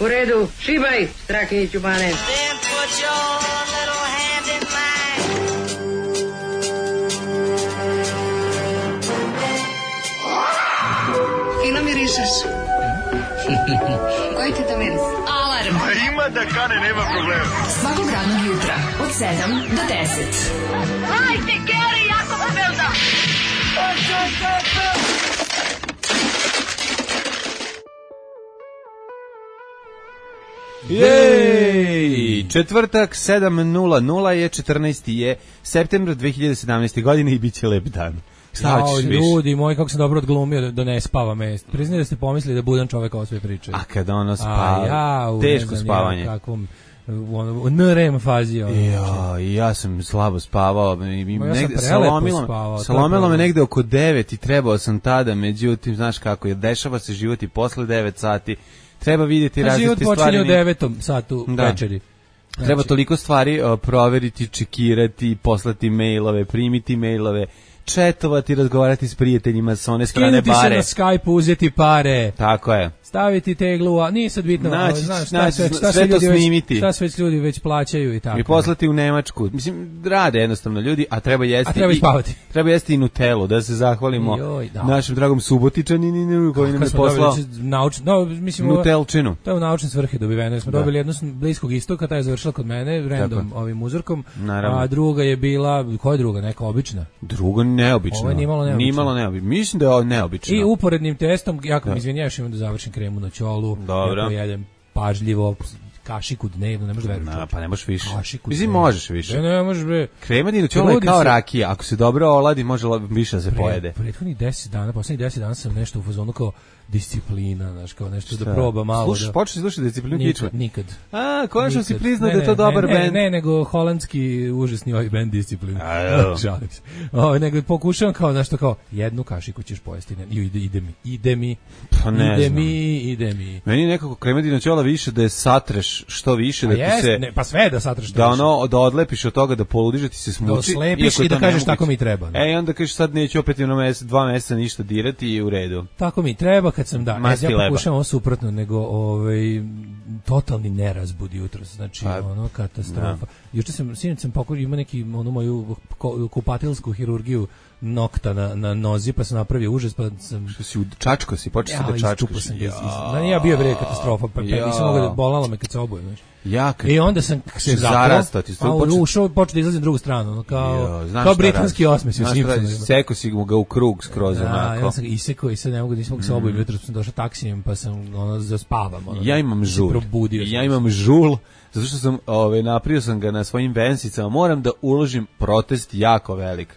U redu, šibaj, Strahinjiću Bane. Then put your little hand in mine. Fino mirišeš. Koji ti to miris? Alarm. Ima da kane, nema problema. Svakog radnog jutra od 7 do 10. Hajde, Geri, jako se velda. Jej! Četvrtak, 7:00 je, 14. je septembar 2017. godine i bit će lep dan. Šta hoćeš više? Ljudi moji, kako sam dobro odglumio da ne spava me. Priznaj da ste pomislili da budem čovek ovo sve pričaju. A kada ono spava, teško spavanje. Kakvom u NREM fazi. Ja sam slabo spavao. Salomilo me negde oko 9 i trebao sam tada, međutim, znaš kako je, dešava se život i posle 9 sati. Treba vidjeti različite stvari. Život počinje u 9 satu večeri. Znači, treba toliko stvari proveriti, čekirati, poslati mailove, primiti mailove, četovati, razgovarati s prijateljima sa one strane bare. Skinuti se na Skype, uzeti pare. Tako je. Staviti teglu, a nije sad bitno. Sve to snimiti. Šta sve ljudi već plaćaju i tako. I poslati u Nemačku. Mislim, rade jednostavno ljudi, a treba jesti. A treba i spavati. Treba jesti i Nutellu, da se zahvalimo našem dragom Subotičaninu koji nam je poslao Nutelčinu. To je u naučne svrhe dobiveno. Smo dobili jednu s Bliskog istoka, ta je završila kod mene, random ovim uzorkom. Naravno. A druga je bila, koja je druga? Neka obična? Druga neobična. Ovo je nimalo neobično. Mislim da je ovo neobično. I uporednim testom, jako mi izvinjaš, imam da završim kremu na ćolu. Dobro. Ja jedem pažljivo, kašiku dnevno, ne možeš da veruješ. Pa ne možeš više. Mislim, možeš više. Ne možeš bre. Krema na ćolu je kao rakija, ako se dobro oladi, može više da se pojede. Prethodnih 10 dana, poslednjih 10 dana sam nešto u fazonu kao disciplina, znaš, kao nešto da proba malo. Slušaj, počeš slušati disciplinu Kičme? Nikad. Konačno si priznao da je to dobar bend. Ne, nego holandski užasni ovaj bend Disciplin. Žalim se. Nego pokušavam kao, znaš, to kao, jednu kašiku ćeš pojesti. Ide mi. Pa ne znam. Ide mi. Meni nekako kremedina ćola više da je satreš što više, da ti se... Pa sve da satreš što više. Da odlepiš od toga, da poludiš, da ti se smuči. Da oslepiš i da kažeš tako mi treba. I onda kažeš sad neću opet 2 meseca ništa dirati i u redu. Tako mi treba kad sam ja pokušavam ovo suprotno, nego totalni nerazbud jutros, znači ono katastrofa. Juče sinoć sam imao neki onu moju kupatilsku hirurgiju nokta na nozi, pa sam napravio užas, pa sam... Što si čačko si, počeo si da čačkoš. Ja bio bre katastrofa, pa nisam mogao da bolalo me kad se obujem, znaš. I onda sam se zarastao, počeo da izlazim drugu stranu, kao britanski osmeh u Simpsonu. Seko si ga u krug skroz onako. Ja sam isekao i sad ne mogu da se obujem, jutro sam došao taksijem pa sam zaspavam. Ja imam žul, zato što sam naprio sam ga na svojim vensicama, moram da uložim protest jako velik.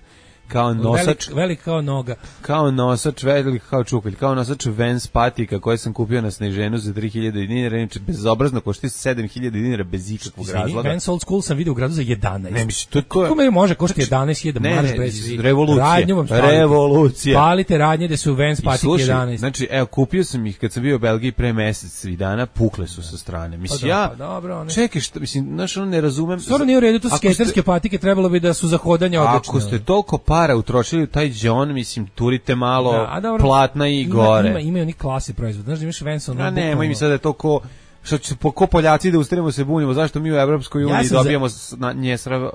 Kao nosač, velik kao noga. Kao nosač, velik kao čukalj, kao nosač Vans patika koje sam kupio na Sneženu za 3000 dinara, inače bezobrazno košta 7000 dinara bez ikakvog razloga. Vans Old School sam vidio u gradu za 11. Ne mislim, kako me može koštati 11.000 marš bez revolucija. Palite radnje da su Vans patike 11. Znači, evo, kupio sam ih kad sam bio u Belgiji pre mesec i dana, pukle su sa strane. Mislim, čekaj, što, mislim, znaš, ono ne razumem. Stvarno nije u redu, to skaterske patike trebalo bi da su za hodanje odlične. Ako ste toliko para utrošili u taj džon, mislim, turite malo platna i gore. Imaju oni klase proizvod. Znaš da imaš Vans ono... Nemoj mi sad da je to ko Poljaci da ustanemo se bunimo, zašto mi u Evropskoj uniji dobijamo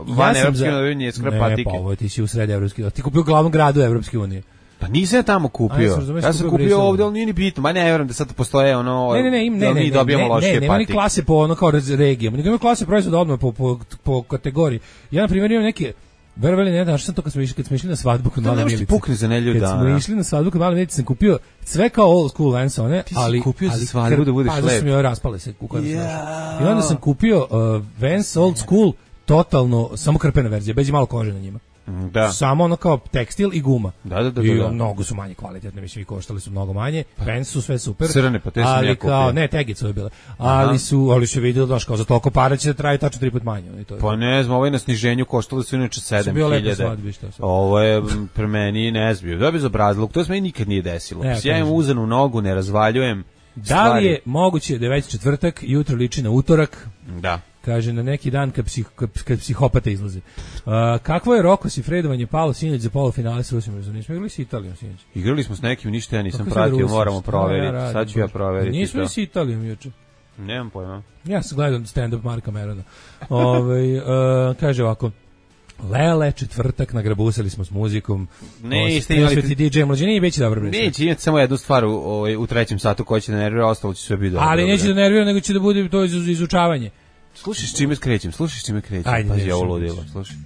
van Evropske unije njeskra patike. Ne, pa ovo ti si u sredi Evropske unije. Ti kupio u glavnom gradu Evropske unije. Pa nisam ja tamo kupio. Ja sam kupio ovdje, ali nije ni bitno. Ma ne vjerujem da sad postoje ono... Ne, dobijamo lošije patike. Nema ni klase po ono kao regijama. Nego ima klase proizvoda odmah po kategoriji. Ja, na primjer, imam neke... Verovali ne, znaš sam to kad smo išli na svadbu kod Male Milice. Pukne za nelju dana. Kad smo išli na svadbu kod Male Milice, sam kupio sve kao old school Vans one, ali... Ti si kupio za svadbu da budeš lep. Pa su mi joj raspale se u kojem sam našao. I onda sam kupio Vans old school, totalno, samo krpena verzija, bez i malo kože na njima. Da. Samo ono kao tekstil i guma. Da. I mnogo su manje kvalitetne, mislim i koštali su mnogo manje. Vans su sve super. Crne, pa te sam ja kupio. Ali kao, ne, tegice je bile. Ali se vidio, znaš, kao za toliko para će da traje tačno 3 puta manje. Pa ne znam, ovo je na sniženju koštalo su inače 7.000. Ovo je pre meni ne znam, da bi bezobrazluk, to se meni nikad nije desilo. Ja imam uzanu nogu, ne razvaljujem. Da li je moguće da je već četvrtak, jutro liči na utorak? Da. Kaže, na neki dan kad psihopata izlaze. Kakvo je Roko Sifredovanje palo sinoć za polufinale s Rusijom? Nismo igrali s Italijom sinoć. Igrali smo s nekim, ništa ja nisam pratio, moramo proveriti. Sad ću ja proveriti. Nismo i s Italijom juče. Nemam pojma. Ja sam gledao stand-up Marka Merona. Kaže ovako, Lele, četvrtak, nagrabusali smo s muzikom. Nećete imali DJ mlađe, nije već dobro. Neće imati samo jednu stvar u trećem satu koja će da nervira, ostalo će sve biti dobro. Ali neće da nervira, nego će da bude to izučavanje. Slušaj s čime krećem. Pazi, ovo ludilo, slušaj.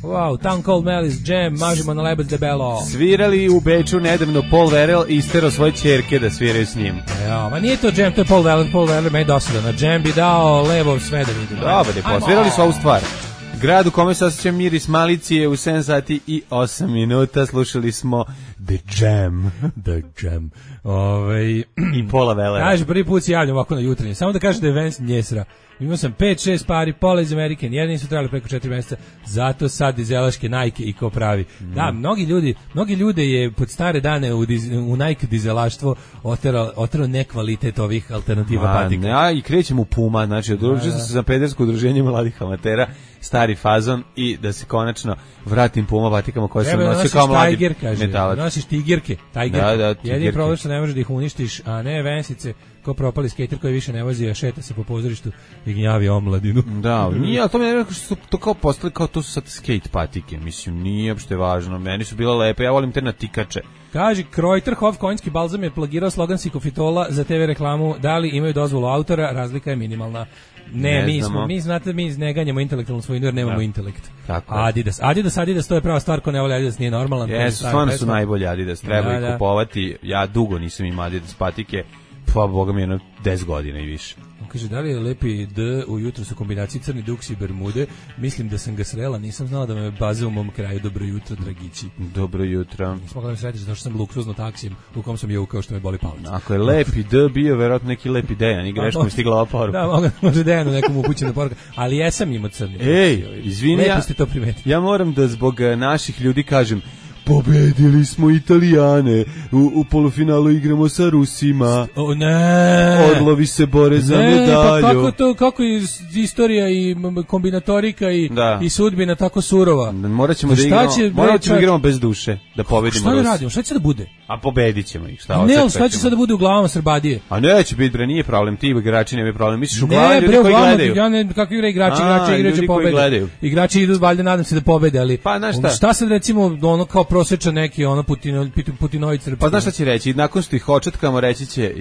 Wow, Town Cold Malice, Jam, mažimo na lebac debelo. Svirali u Beču nedavno Paul Verel i isterao svoje ćerke da sviraju s njim. Ja, ma nije to Jam, to je Paul Verel me je dosadan. Na Jam bi dao levo sve da vidim. Dobro, svirali su ovu stvar. Grad u kome se osjeća miris malicije u 7 sati i 8 minuta. Slušali smo The Jam. I Paula Velera. Kaže, prvi put se javljam ovako na jutarnje. Samo da kažem da je Vance njesra. Imao sam 5-6 pari, pola iz American, jedan nisu trebali preko 4 mjeseca, zato sad dizelaške Nike i ko pravi. Da, mnogi ljude je pod stare dane u Nike dizelaštvo oterao nekvalitet ovih alternativa patika. Ja i krećem u Puma, znači odružio sam se za pedersko udruženje mladih amatera, stari fazon i da se konačno vratim Puma patikama koje sam nosio kao mladi metalac. Nosiš tigerke. Da, jedini problem što ne možeš da ih uništiš, a ne vensice, ko propali skater koji više ne vozi, a šeta se po pozorištu i gnjavi omladinu. Da, nije, ali to mi ne rekao što su to kao postali, kao to su sad skate patike, mislim, nije uopšte važno, meni su bile lepe, ja volim te natikače. Kaže, Kreuterhof konjski balzam je plagirao slogan Sikofitola za TV reklamu, da li imaju dozvolu autora, razlika je minimalna. Mi ne ganjamo intelektualnu svojinu jer nemamo intelekt. Adidas, to je prava stvar, ko ne voli Adidas nije normalan. Jesu, stvarno su najbolji Adidas, treba ih kupovati, ja dugo nisam imao Adidas patike, pa boga mi je 10 godina i više. Kaže, da li je lepi D ujutro sa kombinaciji crni duks i bermude? Mislim da sam ga srela, nisam znala da me baze u mom kraju. Dobro jutro, dragići. Dobro jutro. Nisam mogla da me sretiš zato što sam luksuzno taksijem u kom sam jeo kao što me boli palac. Ako je lepi D bio, verovatno neki lepi Dejan i greško mi stigla ova poruka. Da, može Dejanu nekom upućena poruka, ali jesam imao crni. Izvini, ja moram da zbog naših ljudi kažem, pobedili smo Italijane, u polufinalu igramo sa Rusima. Orlovi se bore za medalju. Pa kako je istorija i kombinatorika i sudbina tako surova. Morat ćemo da igramo bez duše, da pobedimo Rusi. Šta da radimo, šta će da bude? A pobedit ćemo ih, šta će sad da bude u glavama Srbadije? A neće biti, bre, nije problem, ti igrači nemaju problem, misliš u glavi ljudi koji gledaju. Ja ne, kakvi igrači igraće pobede. Igrači idu, valjda nadam se da pobede, ali šta sad recimo ono kao prosječan neki Putinović. Pa znaš šta će reći, nakon što ih očetkamo reći će,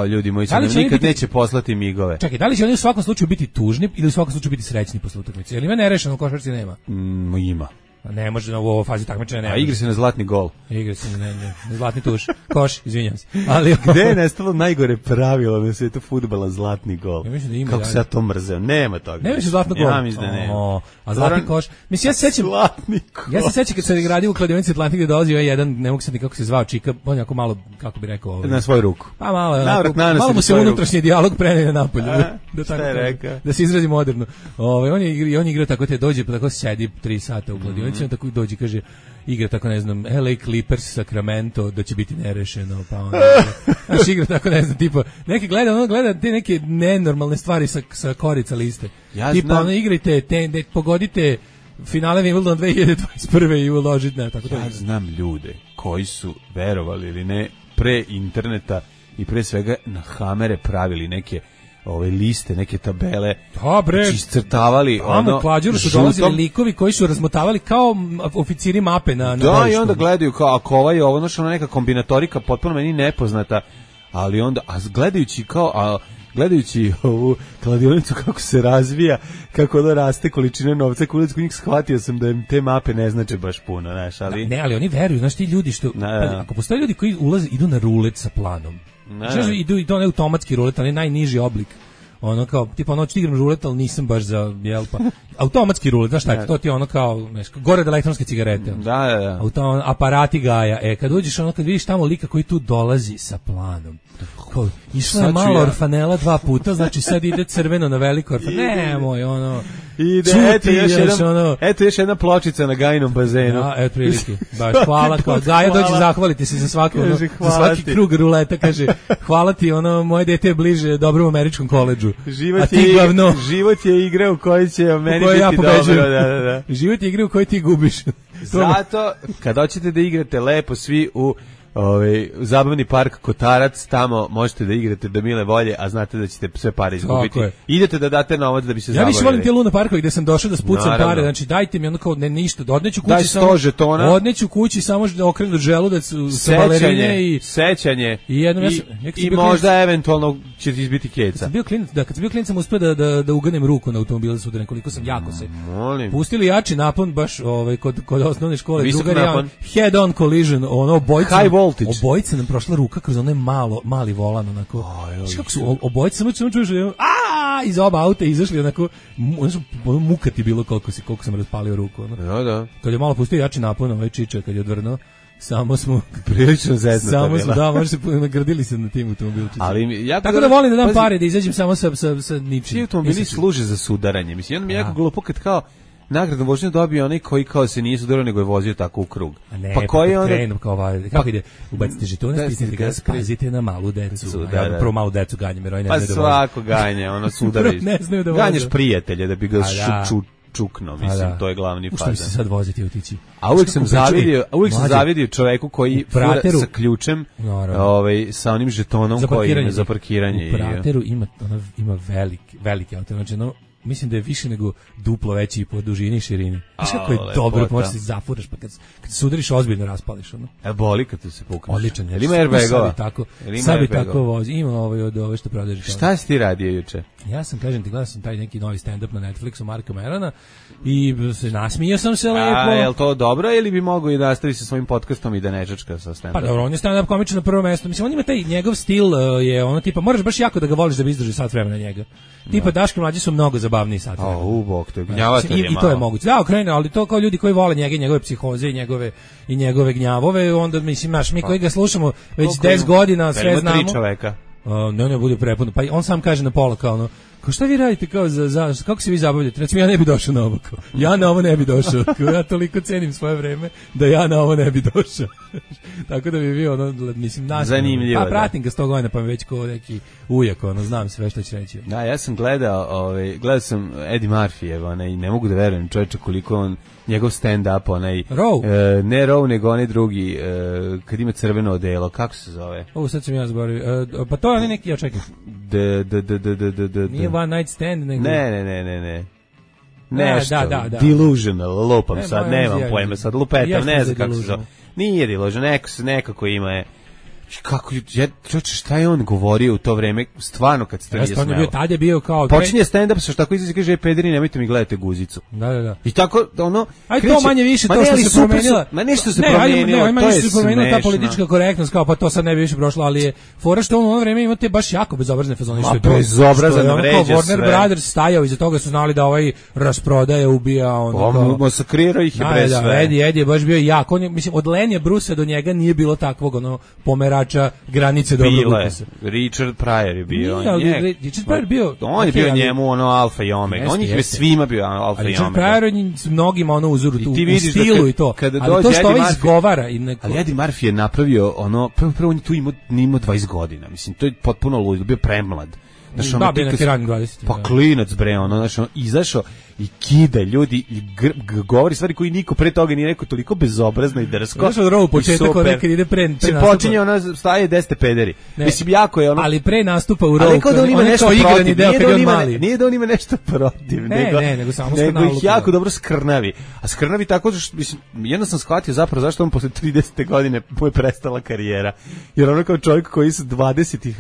ljudi moji se nikad neće poslati migove. Čekaj, da li će oni u svakom slučaju biti tužni ili u svakom slučaju biti srećni posle utakmice? Jer ima nerešeno u košarci nema. Ima. Ne može u ovoj fazi takmičenja nema. A igra se na zlatni gol. Igra se na zlatni tuš. Koš, izvinjam se. Ali gde je nestalo najgore pravilo na svetu fudbala zlatni gol? Ja mislim da ima. Kako se ja to mrzeo? Nema toga. Nema više zlatnog gola. Ja mislim da nema. A zlatni koš. Mislim, ja se sećam. Ja se sećam kad se gradio u kladionici Atlantik gde dolazio jedan, ne mogu se ni kako se zvao čika, on jako malo, kako bi rekao, na svoju ruku. Pa malo mu se unutrašnji dijalog preneo napolje. Da se izrazi moderno. On igra tako te dođe, pa tako sedi 3 sata u kladionici, tako dođe kaže igra tako ne znam LA Clippers Sacramento da će biti nerešeno pa onda znači igra tako ne znam tipa neki gleda te neke nenormalne stvari sa korica liste tipa ono igrajte pogodite finale Wimbledon 2021 i uložite tako to. Ja znam ljude koji su verovali ili ne pre interneta i pre svega na Hamere pravili neke ove liste, neke tabele, iscrtavali ono. Klađuru su dolazili likovi koji su razmotavali kao oficiri mape na da, i onda gledaju kao, ako ovaj je ovo, znači ona neka kombinatorika potpuno meni nepoznata, ali onda, gledajući ovu kladionicu kako se razvija, kako ono raste količine novca, kod njih shvatio sam da im te mape ne znače baš puno, znaš, ali... Ne, ali oni veruju, znaš, ti ljudi što... Ako postoje ljudi koji idu na rulet sa planom, znači idu i to ne automatski rulet, ali najniži oblik. Ono kao, tipa ono ću igram rulet, ali nisam baš za, pa, automatski rulet, znaš šta je, to ti je ono kao, gore od elektronske cigarete. Da. Aparati Gaja, kad uđeš ono, kad vidiš tamo lika koji tu dolazi sa planom, išla je malo orfanela 2 puta, znači sad ide crveno na veliko orfanela, nemoj, ono... Ide, eto još jedna pločica na Gajinom bazenu. Ja, eto prilike. Baš hvala, Gaja dođe zahvaliti se za svaki krug ruleta, kaže hvala ti, moje dete je bliže dobrom američkom koledžu. Život je igra u kojoj će meni biti dobro. Život je igra u kojoj ti gubiš. Zato, kad hoćete da igrate lepo svi u zabavni park Kotarac, tamo možete da igrate do mile volje, a znate da ćete sve pare izgubiti. Idete da date novac da bi se zabavili. Ja više volim te Luna parkovi gde sam došao da spucam pare, znači dajte mi ono kao ništa, da odneću kući samo žetona. Odneću kući samo da okrenem želudac sa balerine i sećanje. I jednom i možda eventualno će ti izbiti keca. Kad sam bio klinac sam uspeo da uganem ruku na automobilu sutra, nekoliko sam jako se. Pustili jači napon baš kod osnovne škole, drugar ja head on collision, ono obojica nam prošla ruka kroz onaj mali volan, onako. Kako su obojica samo čuješ iz oba auta izašli, onako muka ti bilo koliko sam raspalio ruku. Da. Kad je malo pustio jači napon, čiča kad je odvrnuo, samo smo prilično zeznuta. Samo smo, da, može se nagradili se na tim automobilčicima. Ali tako da volim da dam pare, da izađem samo sa ničim. Ti automobili služe za sudaranje. Mislim, jedno mi je jako glupo kad kao nagradnu vožnju dobio onaj koji kao se nije sudarao, nego je vozio tako u krug. Pa koji je onda kako ide, ubacite žetone, stisnite gas, pazite na malu decu. Prvo malu decu ganjem, jer oni ne znaju da voze. Pa svako ganje, ono sudaraju. Ganješ prijatelje da bi ga čukno, mislim, to je glavni fazan. Što bi se sad voziti i otići? A uvijek sam zavidio čoveku koji fura sa ključem, sa onim žetonom koji ima za parkiranje. U Prateru ima veliki auto, znači mislim da je više nego duplo veći po dužini i širini. Znaš kako je dobro, možeš se zafuraš, pa kad se udariš ozbiljno raspališ. Boli kad te se pukneš. Odličan. Ima airbagova? Sad bi tako vozi. Ima od ove što prodaje žetone. Šta si ti radio juče? Ja sam, kažem ti, gledao sam taj neki novi stand-up na Netflixu Marka Merona i nasmijao sam se lepo. Je li to dobro ili bi mogao i da nastavi sa svojim podcastom i da ne čačka sa stand-upom? Pa dobro, on je stand-up komičan na prvo mesto. Mislim, on ima taj njegov stil, je ono tipa, moraš baš jako da ga voliš da bi izdržao sat vremena njega. Tipa Daško mlađi su mnogo zabavniji sat vremena. Bog, to je gnjavatelj je i to je moguće. Da, okrene, ali to kao ljudi koji vole njegove psihoze i njegove gnjavove, onda mislim, mi koji ga slušamo već 10 godina, sve znamo. 3 čoveka. Ne bude prepuno. Pa on sam kaže na pola kao ono, kao šta vi radite, kao kako se vi zabavljate? Recimo, ja ne bi došao na ovo. Ja na ovo ne bi došao. Ja toliko cenim svoje vreme da ja na ovo ne bi došao. Tako da bi bio ono, mislim, zanimljivo. Pa pratim ga 100 godina, pa mi već kao neki ujak, ono, znam sve što će reći. Da, ja sam gledao sam Eddie Murphy, i ne mogu da verujem čovječe koliko on, njegov stand-up, ne Row, nego onaj drugi, kad ima crveno odelo, kako se zove? Sad sam ja zaboravio. Pa to je onaj neki, ja čekam. Nije One Night Stand, nego... Ne. Nešto, delusional, lupam sad, nemam pojma sad, lupetam, ne znam kako se zove. Nije delusional, nekako ima je. Šta je on govorio u to vreme, stvarno kad se to nije smelo. Tad je bio kao... Počinje stand-up, što tako izađe, kaže, pederi, nemojte mi gledati guzicu. Da. I tako, ono... Aj to manje više, to što se promenila... Ma nešto se promenilo, to je smešno. Ta politička korektnost, kao pa to sad ne bi više prošlo, ali je fora što ono vreme imate baš jako bezobrazne fazone. Bezobrazan vređa sve. Warner Brothers stajao, iza toga su znali da ovaj rasprodaje, ubija, ono... Masakrirao ih je pre sve. Eddie je baš bio jak. Mislim, od Lenja Brusa do njega nije bilo takvog, ono, pomerača granice dobrog ukusa. Richard Pryor je bio. Richard Pryor bio... On je bio njemu ono alfa i omega. On je svima bio alfa i omega. Richard Pryor je s mnogima ono uzoru u stilu i to. Ali to što ovaj izgovara... Ali Eddie Murphy je napravio ono... Prvo on tu imao 20 godina. Mislim, to je potpuno ludo. Bio premlad. Da, bio neki ranim 20. Pa klinac bre, ono, izašao i kida ljudi i govori stvari koji niko pre toga nije rekao, toliko bezobrazno i drsko. Znaš od rovu početak, ono kad ide pre nastupa. Počinje ono, staje 10 pederi. Mislim, jako je ono... Ali pre nastupa u rovu, ali da on ima nešto protiv, deo, kad je on mali. Nije da on ima nešto protiv, nego samo nego ih jako dobro skrnavi. A skrnavi tako, mislim, jedno sam shvatio zapravo zašto on posle 30. godine mu je prestala karijera. Jer ono kao čovjek koji sa 20-ih,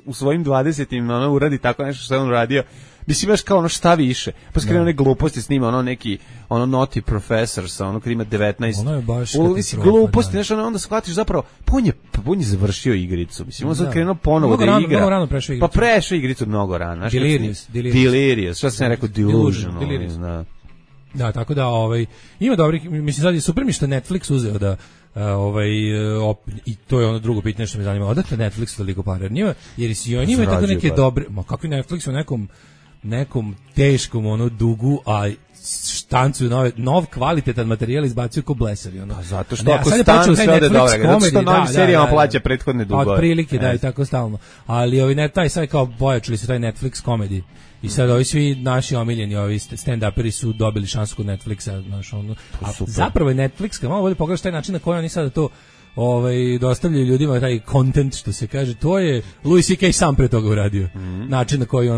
u svojim 20-im ono uradi tako nešto što je on uradio, mislim baš kao ono šta više. Pa skrene one gluposti snima, ono neki, ono naughty professor sa ono kad ima 19. Ono je baš gluposti, znaš, onda shvatiš zapravo, on je završio igricu. Mislim, on sad krenuo ponovo da igra. Mnogo rano prešao igricu. Pa prešao igricu mnogo rano. Delirious. Šta sam rekao? Delusional. Da, tako da, ima dobrih, mislim, sad je super mi što Netflix uzeo da i to je ono drugo pitanje što me zanima. Odakle Netflix toliko para? Jer si on ima tako neke dobre, ma kakvi Netflix u nekom teškom ono dugu, a štancuju nov kvalitetan materijal, izbacuju ko blesavi. Ono. Pa zato što ako stanu sve ode dobro, zato što novim serijama plaća prethodne dugove. Od prilike, da, i tako stalno. Ali taj sad kao pojačali su taj Netflix komedi. I sad ovi svi naši omiljeni, ovi stand-uperi su dobili šansu kod Netflixa, znaš, ono. A zapravo je Netflix, kad malo bolje pogledaš taj način na koji oni sada to dostavljaju ljudima taj content, što se kaže, to je Louis C.K. sam pre toga uradio. Način na koji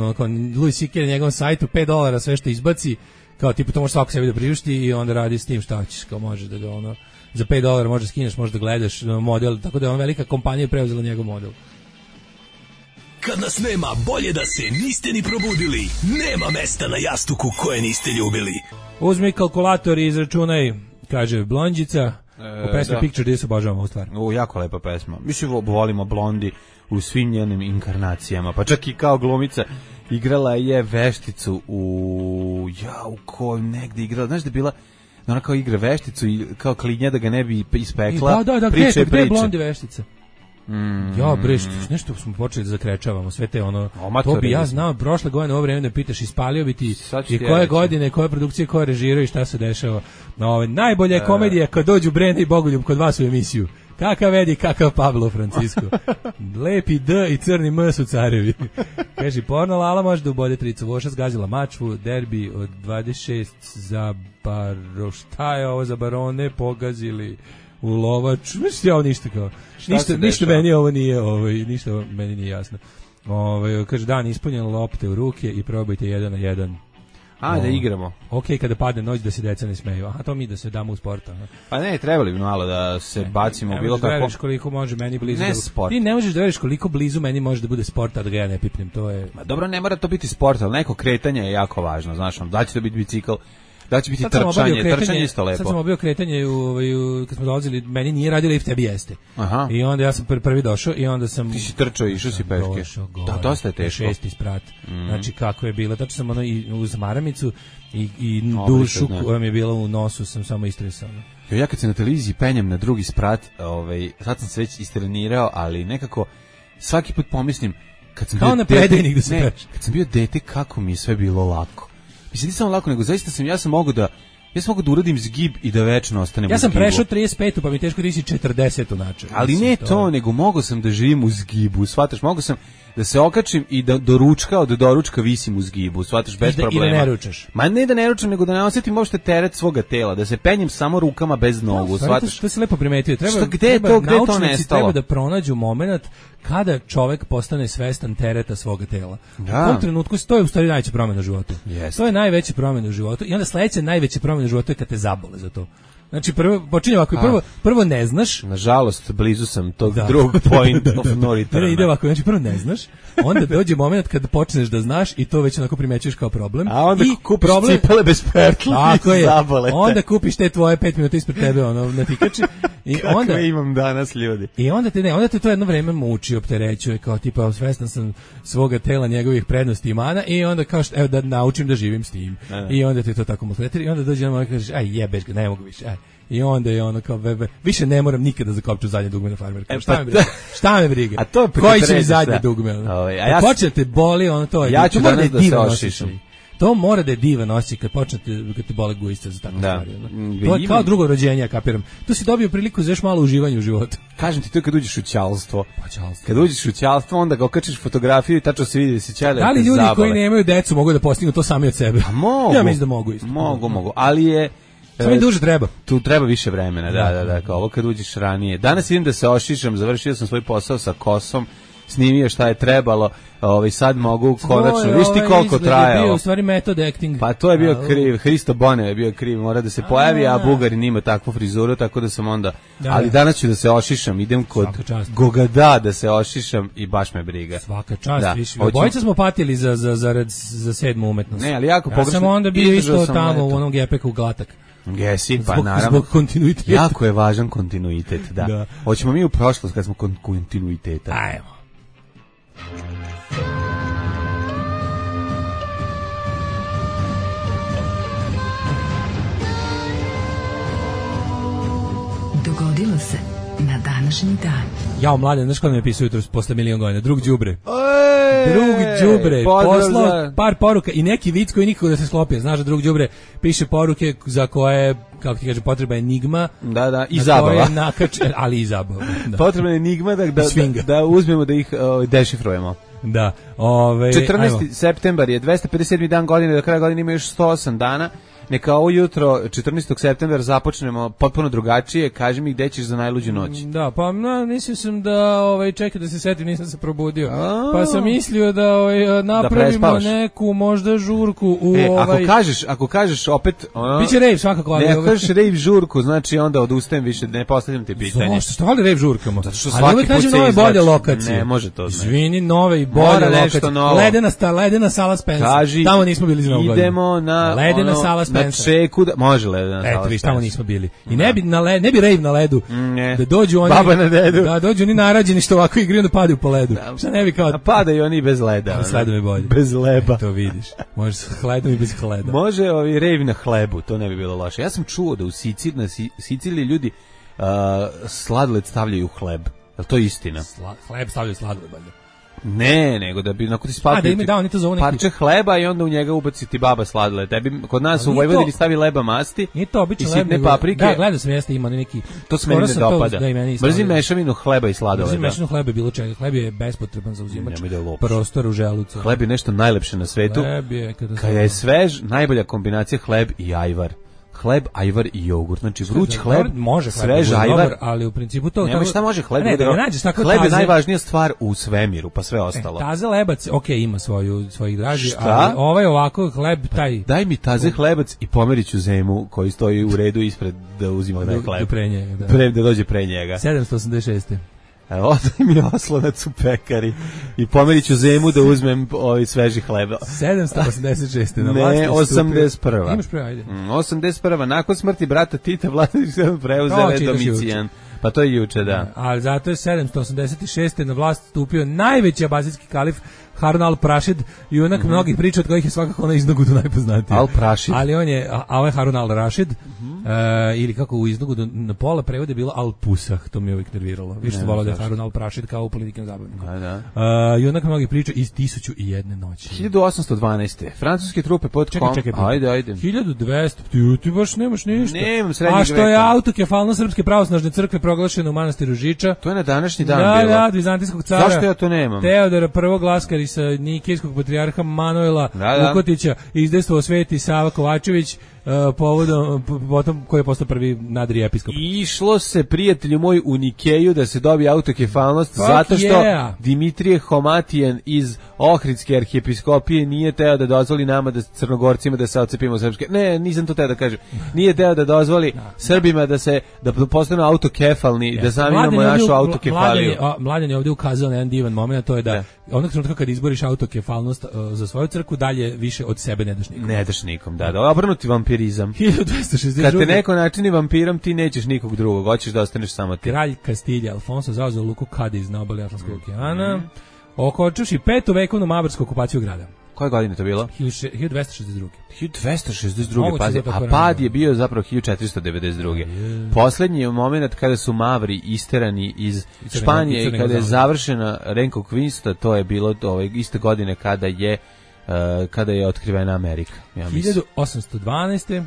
Louis C.K. na njegovom sajtu $5 sve što izbaci, kao tipu to može svako sebi da priušti i onda radi s tim šta hoćeš, kao možeš da ga za $5 možeš skineš, možeš da gledaš model, tako da je velika kompanija preuzela njegov model. Kad nas nema, bolje da se niste ni probudili. Nema mesta na jastuku koje niste ljubili. Uzmi kalkulator i izračunaj, kaže Blondjica. U pesmi Picture gdje se obožavamo u stvari. Jako lepa pesma. Mislim, volimo Blondi u svim njenim inkarnacijama. Pa čak i kao glumica igrala je vešticu u kojoj negdje igrala. Znaš da je bila, ona kao igra vešticu i kao klinja da ga ne bi ispekla. Da, gdje je Blondi veštica? Ja, nešto smo počeli da zakrečavamo, sve te to bi ja znao prošle godine ovo vreme da pitaš, ispalio bi ti i koje godine, koje produkcije, koje režiraju i šta se dešava. Najbolja je komedija kad dođu Brenda i Bogoljub kod vas u emisiju. Kakav Edi, kakav Pablo Francisco. Lepi D i crni M su carevi. Kaže, porno Lala može da ubode tricu. Voša zgazila mačvu, derbi od 26 za šta je ovo za barone pogazili u Lovač, mislim ovo ništa kao. Ništa meni ovo nije, ništa meni nije jasno. Kaže dan ispunjen, lopte u ruke i probajte 1 na 1. Da igramo. Kada padne noć da se deca ne smeju. Aha, to mi da se damo u sport. Aha. Pa ne, trebali bi malo da se bacimo u bilo kako. Ne možeš da koliko može meni blizu. Ne sport. Ti ne možeš da veriš koliko blizu meni može da bude sport, a da ga ja ne pipnem. To je. Dobro, ne mora to biti sport, ali neko kretanje je jako važno, znaš, da će to biti bicikl. Da će biti trčanje isto lepo. Sad sam obio kretanje kad smo dolazili, meni nije radio lift, tebi jeste. Aha. I onda ja sam prvi došao i onda sam... Ti si trčao i išao si peške. Da, dosta je teško. 6. sprat. Znači kako je bilo. Tačno sam i uz maramicu i dušu koja mi je bila u nosu sam samo istresao. Ja kad se na televiziji penjem na 2. sprat, sad sam se već istrenirao, ali nekako svaki put pomislim kad sam kao na predajnik da se peš. Kad sam bio dete, kako mi je sve bilo lako. Mislim, nisam lako, nego zaista ja sam mogu da uradim zgib i da večno ostanem u zgibu. Ja sam prešao 35, pa mi teško da isi 40 način. Ali ne to, nego mogu sam da živim u zgibu, shvataš, mogu sam da se okačim i da do doručka visim u zgibu, shvataš, bez problema. I da ne ručaš. Ma ne da ne ručam, nego da ne osjetim uopšte teret svoga tela, da se penjem samo rukama bez nogu, shvataš. To si lepo primetio. Gde to naučnici treba da pronađu moment kada čovek postane svestan tereta svoga tela. U tom trenutku to je u stvari najveća promjena u životu. To je najveća promjena u životu i onda sledeća najveća promjena u životu je kad te zabole za to. Znači počinje ovako, prvo ne znaš. Nažalost, blizu sam tog drugog point of no return. Ide ovako, znači prvo ne znaš, onda dođe moment kad počneš da znaš i to već onako primećuješ kao problem. A onda kupiš cipele bez pertla i zabolete. Onda kupiš te tvoje 5 minuta ispred tebe na tikači. Kakve imam danas, ljudi. I onda te to jedno vreme muči, opterećuje, kao tipa svestan sam svoga tela, njegovih prednosti i mana i onda kao evo da naučim da živim s tim. I onda te to tako maltretira i onda dođe na moment kažeš aj jebeš ga, ne mogu više. I onda je ono kao više ne moram nikada zakopčati zadnje dugme na farmerku. Šta me briga? A to je koji će mi zadnje dugme? Počnete boli, ono to je. Ja ću danas da se ošišam. To mora da je divan osjećaj kad te bole gujice za takve stvari. To je kao drugo rođenje, ja kapiram. Tu si dobio priliku za još malo uživanja u životu. Kažem ti, to je kad uđeš u ćalstvo. Kad uđeš u ćalstvo, onda ga okačiš fotografiju i tačno se vidi da si ćale. Da li ljudi koji nemaju decu mogu da postignu to sami od sebe? Mogu. Ja mislim da mogu isto. Mogu, ali je... Samo mi duže treba. Tu treba više vremena, da, kao ovo kad uđeš ranije. Danas vidim da se ošišam, završio sam svoj posao sa kosom, snimio šta je trebalo, sad mogu konačno, viš ti koliko trajalo. Bio u stvari method acting. Pa to je bio kriv, Hristo Bonev je bio kriv, mora da se pojavi, a Bugarin ima takvu frizuru, tako da sam onda, ali danas ću da se ošišam, idem kod Gogada da se ošišam i baš me briga. Svaka čast, više. Obojica smo patili za 7. umetnost. Ne, ali jako pogrešno. Ja sam onda bio isto tamo u onom gepeku glatak. Jesi, pa naravno. Zbog kontinuiteta. Jako je važan kontinuitet, da. Hoćemo mi u prošlost kad smo kontinuiteta. Ajmo. Dogodilo se na današnji dan. Jao, mladen, znaš kada mi je pisao jutro posle 1.000.000 godina? Drug đubre. Drug đubre, poslao par poruka i neki vic koji nikako da se sklopio. Znaš da drug đubre piše poruke za koje, kako ti kaže, potreba enigma. Da, i zabava. Ali i zabava. Potrebna je enigma da uzmemo da ih dešifrujemo. Da. 14. septembar je 257. dan godine, do kraja godine ima još 108 dana. neka ovo jutro 14. septembra započnemo potpuno drugačije. Kaži mi gde ćeš za najluđu noć. Da, pa mislio sam da čekaj da se setim, nisam se probudio. Pa sam mislio da napravimo neku možda žurku u ako kažeš opet biće rave svakako, ali ako kažeš rave žurku, znači onda odustajem više, ne postavljam ti pitanje. Što voli rave žurkamo? Zato što svaki put se nove bolje lokacije. Ne može to. Izvini, nove i bolje lokacije. Ledena sala Spencer. Tamo nismo bili za Novu godinu. Idemo na ledena sala Spencer. Na Čeku, može ledena sala. Eto, viš, tamo nismo bili. I ne bi rave na ledu. Da dođu oni. Baba na dedu. Da dođu oni narađeni što ovako igraju da padaju po ledu. Šta ne bi kao. A padaju oni bez leda. S ledom je bolje. Bez leba. To vidiš. Može s hledom i bez hleda. Može rave na hlebu, to ne bi bilo loše. Ja sam čuo da u Siciliji ljudi sladoled stavljaju u hleb. Je li to istina? Hleb stavljaju sladoled, valjda. Ne, nego da bi nakon ti spatio parče hleba i onda u njega ubaci ti baba sladoled. Kod nas u Vojvodini stavi leba masti i sitne paprike. Da, gledao sam jeste ima neki. To se meni ne dopada. Mrzim mešavinu hleba i sladoleda. Mrzim mešavinu hleba bilo čega. Hleb je bespotreban za uzimač prostora u želucu. Hleb je nešto najlepše na svetu. Kada je svež, najbolja kombinacija hleb i ajvar. Hleb, ajvar i jogurt. Znači vruć hleb, svež ajvar, ali u principu to nema šta može hleb. Hleb je najvažnija stvar u svemiru, pa sve ostalo. Taze lebac, ima svojih draži, ali ovako hleb taj. Daj mi taze hlebac i pomeriću zemu koji stoji u redu ispred da uzima taj hleb. Da dođe pre njega. 786. Odaj mi oslonac u pekari i pomeriću zemu da uzmem sveži hleb. 786. Ne, 81. Imaš pre, ajde. 81. Nakon smrti brata Tita Vladimir se preuzeo Domicijan. Pa to je juče, da. Ali zato je 786. na vlast stupio najveći abasijski kalif Harun al-Rašid, junak mnogih priča od kojih je svakako na Iznogudu najpoznatiji. Al-Rašid. Ali on je, a ovaj Harun al-Rašid, ili kako u Iznogudu na pola prevode bilo Al-Pusah, to mi je uvijek nerviralo. Više volao da je Harun al-Rašid kao u političkim zabavnikom. Junak mnogih priča iz 1001 noći. 1812. Francuske trupe pod Čekaj. Ajde. 1200. Ti baš nemaš ništa. Nemam srednjeg veka. A što je autokefalno Srpske pravoslavne crkve proglašeno u manastiru Žiča? To je na današnji dan bilo. Da, vizantijskog cara. Zašto ja to nemam? Teodora I Glaskar sa nikejskog patrijarha Manuela Vukotića izdejstvovao Sveti Sava Kovačević potom koji je postao prvi nadri episkop. Išlo se, prijatelju moj, u Nikeju da se dobije autokefalnost zato što Dimitrije Homatijan iz Ohridske arhijepiskopije nije teo da dozvoli nama da Crnogorcima da se odcepimo srpske. Ne, nisam to teo da kažem. Nije teo da dozvoli Srbima da postanu autokefalni, da sami imamo našu autokefaliju. Mladen je ovdje ukazao na jedan divan moment, to je da onog trenutka kad izboriš autokefalnost za svoju crkvu, dalje više od sebe ne daš nikom. Ne daš nikom, da. Obrnuti vampirizam. 1262. Kad te neko načini vampirom, ti nećeš nikog drugog, hoćeš da ostaneš samo ti. Kralj Kastilja Alfonso zauzeo luku Kadiz na obali Atlantskog okeana, okončavši 5. vekovnu mavarsku okupaciju grada. Koje godine to bilo? 1262. 1262. Pazi, a pad je bio zapravo 1492. Poslednji je moment kada su Mavri isterani iz Španije i kada je završena Reconquista, to je bilo iste godine kada je otkrivena Amerika. Ja 1812.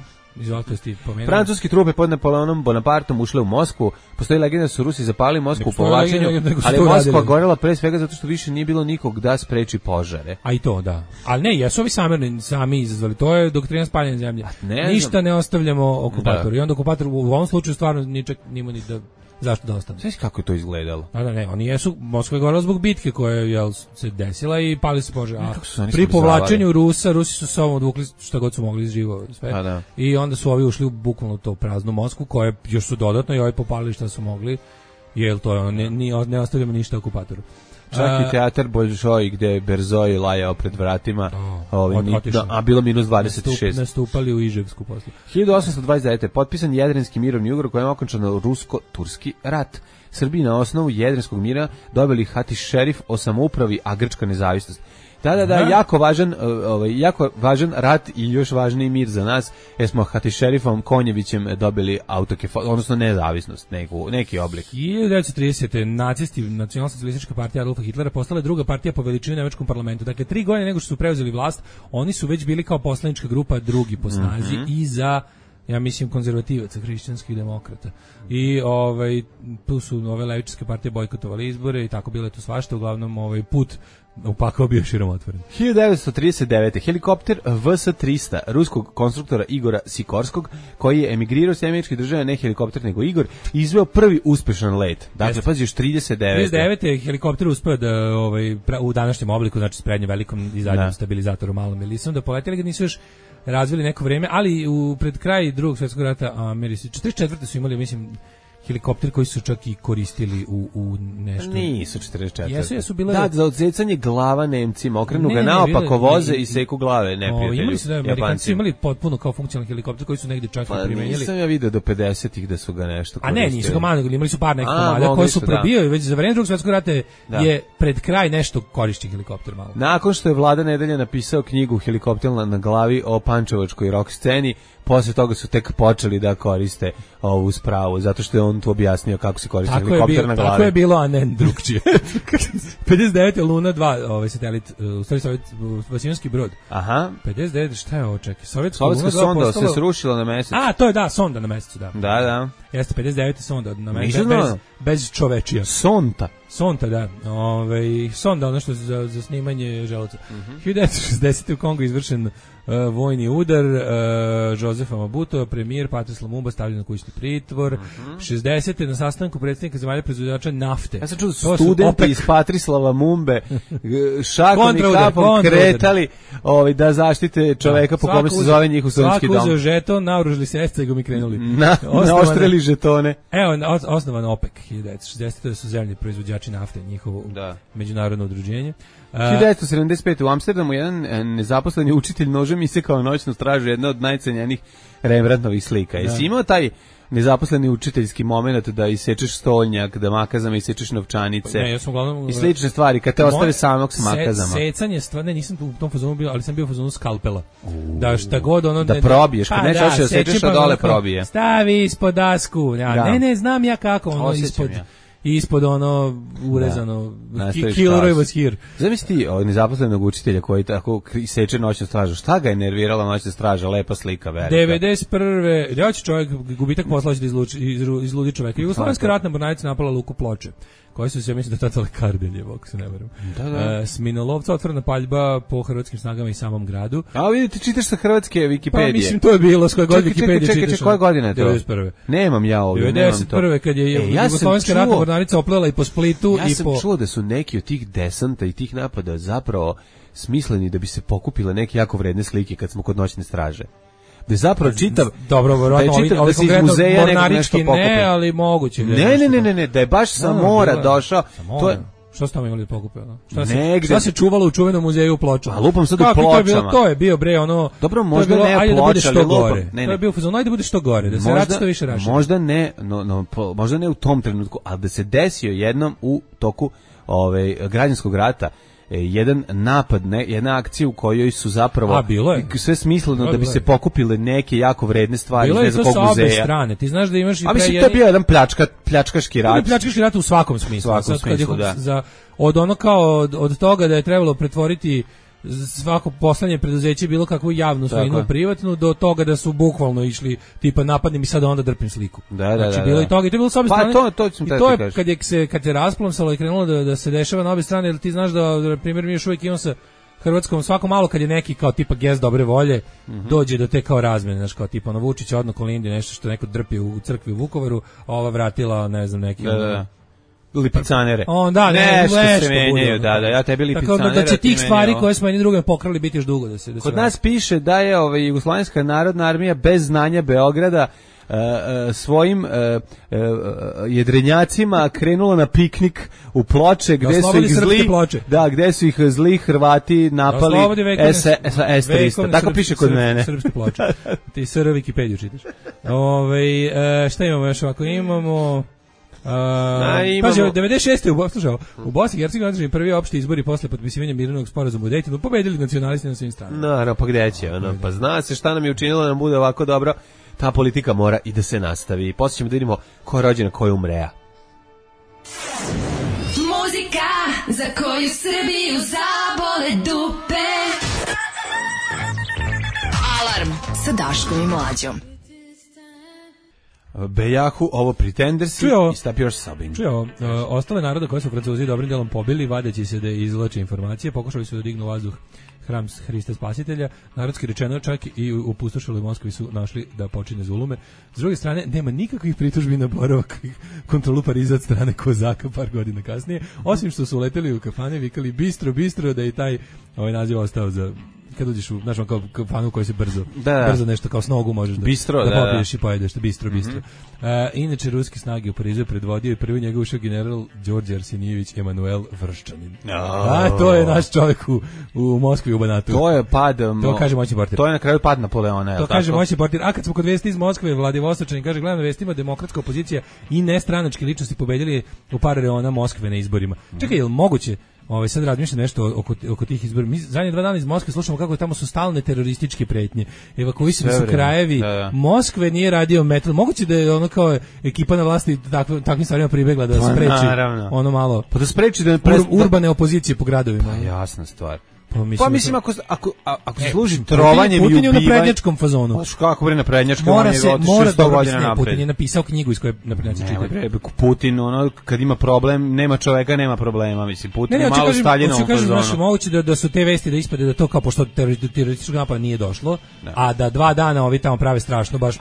Francuski trupe pod Napoleonom Bonapartom ušle u Moskvu. Postoji legenda da su Rusi zapalili Moskvu u povlačenju, ali Moskva gorela pre svega zato što više nije bilo nikog da spreči požare. A i to, da. Ali ne, jesu ovi sami izazvali. To je doktrina spaljene zemlje. Ništa ne ostavljamo okupatoru. I onda okupator u ovom slučaju stvarno nima ni da... Zašto da ostane? Znaš kako je to izgledalo? Oni jesu, Moskva je gorela zbog bitke koja je se desila i pali se požar. Pri povlačenju Rusi su sa ovom odvukli šta god su mogli iz živo sve. I onda su ovi ušli u bukvalno to praznu Moskvu, koje još su dodatno i ovi popalili šta su mogli, jer to je ne ostavljamo ništa okupatoru. Čak i teatar Bolšoj gde je Berzoj lajao pred vratima, a bilo minus 26. Nastupali u Iževsku posle. 1829. potpisan Jadranski mirovni ugovor kojem je okončan rusko-turski rat. Srbiji na osnovu Jadranskog mira dobili Hatiš Šerif o samoupravi, a Grčka nezavisnost. Da, jako važan rat i još važniji mir za nas, jer smo Hatišerifom Konjevićem dobili odnosno nezavisnost, neki oblik. 1930. nacisti, nacionalno-socijalistička partija Adolfa Hitlera postala je druga partija po veličini u nemačkom parlamentu. Dakle, 3 godine nego što su preuzeli vlast, oni su već bili kao poslanička grupa drugi po snazi i za, ja mislim, konzervativaca, hrišćanskih demokrata. I tu su ove levičarske partije bojkotovali izbore i tako bilo je to svašta. Uglavnom put upakao bio širom otvoren. 1939. helikopter VS-300 ruskog konstruktora Igora Sikorskog, koji je emigrirao s američkih država, ne helikopter nego Igor, izveo prvi uspešan let. Dakle, pazi, još 39. 39. je helikopter uspeo da u današnjem obliku, znači s prednjim velikom i zadnjim stabilizatorom malom elisom, da poleteli ga nisu još razvili neko vreme, ali pred kraj Drugog svjetskog rata Americi 44. su imali, mislim, helikopter koji su čak i koristili u nešto. Nisu 44. Jesu bile... Da, za odsecanje glava Nemcima, okrenu ga naopako voze i seku glave neprijatelju. Imali su da, Amerikanci su imali potpuno kao funkcionalni helikopter koji su negdje čak i primenjali. Nisam ja vidio do 50-ih da su ga nešto koristili. A ne, nisu ga manjali, imali su par nekih komada koji su probijali, već za vreme Drugog svjetskog rata je pred kraj nešto korišćen helikopter malo. Nakon što je Vlada Nedelja napisao knjigu Helikopter na glavi o pančevačkoj rock sceni, posle toga su tek počeli da koriste ovu spravu, zato što je on tu objasnio kako se koristi helikopter na glavi. Tako je bilo, a ne drugčije. 59. Luna 2, satelit, u stvari Vasijanski brod. Aha. 59. Šta je ovo, čekaj? Sovjetska sonda se srušila na mesec. A, to je da, sonda na mesecu, da. Da. Jeste 59. sonda na mesecu, bez čovečija. Sonda, da. Sonda, ono što za snimanje želuca. 1960. u Kongu izvršen vojni udar, Josefa Mabuto, premijer Patrice Lumumba stavljen na kućni pritvor. 60. na sastanku predsjednika zemalja proizvođača nafte. Ja sam čuo da su studenti iz Patrislava Mumbe šakom i kapom kretali da zaštite čoveka po kome se zove njihov studentski dom. Svako uzeo žeton, naoružili se escegom i krenuli. Naoštrili žetone. Evo, osnovan OPEC 1960. da su zemlji proizvođači nafte, njihovo međunarodno udruženje. 1975. u Amsterdamu jedan nezaposleni učitelj nožem isekao noćnu stražu, jedna od najcenjenijih Rembrandtovih slika. Jesi imao taj nezaposleni učiteljski moment da isečeš stolnjak, da makazama isečeš novčanice i slične stvari, kad te ostave samog s makazama? Secanje stvarno, nisam u tom fazonu bio, ali sam bio u fazonu skalpela. Da šta god ono... Da probiješ, kad nećeš da sečeš, a dole probije. Stavi ispod dasku. Ne, znam ja kako, ono ispod ono urezano Killeroy was here. Zamisli nezaposlenog učitelja koji tako seče noćnu stražu. Šta ga je nervirala noćna straža? Lepa slika, velika. 91. Ljoć čovjek, gubitak posla će da izludi čovjeka. Jugoslovenska ratna mornarica napala luku Ploče, koji su se, mislim da tata Kardeljevo, ako se ne varam. Sminolovca, otvorena paljba po hrvatskim snagama i samom gradu. A vidite, čitaš sa hrvatske Wikipedije. Pa mislim, to je bilo, s koje god Wikipedije čitaš. Čekaj, koja godina je to? 91. Nemam ja ovdje, nemam to. 91. kad je Jugoslovenska ratna mornarica oplela i po Splitu. Ja sam čuo da su neki od tih desanta i tih napada zapravo smisleni da bi se pokupile neke jako vredne slike kad smo kod noćne straže. Da je zapravo čitav... Dobro, verovatno, ovi konkretno mornarički ne, ali moguće. Ne, da je baš sa mora došao. To je... Što ste tamo imali da pokupe? Šta se čuvalo u čuvenom muzeju u Pločama? A lupam sad u Pločama. To je bio bre ono... Dobro, možda ne Ploča, ali lupam. To je bio fazon, ajde da bude što gore, da se radi što više raširi. Možda ne u tom trenutku, ali da se desio jednom u toku građanskog rata jedan napad, jedna akcija u kojoj su zapravo sve smisleno da bi se pokupile neke jako vredne stvari iz nekog muzeja. Bilo je to sa obe strane. Ti znaš da imaš i a mislim, to je bio jedan pljačkaški rat. Pljačkaški rat u svakom smislu. Da. Od ono kao, od toga da je trebalo pretvoriti svako poslednje preduzeće bilo kakvu javnu svojinu privatnu, do toga da su bukvalno išli tipa napadnim i sad onda drpim sliku. Znači bilo i toga i to je bilo s obe strane. I to je kad je rasplomsalo i krenulo da se dešava na obe strane, jer ti znaš da, na primjer, mi još uvijek imamo sa Hrvatskom svako malo kad je neki kao tipa gest dobre volje, dođe do te kao razmene, znači kao tipa ono Vučić odno Kolindi, nešto što neko drpi u crkvi u Vukovaru, a ova vratila, ne znam, neki... lipicanere. Nešto se menjaju, ja tebi lipicanere. Tako da će tih stvari koje smo jedni drugim pokrali biti još dugo da se kod nas piše da je Jugoslovenska narodna armija bez znanja Beograda svojim jedrenjacima krenula na piknik u Ploče gde su ih zli Hrvati napali S-300. Tako piše kod mene. Srpske Ploče. Ti SR Wikipediju čitaš. Šta imamo još ovako? Imamo... Pazi, 96. u Bosni i Hercegovini održani prvi opšti izbori posle potpisivanja mirovnog sporazuma u Dejtonu, pobedili nacionalisti na svim stranama. Naravno, pa gde će? Pa zna se šta nam je učinilo da nam bude ovako dobro. Ta politika mora i da se nastavi. Poslije ćemo da vidimo ko je rođena, ko je umreja. Muzika za koju Srbiju zabole dupe. Alarm sa Daškom i Mlađom. Bejahu, ovo Pretendersi i Stop Your Sobbing. Čuo, ostale naroda koje su Francuzi dobrim delom pobili, vadeći se da izvlače informacije, pokušali su da dignu vazduh hram Hrista Spasitelja, narodski rečeno čak i u pustošeloj Moskvi su našli da počine zulume. S druge strane, nema nikakvih pritužbi na boravak i kontrolu Pariza od strane Kozaka par godina kasnije, osim što su uleteli u kafane, vikali bistro, bistro, da je taj naziv ostao za kad uđeš u, znaš, kao kafanu koji se brzo nešto kao s nogu možeš da popiješ i pojedeš, bistro. Inače, ruske snage u Parizu je predvodio i prvi njega ušao general Đorđe Arsenijević Emanuel Vrščanin. To je naš čovjek u Moskvi, u Banatu. To je pad, to kaže moćni portir. To je na kraju pad Napoleona. To kaže moćni portir. A kad smo kod vesti iz Moskve, Vladivostočanin kaže, gledam na vestima, demokratska opozicija i nestranačke ličnosti pobedili u par reona Moskve na izborima. Čekaj, je li moguće? Sad razmišljam nešto oko tih izbora. Mi zadnje 2 dana iz Moskve slušamo kako tamo su stalne terorističke pretnje. Evakuisani su krajevi. Moskve nije radio metal. Moguće da je ono kao ekipa na vlasti takvim stvarima pribegla da spreči ono malo. Pa da spreči da urbane opozicije po gradovima. Pa jasna stvar. Pa mislim ako se služi trovanjem i ubivanjem. Putin je u naprednjačkom fazonu. Kako bre naprednjačkom, on je otišao 100 godina napred. Putin je napisao knjigu iz koje naprednjaci čitaju. Putin, kad ima problem, nema čoveka, nema problema. Mislim, Putin je malo Staljinovom fazonu. Moguće da su te vesti da ispade da to kao pošto terorističkog napada nije došlo, a da 2 dana ovi tamo prave strašno baš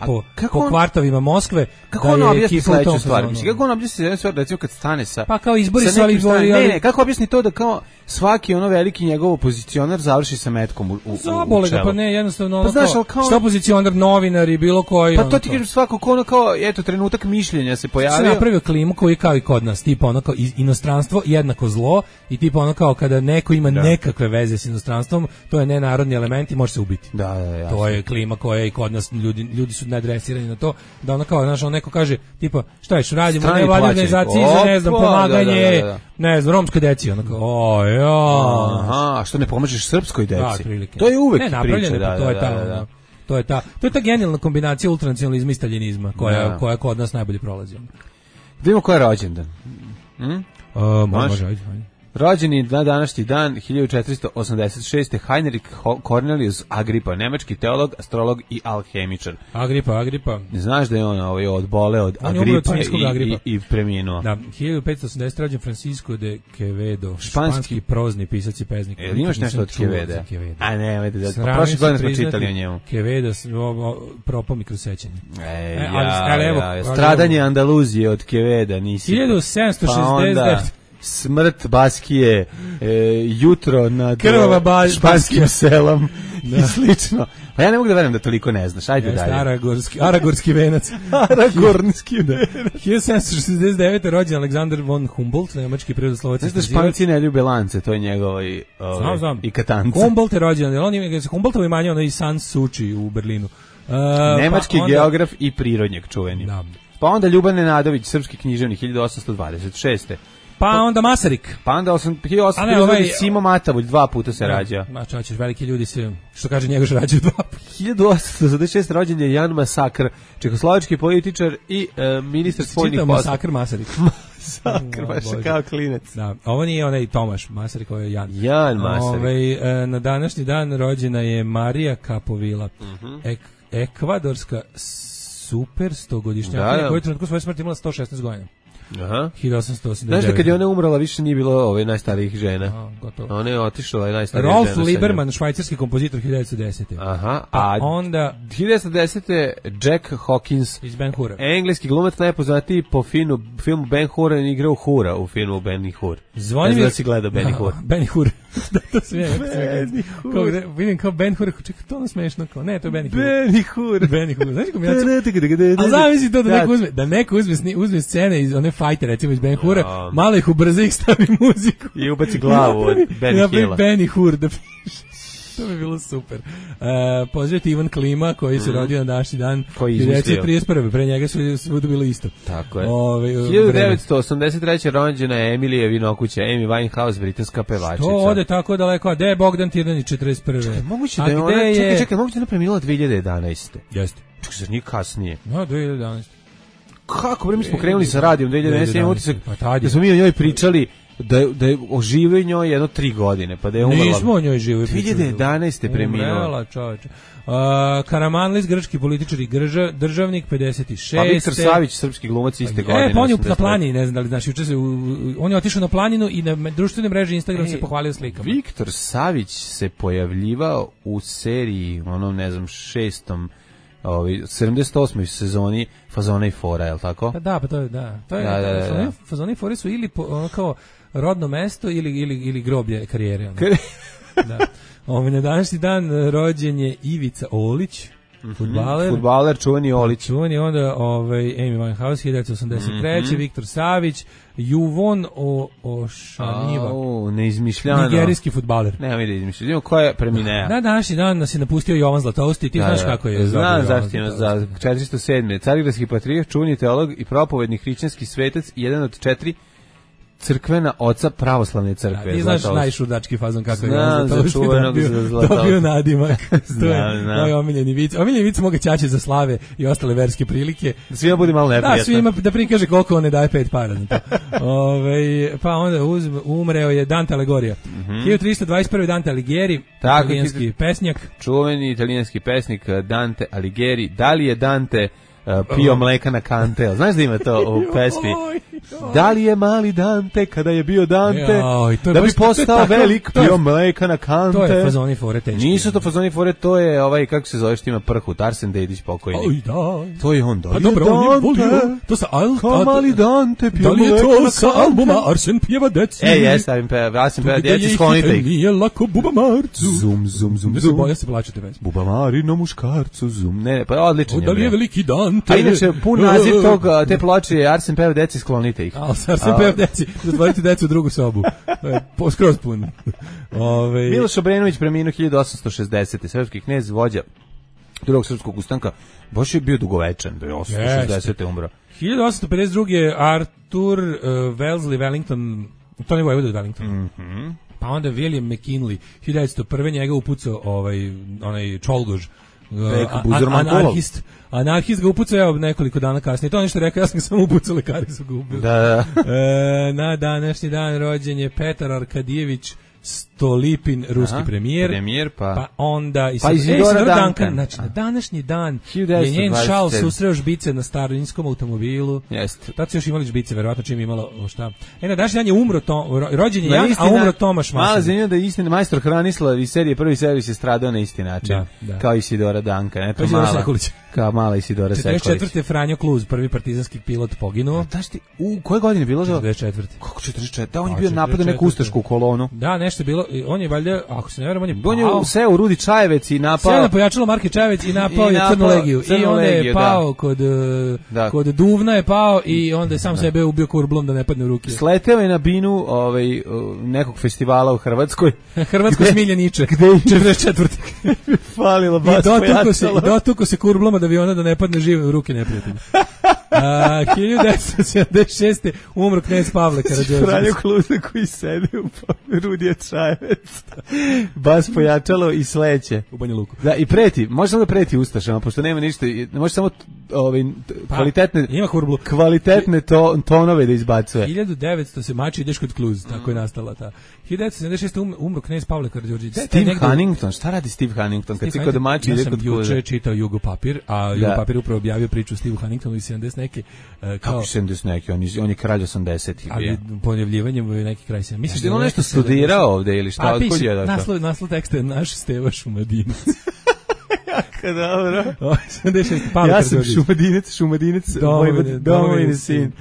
po kvartovima Moskve. Kako on objasni sledeću stvar? Kako on objasni sledeću stvar, recimo kad stane sa... Pa kao izbori su Ne, kako objasni to da kao svaki veliki njegov opozicionar završi sa metkom u Zabole ga, pa ne, jednostavno što opozicionar, novinar i bilo koji... Pa to ti kažem svako kao, eto, trenutak mišljenja se pojavio. Se napravio klimu koji kao i kod nas, tipa ono kao inostranstvo jednako zlo i tipa ono kao kada neko ima nekakve veze s inostranstvom, to je nenarodni element i može se ubiti. Da, to je klima koja i kod nas, ljudi su nadresirani na to, da ono kao, znaš, neko kaže, tipa, šta ješ, radimo u nevladnoj organizaciji za, ne znam, pomaganje, ne znam, romskoj deci, ono kao, Aha, što ne pomažeš srpskoj deci? To je uvek priča, to je ta genijalna kombinacija ultranacionalizma i staljinizma koja kod nas najbolje prolazi. Vidimo ko je rođendan. Može. Rođeni na današnji dan 1486. Heinrich Cornelius Agrippa, nemački teolog, astrolog i alhemičar. Agrippa. Znaš da je on odboleo od Agrippa i preminuo. Da, 1580. rođen Francisco de Quevedo, španski prozni pisac i pesnik. Imaš nešto od Queveda? A ne, prošle godine smo čitali o njemu. Quevedo propao mi kroz sećanje. Stradanje Andaluzije od Queveda nisi. 1769. Smrt Baskije, jutro nad španskim selom i slično. Pa ja ne mogu da verujem da toliko ne znaš. Ajde dalje. Aragorski venac. Aragornski venac. 1769. rođen Aleksandar von Humboldt, nemački prirodoslovac. Znaš da Španci ne ljube lance, to je njegov i katance. Humboldt je rođen, Humboldtovo imanje ono i Sans Suči u Berlinu. Nemački geograf i prirodnjak čuveni. Pa onda Ljuban Nenadović, srpski književnik, 1826. Pa onda Masarik. Pa onda 1800 Simo Matavulj 2 puta se rađa. Čačeš, veliki ljudi se, što kaže Njegoš, rađaju 2 puta. 1826 rođen je Jan Masakr, čehoslovački političar i ministar spoljnih poslova. Čitao Masakr Masarik. Masakr, baš kao klinec. Da, ovo nije onaj Tomaš Masarik, ovo je Jan. Jan Masarik. Na današnji dan rođena je Marija Kapovila, ekvadorska super 100-godišnjaka, koja je trenutku svoje smrti imala 116 godina. Aha. 1889. Znaš da kad je ona umrla više nije bilo najstarijih žena. Ona je otišla i najstarija žena. Rolf Lieberman, švajcarski kompozitor, 1910. Aha. A onda 1910. Jack Hawkins iz Ben Hura. Engleski glumac najpoznatiji po filmu Ben Hur, igrao Hura u filmu Ben Hur. Zvonimir, da si gledao Ben Hur. Ben Hur. Da, to se vidim kao Ben Hur, čekaj, to ono smešno kao. Ne, to je Ben Hur. Ben Hur. Znaš kombinacija? A zamisli to da neko uzme scene iz one fajte, recimo iz Ben Hura, malo ih ubrza, ih stavi muziku. I ubaci glavu od Benny Hilla. Benny Hur da piše. To bi bilo super. Pozdravite Ivan Klima, koji se rodio na današnji dan. Koji izmislio. 31. Pre njega su bilo isto. Tako je. 1983. rođena je Emilija Vinokuća, Amy Winehouse, britanska pevačica. To ode tako daleko, a gde je Bogdan Tirnanić 41. Čekaj, moguće da je ona, čekaj, moguće da je ona premila 2011. Jeste. Čekaj, zar nije kasnije? No, 2011. Kako, bre, mi smo krenuli sa radijom 2011. Imam utisak da smo mi o njoj pričali da je oživio njoj jedno 3 godine, pa da je umrla. Nismo o njoj živio. 2011. preminuo. Umrela, čoveče. Karamanlis, grčki političar i državnik, 56. Pa Viktor Savić, srpski glumac iste godine. Pa on je na planini, ne znam da li znaš, on je otišao na planinu i na društvenoj mreži Instagram se pohvalio slikama. Viktor Savić se pojavljivao u seriji, onom, ne znam, 78. sezoni Fazona i fora, je li tako? Pa da, pa to je, da. To je, Fazona i fore su ili kao rodno mesto ili groblje karijere. Da. Na današnji dan rođen je Ivica Olić, fudbaler, čuveni Olić. Čuveni onda Amy Winehouse, 1983. Viktor Savić, Juvon Ošaniva. Neizmišljano. Nigerijski fudbaler. Nema mi da izmišljamo. Ko je preminea? Na današnji dan nas je napustio Jovan Zlatousti. Ti znaš kako je. Znam zašto ima za 407. Carigradski patrijarh, čuveni teolog i propovedni hrišćanski svetac, jedan od 4 crkvena oca pravoslavne crkve. Ti znaš najšurdački fazon kako je Jovan Zlatousti dobio nadimak. Moj omiljeni vic. Omiljeni vic moga ćaće za slave i ostale verske prilike. Svima bude malo neprijatno. Da, svima da prikaže koliko on ne daje 5 para. Pa onda umreo je Dante Alighieri. 1321. Dante Alighieri, italijanski pesnjak. Čuveni italijanski pesnik Dante Alighieri. Da li je Dante pio mleka na kante? Znaš da ima to u pesmi? Da li je mali Dante kada je bio Dante da bi postao velik pio mleka na kante? To je Fazoni fore teški. Nisu to Fazoni fore, to je kako se zove što ima prhut, Arsen Dedić pokojni. To je on, da. Pa dobro, on je volio. To sa mali Dante pio mleka na kante. Da li je to sa albuma Arsen pjeva deci? Arsen pjeva deci, sklonite ih. Nije lako bubamarcu. Zum, zum, zum, zum. Bolje se plaćate već. Bubamarino muškarcu, zum. Ne, pa odličan je. Da li je veliki Dante? A inače, pun naziv te ploče je Arsen pjeva deci, sklonite ih. Arsen pjeva deci, zatvorite decu u drugu sobu. Skroz pun. Miloš Obrenović preminuo 1860. Srpski knez, vođa drugog srpskog ustanka. Baš je bio dugovečan, da je 1860. umro. 1852. Arthur Wellesley Wellington, to je vojvoda od Wellington. Pa onda William McKinley, 1901. njega upucao onaj Čolgož, anarhist ga upucao nekoliko dana kasnije. To je nešto rekao, ja sam ga samo upucao, lekari su ga ubili. Na današnji dan rođen je Petar Arkadijević Stolipin, ruski premijer, pa onda Isidora Duncan. Znači, na današnji dan je njen šal susreo žbice na starinskom automobilu. Jeste. Tad su još imali žbice, verovatno čim imalo šta. Na današnji dan je umro rođen je Jan, a umro Tomaš Masan. Mala zanimljivo da je istina, majstor Hranislav iz serije Prvi servis je stradao na isti način. Kao Isidora Duncan. Eto, kao mala Isidora Sekulić. 44. Franjo Kluz, prvi partizanski pilot, poginuo. Znaš ti, u koje godine je bilo? 44. Kako 44? Da, on je bio napad na neku ustašku kolonu. Da, nešto je bilo, on je valjda, ako se ne verujem, on je seo u Rudi Čajevec i napao. Seo na pojačalo Marke Čajevec i napao je Crnu legiju. I onda je pao kod Duvna je pao i onda je sam sebe ubio kurblom da ne padne u ruke. Sleteo je na binu nekog festivala u Hrvatskoj. Hrvatsko Smiljaniče. Gde je 44. Falilo bas pojačalo. Dotuko se kurblom od aviona da ne padne živ u ruke neprijatelja. 1976. umro knez Pavle Karađorđević. Franjo Kluza koji sede u Rudija Čajevec. Bas pojačalo i sleće. U Banja Luku. Da, i preti. Može samo da preti ustašama, pošto nema ništa. Može samo kvalitetne tonove da izbacuje. 1900 se mači, ideš kod Kluz. Tako je nastala ta. 1976. umro knez Pavle Karađorđević. Steve Huntington. Šta radi Steve Huntington? Kad si kod mači, ide kod Kluza. Ja sam juče čitao Jugo Papir, a Jugo Papir upravo objavio priču Steve Huntingtonu iz 70 neke. Kako 70 neki? On je kralj 80-ih. Ali pojavljivanjem je neki kraj 70. Misliš da je on nešto studirao ovde ili šta? Otkud je došao? Naslov teksta je naš Steva Šumadinac. Dobro. Ja sam Šumadinac, domovini sin.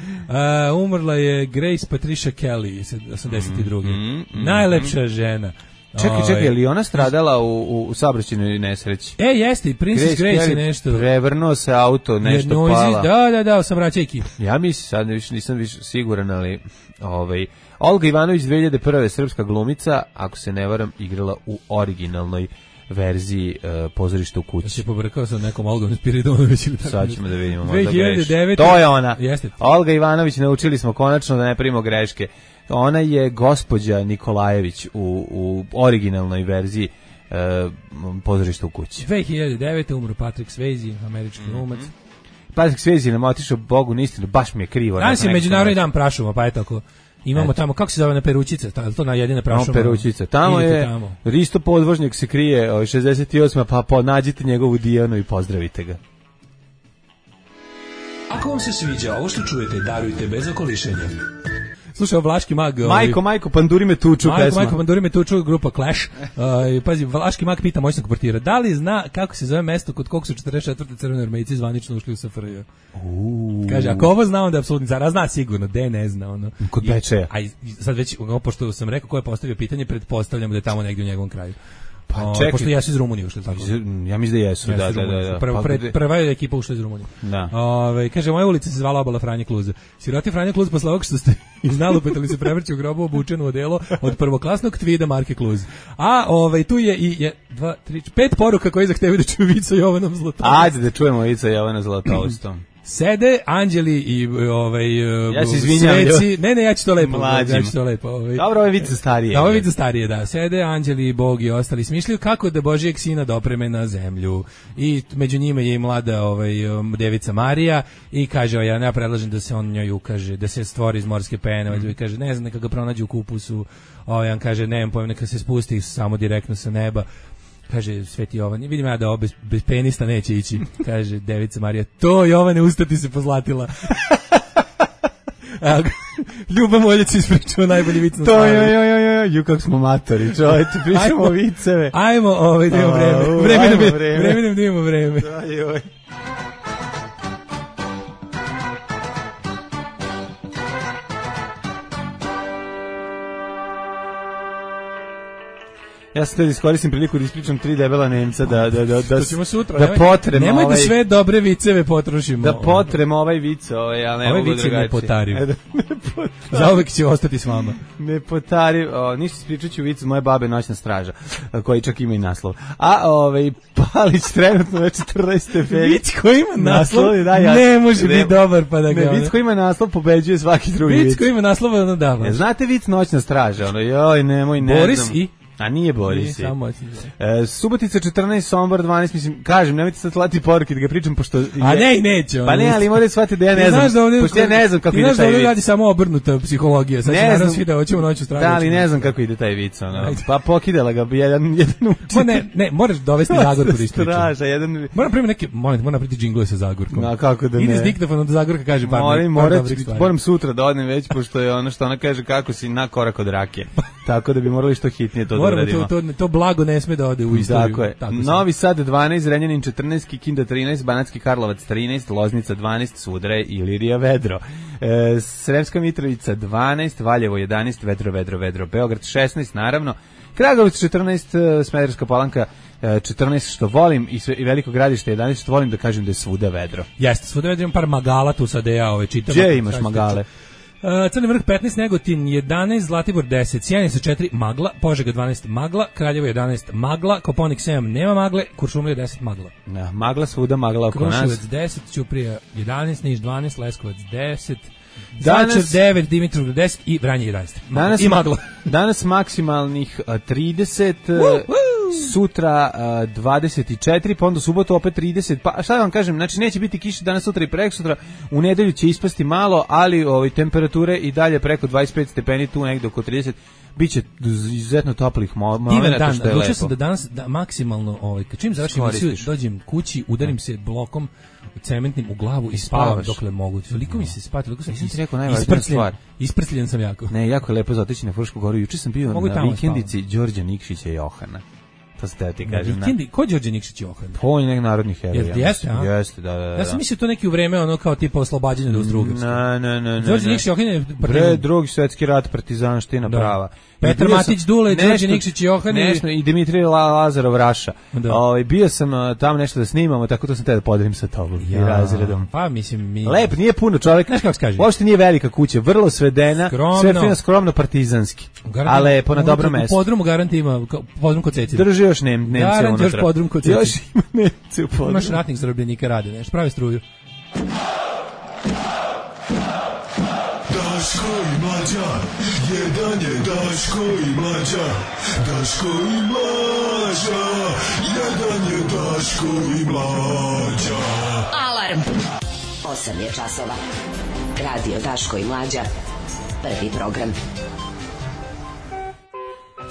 Umrla je Grace Patricia Kelly, 82. Najlepša žena. Čekaj, je li ona stradala u saobraćajnoj nesreći? Jeste, Princess Grace je nešto. Prevrnuo se auto, nešto pala. Da, saobraćajki. Ja mislim, sad nisam više siguran, ali Olga Ivanović 2001. srpska glumica, ako se ne varam, igrala u originalnoj verziji Pozorišta u kući. Ja se pobrkao sa nekom Olgom Spiridonović ili tako. Sad ćemo da vidimo. 2009. To je ona. Jeste. Olga Ivanović, naučili smo konačno da ne primimo greške. Ona je gospođa Nikolajević u originalnoj verziji Pozorišta u kući. 2009. umro Patrick Swayze, američki glumac. Patrick Swayze nam otišao Bogu na istinu, baš mi je krivo. Danas je Međunarodni dan prašuma, pa je tako. Imamo tamo, kako se zove na Perućice, to na jedine prašuma. Perućice. Tamo je Risto Podvožnjak se krije, 68. pa nađite njegovu Dijanu i pozdravite ga. Ako vam se sviđa ovo što čujete, darujte bez okolišenja. Slušaj, Vlaški mag... Majko, Panduri me tuču pesma. Majko, Panduri me tuču, grupa Clash. Pazi, Vlaški mag pita moćnog portira, da li zna kako se zove mesto kod kog su 44. crveni armejci zvanično ušli u SFRJ? Kaže, ako ovo zna, onda je apsolutni car, a zna sigurno, ne zna. Ono. Kod Bečeja. A sad već, pošto sam rekao ko je postavio pitanje, pretpostavljamo da je tamo negdje u njegovom kraju. Pa čekaj, pošto jesu iz Rumunije ušli tako. Ja mislim da jesu, da. Prva je ekipa ušla iz Rumunije. Da. Kaže, moja ulica se zvala Obala Franje Kluze. Siroti Franje Kluz, posle ovog što ste iznalupetali se prevrći u grobu obučeno odelo od prvoklasnog tvida marke Kluz. A tu je i 2, 3, 5 poruka koje zahtevaju da čuju Vica Jovanom Zlatoustom. Ajde da čujemo Vica Jovana Zlatoustom. Sede anđeli i ja se izvinjam, sveci. Ne, ja ću to lepo. Dobro, ovo je vice starije. Da, ovo je vice starije, da. Sede anđeli i Bog i ostali smišljaju kako da Božijeg sina dopreme na zemlju. I među njima je i mlada devica Marija i kaže, ja predlažem da se on njoj ukaže, da se stvori iz morske pene, i kaže, ne znam, neka ga pronađe u kupusu. On kaže, nemam pojem, neka se spusti samo direktno sa neba. Kaže Sveti Jovan, vidim ja da ovo bez penista neće ići. Kaže devica Marija, to Jovane, ustati se pozlatila. Ljuba Moljac ispričao najbolji vic na slavlju. Ju kako smo matori, čovječe, pričamo viceve. Ajmo, da imamo vreme. Vreme da imamo vreme. Ja sam htio iskoristim priliku da ispričam 3 debela Nemca da potrem nemoj da sve dobre viceve potrošimo. Da potrem ovaj vic, ja ne mogu drugačije. Ovaj vic ne potari. Zauvek će ostati s vama. Ne potari, ništa ispričat ću vic moje babe Noćna straža, koji čak ima i naslov. A Palić trenutno je 14 stepeni. Vic koji ima naslov ne može biti dobar pa da ga... Ne, vic koji ima naslov pobeđuje svaki drugi vic. Vic koji ima naslov, da. Znate vic Noćna straža? Nemoj, ne znam. Boris i... A nije Boris. Subotica 14, Sombor 12, mislim, kažem, nemojte sad slati poruke da ga pričam, pošto... A neće. Pa ne, ali morate shvatiti da ja ne znam, pošto ja ne znam kako ide taj vic. Ti znaš da ovdje radi samo obrnuta psihologija, sad će naravno svi da hoćemo Noću stražu. Da, ali ne znam kako ide taj vic, pa pokidala ga jedan učitelj. Ne, moraš dovesti Zagorku da ispričam. Straža, jedan... Moram napraviti džingle sa Zagorkom. A kako da ne? Ide s diktafonom da Zagorka kaže moram sutra da odnem već, pošto je ono što ona kaže kako si na korak od rake. Tako da bi morali što hitnije to da uradimo. To blago ne sme da ode u istoriju. Tako je. Novi Sad 12, Zrenjanin 14, Kikinda 13, Banatski Karlovac 13, Loznica 12, Sudre, Ilirija, Vedro. Sremska Mitrovica 12, Valjevo 11, Vedro, Beograd 16, naravno. Kragujevac 14, Smederevska Palanka 14, što volim, i Veliko Gradište 11, što volim da kažem da je svuda vedro. Jeste, svuda vedro, imam par magala tu sad ja čitam. Gdje imaš magale? Crni vrh 15, Negotin 11, Zlatibor 10, Sjenica 4, magla, Požega 12, magla, Kraljevo 11, magla, Koponik 7, nema magle, Kuršumlija 10, magla. Ja, magla svuda, magla oko nas. Kruševac 10, Ćuprija 11, Niš 12, Leskovac 10, Zaječar 9, Dimitrovgrad 10 i Vranje 11. I magla. Danas maksimalnih 30, sutra 24, pa onda subotu opet 30, pa šta da vam kažem, znači neće biti kiše danas, sutra i prekosutra, u nedelju će ispasti malo, ali temperature i dalje preko 25 stepeni, tu negde oko 30, biće izuzetno toplih momenata, što je lepo. Odlučio sam da danas maksimalno, čim završim emisiju, dođem kući, udarim se blokom cementnim u glavu i spavam dokle mogu. Toliko mi se spati, toliko sam isprsljen sam jako. Ne, jako je lepo za otići na Frušku goru. Juče sam bio na vikendici Đorđa Nikšića i Johana. To se te ti kažem. Ko je Đorđe Nikšić i Johan? On je nek narodni heroj. Jeste, da. Ja sam mislio to neki u vreme kao tipa oslobađanja od Austrougarske. Ne. Đorđe Nikšić i Johan je... Drugi svjetski rat, partizanština prava. Petar Matić Dule, Đorđe Nikšić i Johan i Dimitrij Lazarov Raša. Bio sam tamo nešto da snimamo, tako to sam te da podelim sa tobom i razredom. Pa mislim mi... Lep, nije puno čovjek. Znaš kako se kaže? Uopšte nije velika kuća, vrlo svedena, sve fino, skromno, partizanski. A lepo, na dobro mesto. U podrumu garanti ima, podrum kod Cecina. Drži još Nemce unutra. Još podrum kod Cecina. Još ima Nemce u podrumu. Imaš ratnih zarobljenika rade, nešto, pravi struju. Daško i Mlađa, jedan je Daško i Mlađa, Daško i Mlađa, jedan je Daško i Mlađa. Alarm! 8 je časova. Radio Daško i Mlađa. Prvi program.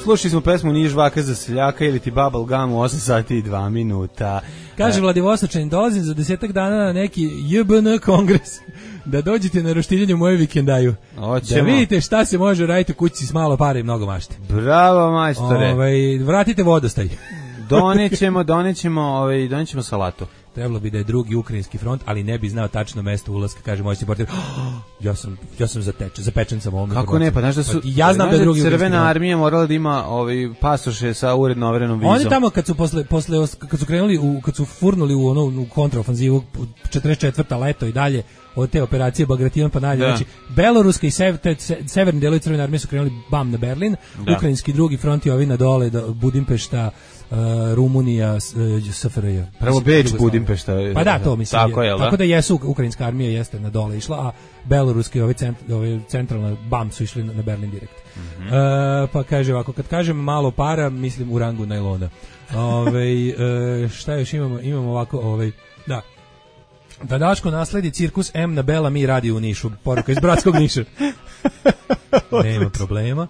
Slušali smo pesmu Nije žvaka za seljaka ili ti Bubble Gum u 8 sati i 2 minuta. Kaže Vladivostočanin, dolazim za 10 dana na neki JBN kongres. Da dođete na roštiljenje u moju vikendaju. Oćemo. Da vidite šta se može raditi u kući s malo para i mnogo mašte. Bravo, majstore. Vratite vodostaj. Donećemo salatu. Trebalo bi da je drugi ukrajinski front, ali ne bi znao tačno mesto ulaska, kaže moći portir. Ja sam zapečen sam ovom. Kako ne, pa znaš da su ja znam da je drugi Crvena armija morala da ima pasoše sa uredno overenom vizom. Oni tamo kad su kad su krenuli kad su furnuli u kontraofanzivu 44. leto i dalje od te operacije Bagration pa dalje, znači beloruska i severni delovi Crvene armije su krenuli bam na Berlin, ukrajinski drugi front je ovi na dole Budimpešta, Rumunija, SFRJ. Prvo Beč, Budimpešta. Pa da, to mislim. Tako da jesu, ukrajinska armija jeste na dole išla, a beloruski ove centralna bam su išli na Berlin direkt. Pa kaže ovako, kad kažem malo para, mislim u rangu najlona. Šta još imamo ovako, da Daško nasledi cirkus M na Bela mi radi u Nišu. Poruka iz bratskog Niša. Nema problema.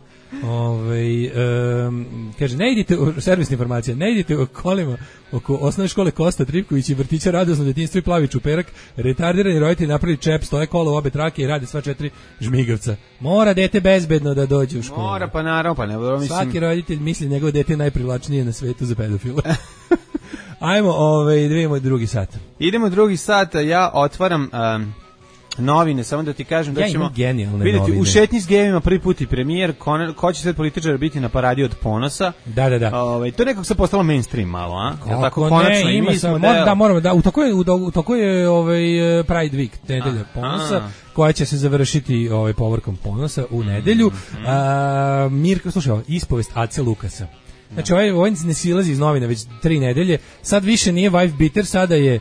Kaže, ne idite servisna informacija, ne idite u kolima oko osnovne škole Kosta Tripković i vrtića Radosno detinjstvo i Plavi Čuperak, retardirani roditelji napravili čep, stoje kola u obe trake i rade sva 4 žmigavca. Mora dete bezbedno da dođe u školu. Mora, pa naravno, pa ne mislim. Svaki roditelj misli njegovo dete je najprivlačnije na svetu za pedofila. Ajmo, da vidimo drugi sat. Idemo drugi sat, ja otvaram novine, samo da ti kažem da ćemo vidjeti novine. U šetnji s gejevima prvi put i premijer, ko će sad političar biti na paradi od ponosa. Da. To je nekako se postalo mainstream malo, a? Tako konačno i mi smo u toku je Pride Week, nedelja ponosa, koja će se završiti povorkom ponosa u nedelju. Mirko, slušaj, ispovest Ace Lukasa. Znači, ovaj ne silazi iz novina već 3 nedelje, sad više nije wife beater, sada je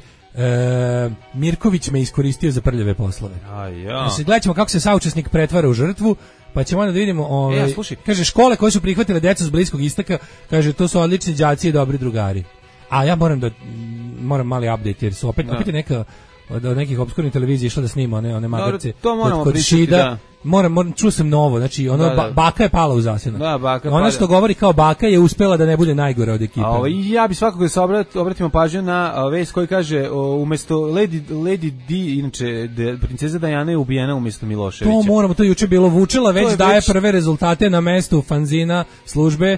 Mirković me iskoristio za prljave poslove. Znači, gledat ćemo kako se saučesnik pretvara u žrtvu, pa ćemo onda da vidimo, kaže, škole koje su prihvatile decu s Bliskog istoka, kaže, to su odlični đaci i dobri drugari. A ja moram mali update, jer su opet je neka od nekih obskurnih televizija išla da snima one magarce kod Šida. Čuo sam novo, znači baka je pala u zasjenu. Ona što govori kao baka je uspela da ne bude najgore od ekipe. Ja bi svakako da se obratimo pažnju na vest koji kaže umesto Lady Di, inače princeza Diana je ubijena umesto Miloševića. To je juče bilo Vučela, već daje prve rezultate na mestu fanzina službe.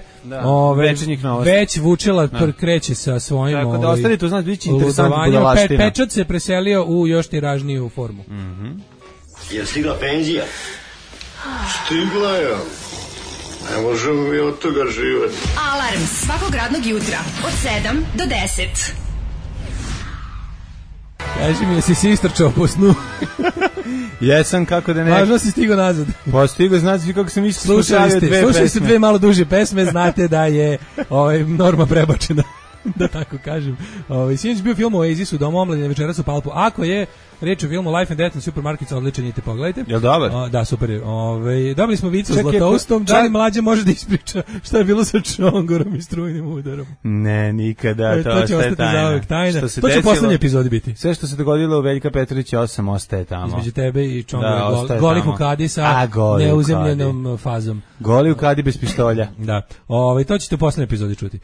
Večernjih novosti. Već Vučela kreće sa svojim tako da ostanite, znači biće interesantna budalaština. Pečat se preselio u još tiražniju formu. Je stigla penzija? Stigla je. Ne možemo mi od toga živati. Alarm svakog radnog jutra od 7 do 10. Kaži mi, jesi si istrčao po snu? Jesam, kako da ne. Važno si stigao nazad. Pa stigao, znate kako sam isto slušali ste 2 malo duže pesme, znate da je norma prebačena. Da tako kažem. Sinoć bio film o Oasisu, Dom omladine, večeras u Palpu. Ako je reč o filmu Life and Death na Supermarket, odličan, idite pogledajte. Jel dobar? Da, super je. Dobili smo vicu s Zlatoustom, da li mlađe može da ispriča šta je bilo sa Čongorom i strujnim udarom? Ne, nikada, to će ostati zauvek tajna. To će u poslednjoj epizodi biti. Sve što se dogodilo u Veljka Petrovića 8 ostaje tamo. Između tebe i Čongora, goli Hukadi sa neuzemljenom fazom. Goli Hukadi bez pištolja. Da. To ćete u poslednjoj epizodi čuti.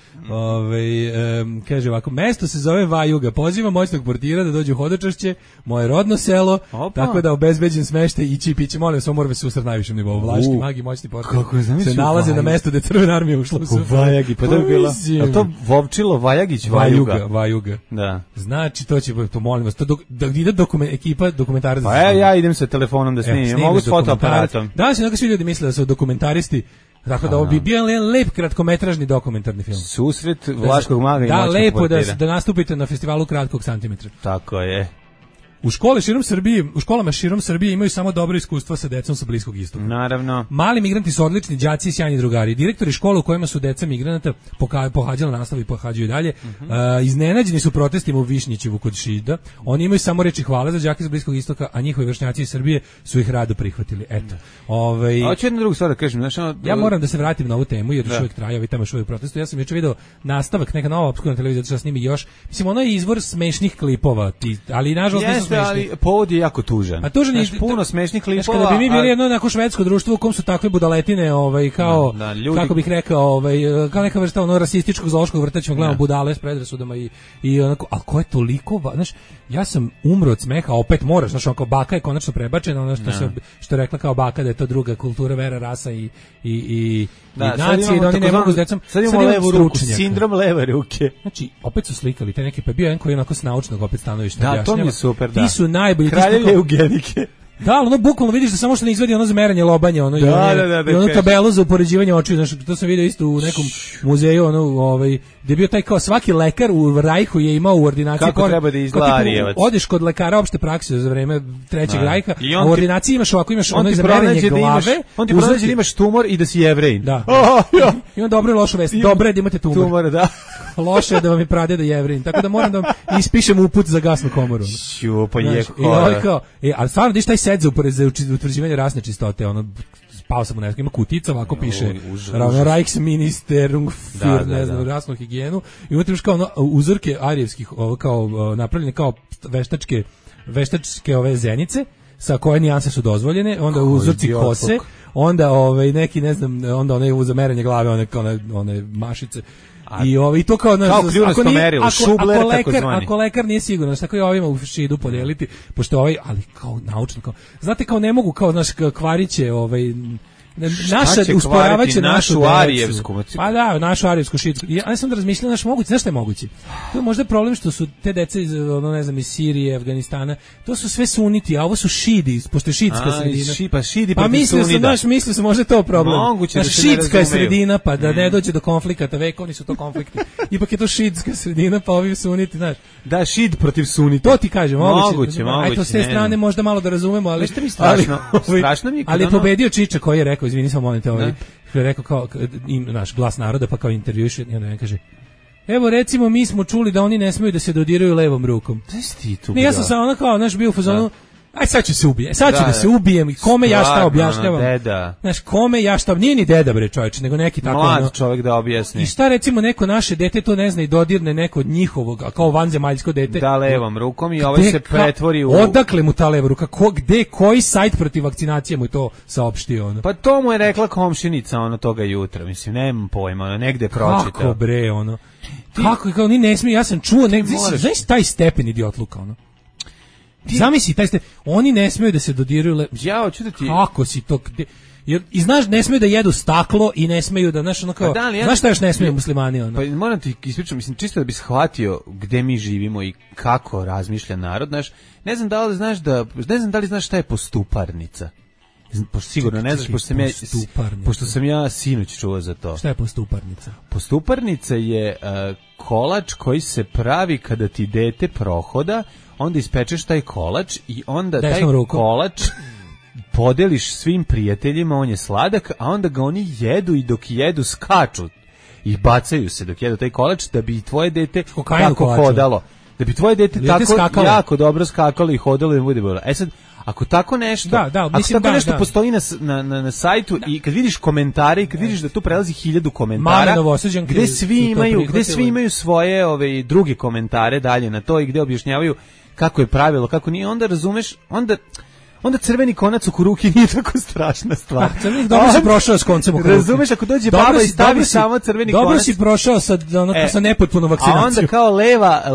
Kaže ovako, mesto se zove Vajuga, pozivam moćnog portira da dođe u Hodočašće, moje rodno selo, tako da obezbeđen smeštaj i čipiće, molim vas, moramo se usrati najvišem nivou. Vlaški magi, moćni portir se nalaze na mestu gde Crvena armija ušla u SFRJ. Vajagi, pa da bi bilo. Je to Vovčilo, Vajagić, Vajuga. Da. Znači, to molim vas, da ide ekipa dokumentaraca. Pa ja idem sa telefonom da snimim, mogu s fotoaparatom. Danas je svi ljudi misle da su dokumentaristi. Tako da ovo bi bio lep kratkometražni dokumentarni film. Susret Vlaškog maga i moćnog portira. Da, lepo da nastupite na festivalu kratkog santimetra. Tako je. U školama širom Srbije imaju samo dobro iskustva sa decom sa Bliskog istoka. Naravno. Mali migranti su odlični đaci i sjajni drugari. Direktori škola u kojima su deca migranata pohađala nastavu i pohađaju dalje. Iznenađeni su protestima u Višnjićevu kod Šida. Oni imaju samo reči hvala za đake sa Bliskog istoka, a njihovi vršnjaci iz Srbije su ih rado prihvatili. Eto. Hoću jednu drugu stvar da kažem. Ja moram da se vratim na ovu temu jer još uvijek traje i tamo još uvijek protestu. Ja sam juče video nastavak, neka nova opskurna televizija da snimi još. Mislim, ono je izvor smešnih klipova, ali nažalost jeste, ali povod je jako tužan. A tužan je puno smešnih klipova. Kada bi mi bili jedno onako švedsko društvo u kom su takve budaletine, kao ljudi, kako bih rekao, kao neka vrsta ono rasističkog zoološkog vrta, ćemo gledamo budale s predrasudama i onako, a ko je toliko, znaš, ja sam umro od smeha, opet moraš, znaš, onako baka je konačno prebačena, ono što je rekla kao baka da je to druga kultura, vera, rasa i nacije, da oni ne mogu s decom. Sad imamo levu ruku, sindrom leve ruke. Znači, opet su slikali te neke, pa bio jedan koji je onako s naučnog opet stanovišta objašnjava. Da, to mi je super, da. Ti su najbolji. Kraljevi eugenike. Da, ono bukvalno vidiš da samo što ne izvedi ono za merenje lobanja, ono i ono tabelu za upoređivanje očiju, znači to sam video isto u nekom muzeju, ono gdje je bio taj kao svaki lekar u Rajhu je imao u ordinaciji kako treba da izgleda Arijevac. Odeš kod lekara opšte prakse za vreme Trećeg Rajha, a u ordinaciji imaš ovako, imaš ono za merenje glave. On ti pronađe da imaš tumor i da si Jevrejin. Da. Ima dobro i lošu vest. Dobro je da imate tumor. Tumor, da. Loše je da vam je pradeda Jevrejin. Tako da moram da vam ispišem uput za gasnu komoru. Pa je kao. Ali stvarno diš taj set za utvrđivanje rasne čistote, ono spao sam u nesku, ima kutica, ovako piše Reichsministerium für, ne znam, rasnu higijenu, i unutra imaš kao ono, uzorke arijevskih, kao napravljene kao veštačke ove zenice, sa koje nijanse su dozvoljene, onda uzorci kose, onda neki, ne znam, onda one za merenje glave, one mašice. I to kao kljunasto merilo, Šubler takozvani. Ako lekar nije siguran, tako je ovima u šidu podijeliti, pošto ali kao naučno, znate kao ne mogu kao kvariće, usporavaće našu arijevsku. Pa da, našu arijevsku šidsku. Ja sam da razmišljam, moguće, znaš šta je moguće? To je možda problem što su te dece iz, ne znam, iz Sirije, Afganistana, to su sve suniti, a ovo su šidi, pošto je šidska sredina. Pa mislio sam možda je to problem. Moguće da se ne šidska je sredina, pa da ne dođe do konflikata, vekovni su to konflikti. Ipak je to šidska sredina, pa ovi suniti, znaš. Da, šid protiv sunita. To ti kažem, moguće. Ajde, s te strane možda malo da razumemo, ali strašno mi je ali je pobedio Čiča koji je rekao, izvini, samo molim te, što je rekao kao naš glas naroda, pa kao intervjuš, i onda kaže, evo recimo mi smo čuli da oni ne smeju da se dodiraju levom rukom. Ne, ja sam samo ono kao, znaš, bio u fazonu, aj sad ću se ubijem, da se ubijem, kome ja šta objašnjavam. Znaš, kome ja šta, nije ni deda bre čovječe, nego neki tako mlad čovjek da objasni. I šta recimo neko naše dete to ne zna i dodirne neko od njihovog, kao vanzemaljsko dete. Da levom rukom i ovaj se pretvori u... Odakle mu ta leva ruka, koji sajt protiv vakcinacije mu je to saopštio? Ono? Pa to mu je rekla komšinica toga jutra, mislim, nemam pojma, negde pročitao. Kako bre, kako, kao ni ne smije, ja sam čuo, znaš taj stepen idiotluka, zamisli, oni ne smiju da se dodiraju. Ja hoću da ti... Kako si to... I znaš, ne smiju da jedu staklo i ne smiju da, znaš, znaš šta još ne smiju muslimani? Pa moram ti ispričati, mislim, čisto da bi shvatio gde mi živimo i kako razmišlja narod, znaš, ne znam da li znaš šta je postuparnica. Sigurno ne znaš, pošto sam ja sinoć čuo za to. Šta je postuparnica? Postuparnica je kolač koji se pravi kada ti dete prohoda, onda ispečeš taj kolač i onda taj kolač podeliš svim prijateljima, on je sladak, a onda ga oni jedu i dok jedu skaču i bacaju se dok jedu taj kolač da bi tvoje dete tako hodalo. Da bi tvoje dete tako jako dobro skakalo i hodalo i bude bolje. Sad, ako tako nešto, nešto postoji na sajtu i kad vidiš komentare i kad vidiš da tu prelazi 1000 komentara, gde svi imaju svoje druge komentare dalje na to i gde objašnjavaju kako je pravilo, kako nije, onda razumeš, onda crveni konac oko ruke nije tako strašna stvar. Dobro si prošao s koncem oko ruke. Razumeš, ako dođe baba i stavi samo crveni konac. Dobro si prošao sa nepotpunom vakcinacijom. A onda kao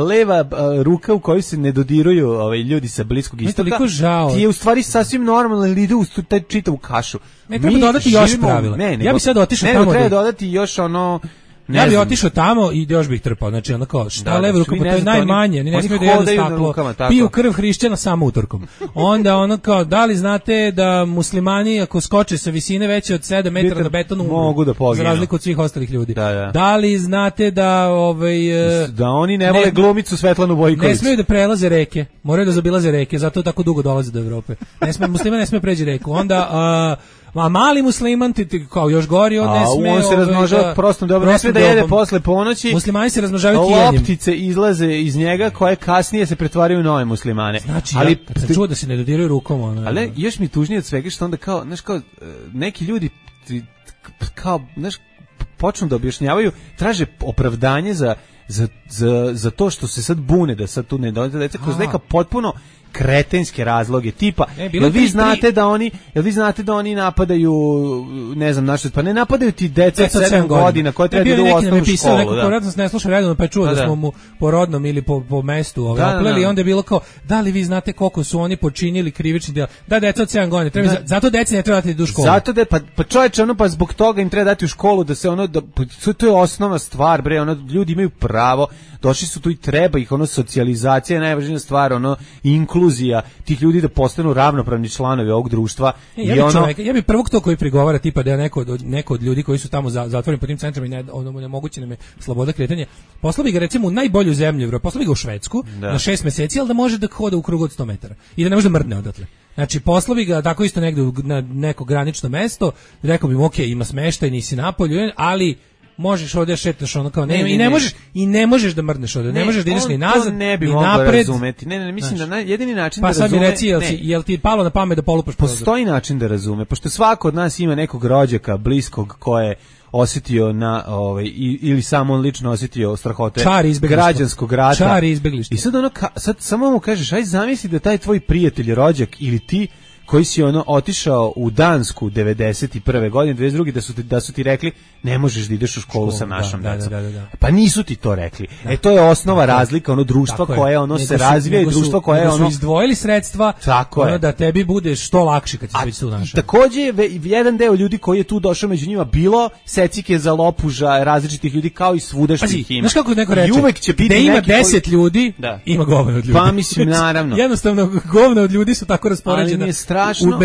leva ruka u kojoj se ne dodiruju ljudi sa Bliskog istoka, ti je u stvari sasvim normalno ili ide u taj čitavu kašu. Ne, treba dodati još pravila. Ja bih sad otišao tamo. Ne, treba dodati još ja bih otišao tamo i još bih trpao, znači onako šta leva ruka, pa to je najmanje, ni ne smije da jedu staklo, piju krv hrišćana samo utorkom. Onda kao, da li znate da muslimani ako skoče sa visine veće od 7 metara na betonu mogu da poginu, za razliku od svih ostalih ljudi. Da li znate da da oni ne vole glumicu Svetlanu Bojković, ne smiju da prelaze reke, moraju da zaobilaze reke, zato tako dugo dolaze do Evrope. Muslimani ne smiju preći reku. Onda a mali musliman ti kao još gori, on ne sme. On se razmnožava prostom dobro, ne sme da jede posle ponoći. Muslimani se razmnožavaju tijenjem. Loptice izlaze iz njega koje kasnije se pretvaraju u nove muslimane. Znači, ali sam čuo da se ne dodiraju rukom. Ali još mi tužnije od svega što onda kao, znaš, kao neki ljudi kao, znaš, počnu da objašnjavaju, traže opravdanje za za to što se sad bune da sad tu ne dođe deca kroz neka potpuno kretenske razloge tipa jel vi znate da oni napadaju ne znam naše pa ne napadaju ti deca 7 godina koji treba da idu u osnovnu školu neko ko ne sluša redovno pa je čuo da smo mu po rodnom ili po mestu opleli i onda je bilo kao da li vi znate koliko su oni počinili krivični dela da deca od 7 godina zato deci ne treba da idu u školu zato da pa čoveče ono pa zbog toga im treba dati u školu da se ono da to je osnovna stvar bre ono ljudi imaju pravo došli su tu i treba ih ono socijalizacija je najvažnija stvar ono inkluzija tih ljudi da postanu ravnopravni članovi ovog društva ja bi prvog to koji prigovara tipa da je neko od ljudi koji su tamo zatvoreni po tim centrima i nemoguće nam je sloboda kretanja poslao bi ga recimo u najbolju zemlju Evrope poslao bi ga u Švedsku na 6 meseci ali da može da hoda u krug od 100 metara i da ne može da mrdne odatle. Znači poslovi ga tako isto negde na neko granično mesto, rekao bi mu ok, ima smeštaj, nisi napolju, ali možeš ovdje šetaš ono kao ne možeš da mrdneš ovdje, ne možeš da ideš ni nazad, ne bi ni mogao napred. Razumeti. Ne, mislim da jedini način pa da razume. Pa sad mi reci, jel ti palo na pamet da polupaš prozor? Postoji način da razume, pošto svako od nas ima nekog rođaka, bliskog koje osjetio na ili samo on lično osjetio strahote građanskog rata. Čar izbeglištva. I sad sad samo mu kažeš, aj zamisli da taj tvoj prijatelj, rođak ili ti koji si otišao u Dansku 91. godine, 22. da su ti rekli ne možeš da ideš u školu sa našom decom. Da. Pa nisu ti to rekli. To je osnova razlika društva koje se razvija i društvo koje su izdvojili sredstva da tebi bude što lakše kad ćeš biti tu našao. Takođe jedan deo ljudi koji je tu došao među njima bilo secike za lopuža različitih ljudi kao i svudašnjih ima. Znaš kako neko reče? Da ima 10 ljudi, ima govno od ljudi. Pa mislim naravno. Jednostavno govno od ljudi su tako raspoređena. Strašno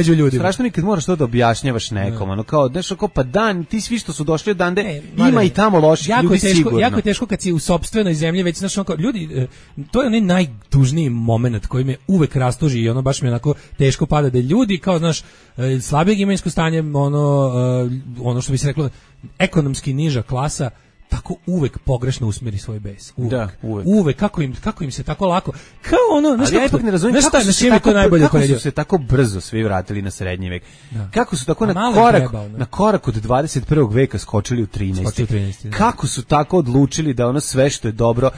mi kad moraš to da objašnjavaš nekom, kao nešto kao pa dan, ti svi što su došli odande, ima i tamo loših ljudi sigurno. Jako je teško kad si u sopstvenoj zemlji, već znaš ljudi, to je onaj najtužniji moment koji me uvek rastuži i baš mi onako teško pada da ljudi kao znaš slabijeg imovinskog stanja, ono što bi se reklo ekonomski niža klasa tako uvek pogrešno usmeri svoj bes. Uvek. Kako im se tako lako. Kao ali ja ipak ne razumijem kako su se tako brzo svi vratili na srednji vek. Kako su tako na korak od 21. veka skočili u 13. Kako su tako odlučili da sve što je dobro,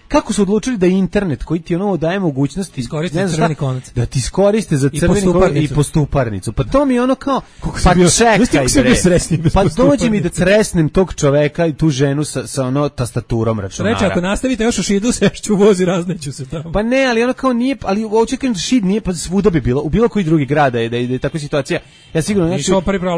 kako su odlučili da internet koji ti daje mogućnost da ti iskoriste za crveni konac i postuparnicu. Pa to mi je kao pa čekaj bre. Pa dođi mi da cresnem tog čoveka i tu ženu sa tastaturom računara. Reče, ako nastavite još u Šidu, sešću u voz i razneću se tamo. Pa ne, ali kao nije, ali očekujem da Šid nije, pa svuda bi bilo, u bilo koji drugi grad da je takva situacija. Ja sigurno neću,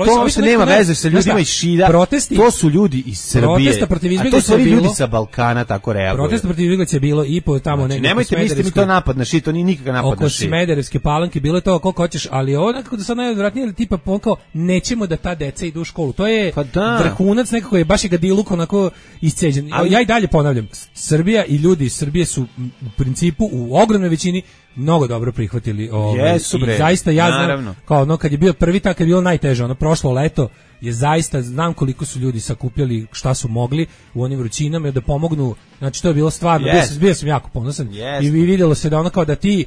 to uopšte nema veze sa ljudima iz Šida, to su ljudi iz Srbije, a to su ljudi sa Balkana tako reaguju. Protest protiv izbeglica je bilo i po tamo negdje. Nemojte misliti mi to napad na Šid, to nije nikakav napad na Šid. Oko Smederevske Palanke bilo je to koliko hoćeš, ali ovo nekako da sad najodvratnije tipa kao nećemo da ta deca idu u školu. To je vrhunac nekako je baš diluk onako isceđen. Ja i dalje ponavljam, Srbija i ljudi iz Srbije su u principu u ogromnoj većini mnogo dobro prihvatili i zaista ja znam kao kad je bio prvi tak je bilo najteže, prošlo leto je zaista znam koliko su ljudi sakupljali šta su mogli u onim vrućinama da pomognu, znači to je bilo stvarno, bio sam jako ponosan i vidjelo se da kao da ti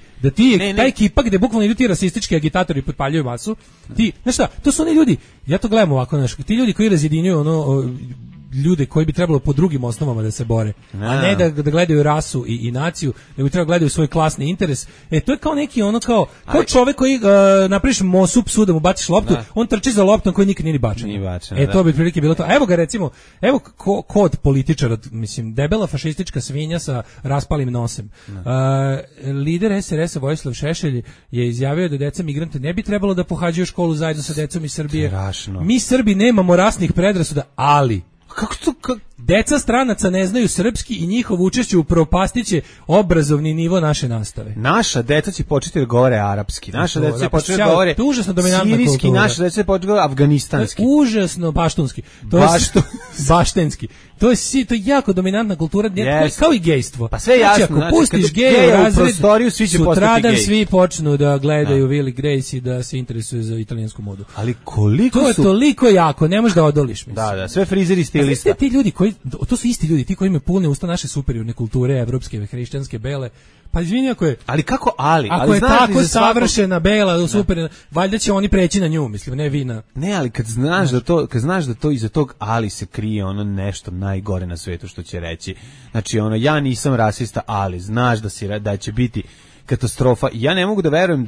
ta ekipa gde bukvalno idu ti rasistički agitatori potpaljuju masu, ti, znaš šta, to su oni ljudi, ja to gledam ovako, znaš, ti ljudi koji razjedinjuju ljude koji bi trebalo po drugim osnovama da se bore, a ne da gledaju rasu i naciju, nego bi trebalo gledaju svoj klasni interes. To je kao neki kao čovek koji napraviš mosu psu da mu baciš loptu, on trči za loptom koji nikad nije ni bačen. To bi prilike bilo to. Evo ga recimo, kod političara, mislim, debela fašistička svinja sa raspalim nosem. Lider SRS-a Vojislav Šešelj je izjavio da deca migrante ne bi trebalo da pohađaju školu zajedno sa decom iz Srbije. Strašno. Mi Srbi nemamo rasnih predrasuda, ali deca stranaca ne znaju srpski i njihovo učešće upropastiće obrazovni nivo naše nastave. Naša deca će početi da govore arapski, naša deca će početi da govore sirijski, naša deca će početi da govore afganistanski. Užasno baštunski. Baštenski. To je jako dominantna kultura, kao i gejstvo. Pa sve jasno, znači, ako pustiš geja u razred, sutradan svi počnu da gledaju Willy Grace i da se interesuju za italijansku modu. Ali koliko to je toliko jako, ne možeš da odoliš. Da, sve frizeri stilista. Ti ljudi koji, to su isti ljudi, ti koji imaju pune usta naše superiorne kulture, evropske, hrišćanske, bele. Pa izvini ako je... Ali kako ali? Ako je tako savršena, bela, super, valjda će oni preći na nju, mislim, ne vina. Ne, ali kad znaš da to iza tog ali se krije ono nešto najgore na svetu što će reći. Znači, ono, ja nisam rasista, ali znaš da će biti katastrofa. Ja ne mogu da verujem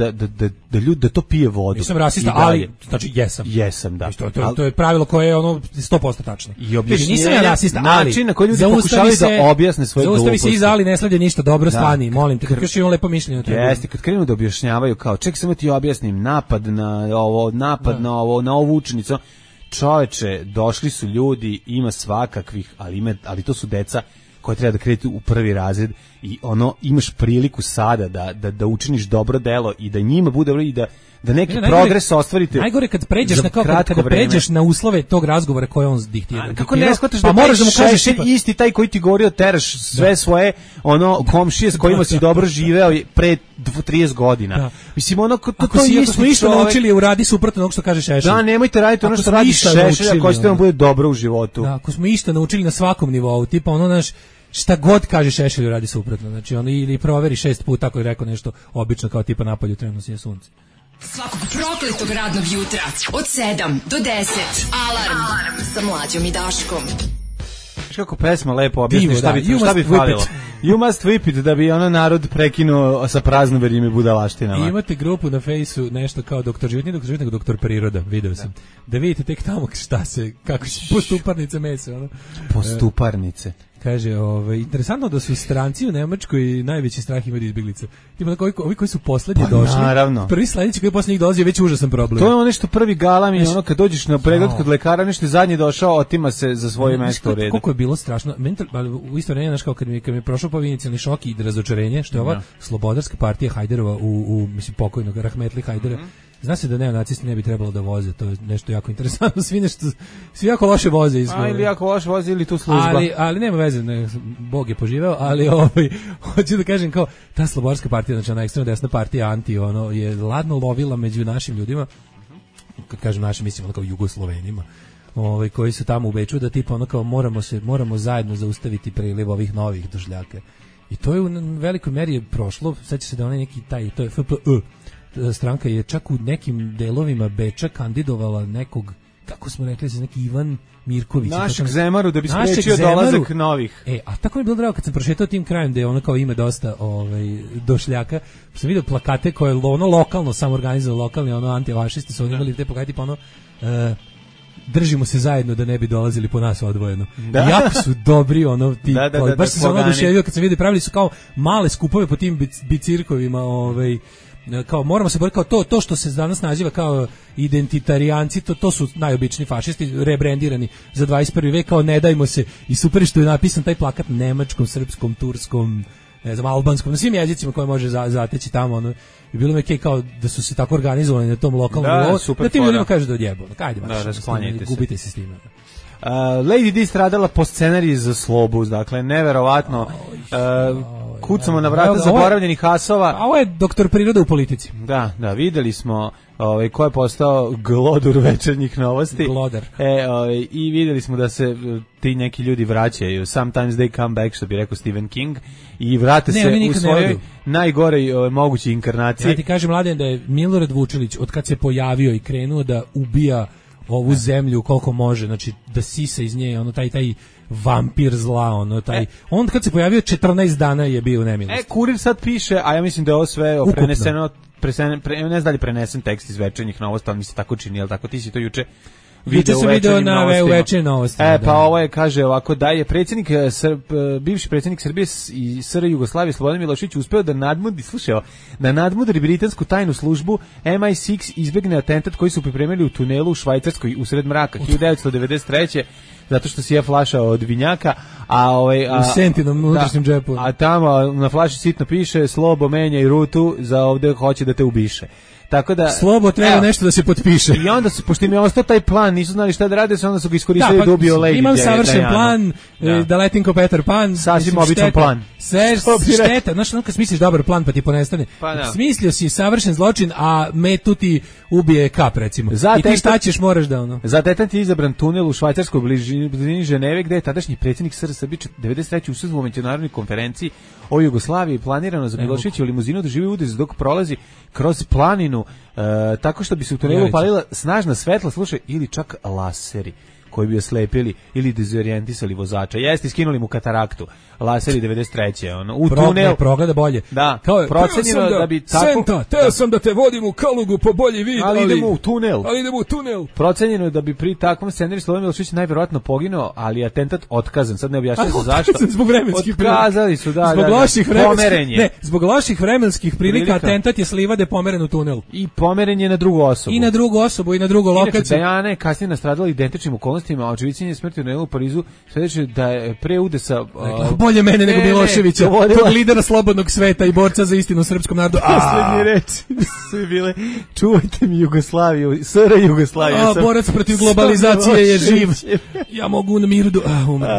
da ljudi da to pije vodu. Nisam rasista, ali znači jesam. Jesam, da. To je pravilo koje je ono 100% tačno. I objašnjenje, nisam ja rasista, način na koji ljudi pokušavaju da objasne svoje gluposti. Zaustavi se iza ali ne sledi ništa, dobro stani, molim te, kako još imam lepo mišljenje o tebi. Jeste, kad krenu da objašnjavaju kao, ček samo ti objasnim, napad na ovu učenicu. Čoveče, došli su ljudi, ima svakakvih, ali to su deca koje treba da kreću u prvi razred i ono imaš priliku sada da učiniš dobro delo i da njima bude dobro i da neki progres ostvarite. Najgore kad pređeš na kada pređeš na uslove tog razgovora koje on diktira. Kako ne shvataš da možeš da mu kažeš isti taj koji ti govorio teraš sve svoje ono komšije s kojima si dobro živeo pre 30 godina. Da. Mislim ono to smo isto naučili uradi suprotno onog što kaže Šešelj. Da, nemojte raditi ono što radi Šešelj, ako hoćete da vam bude dobro u životu. Da, ako smo isto naučili na svakom nivou, tipa ono naš šta god kaže Šešelj radi suprotno. Znači on ili proveri 6 puta ako je rekao nešto obično kao tipa napolju trenutno sije sunce. Svakog prokletog radnog jutra od 7 do 10. Alarm sa Mlađom i Daškom. Znaš kako pesma lepo objasni šta bi falilo. You must whip it da bi ono narod prekinuo sa praznoverjima i budalaštinama. I imate grupu na fejsu nešto kao doktor život, nije doktor život, nego doktor priroda, video sam. Da vidite tek tamo kako će postuparnice mese. Ono. Postuparnice. Kaže, interesantno da su stranci u Nemačkoj najveći strah imaju izbjeglice. Tipa ovi koji su poslednji došli. Naravno. Prvi sledeći koji posle njih dolazi je već užasan problem. To je ono što prvi galam i ono kad dođeš na pregled kod lekara, nešto zadnji došao, otima se za svoje mesto u redu. Koliko je bilo strašno. U isto vreme, znaš, kao kad mi je prošao po inicijalni šok i razočarenje, što je ova slobodarska partija Hajderova u mislim pokojnog Rahmetli Hajdera. Zna se da neonacisti ne bi trebalo da voze, to je nešto jako interesantno, svi jako loše voze. Ili jako loše voze ili tu služba. Ali nema veze, Bog je poživeo, ali hoću da kažem kao, ta slobodarska partija, znači ona ekstremno desna partija, je ladno lovila među našim ljudima, kad kažem našim, mislim ono kao Jugoslovenima, koji su tamo u Beču, da tipa ono kao moramo zajedno zaustaviti priliv ovih novih došljaka. I to je u velikoj meri prošlo, seća se da onaj neki to je FPÖ, stranka je čak u nekim delovima Beča kandidovala nekog, kako smo rekli, neki Ivan Mirković. Našeg Zemaru, da bi sprečio dolazak novih. A tako mi je bilo drago kad sam prošetao tim krajem gde ono kao ima dosta došljaka, sam vidio plakate koje ono lokalno sam organizovao, lokalni antifašisti su imali te plakate tipa držimo se zajedno da ne bi dolazili po nas odvojeno. Jako su dobri ti. Baš sam se oduševio kad sam vidio, pravili su kao male skupove po tim bicirkovima, kao moramo se boriti kao to što se danas naziva kao identitarijanci, to su najobičniji fašisti rebrendirani za 21. vek, kao ne dajmo se, i super što je napisan taj plakat nemačkom, srpskom, turskom, ne znam, albanskom, na svim jezicima koje može zateći tamo, i bilo mi kao da su se tako organizovali na tom lokalnom nivou, da tim ljudima kažu da odjebo, kajde gubite se s time. Lady Di stradala po scenariji za Slobu, dakle, neverovatno. Kucamo na vrata zaboravljenih asova. A ovo je doktor priroda u politici. Da, videli smo ko je postao glodur večernjih novosti. Glodar. I videli smo da se ti neki ljudi vraćaju. Sometimes they come back, što bi rekao Stephen King, i vrate se u svojoj najgorej mogućoj inkarnaciji. Ja ti kažem, Mladen, da je Milorad Vučilić, od kad se pojavio i krenuo da ubija ovu zemlju koliko može, znači da sisa iz nje, taj vampir zla, on kad se pojavio 14 dana je bio u nemilosti. Kurir sad piše, a ja mislim da je ovo sve preneseno, ne znam da li prenesen tekst iz večernjih novosti, ali mi se tako čini, ali tako ti si to juče video na večernjim novostima. Pa ovo je, kaže ovako, da je bivši predsjednik Srbije i SR Jugoslavije Slobodan Milošević uspeo da nadmudri britansku tajnu službu MI6 izbegne atentat koji su pripremili u tunelu u Švajcarskoj usred mraka 1993. zato što si je flaša od vinjaka, u sentinom unutrašnjem džepu. A tamo na flaši sitno piše Slobo menja i rutu za ovde hoće da te ubiše. Tako da Slobo treba nešto da se potpiše. I onda su, pošto im je ostao taj plan, nisu znali šta da rade, onda su ga iskoristili da ubiju Lady. Imam savršen plan, da letim ko Peter Pan. Sasvim običan plan. Šteta, znaš, kad smisliš dobar plan pa ti ponestane. Smislio si savršen zločin, a metu ti ubije kap, recimo. I ti šta ćeš, moraš da ono. Za tetant je izabran tunel u švajcarskoj blizini Ženeve, gde je tadašnji predsjednik SRS 93. usustvovao u međunarodnoj konferenciji o Jugoslaviji, planirano za Miloševićevu limuzinu da živi udes dok prolazi kroz planinu, tako što bi se u tunelu upalila snažna svetla, slušaj, ili čak laseri koji bi oslepili ili dezorijentisali vozača. Jeste, skinuli mu kataraktu. Laseri 93. Ono, u tunel. Progleda bolje. Da, procenjeno da bi tako... Senta, teo sam da te vodim u Kalugu po bolji vid, ali idemo u tunel. Ali idemo u tunel. Procenjeno je da bi pri takvom scenariju Slobodan Milošević najverovatno poginuo, ali atentat otkazan. Sad ne objašnjamo zašto. Zbog vremenskih prilika. Otkazali su, da, zbog loših pomerenje. Ne, zbog loših vremenskih prilika atentat je s livade pomeren u tunel. I pomeren je na drugu osobu. I na drugu osobu i na drugu lokaciju. Dejana je kasnije nastradala identičnim okolnostima, a očevićenje smrti u tunelu u Parizu sledeće da je pre udesa... bolje mene nego Miloševića, tog lidera slobodnog sveta i borca za istinu u srpskom narodu. Poslednje reči su bile: čuvajte mi Jugoslaviju, SR Jugoslaviju. Borac protiv globalizacije je živ. Ja mogu na miru umrem.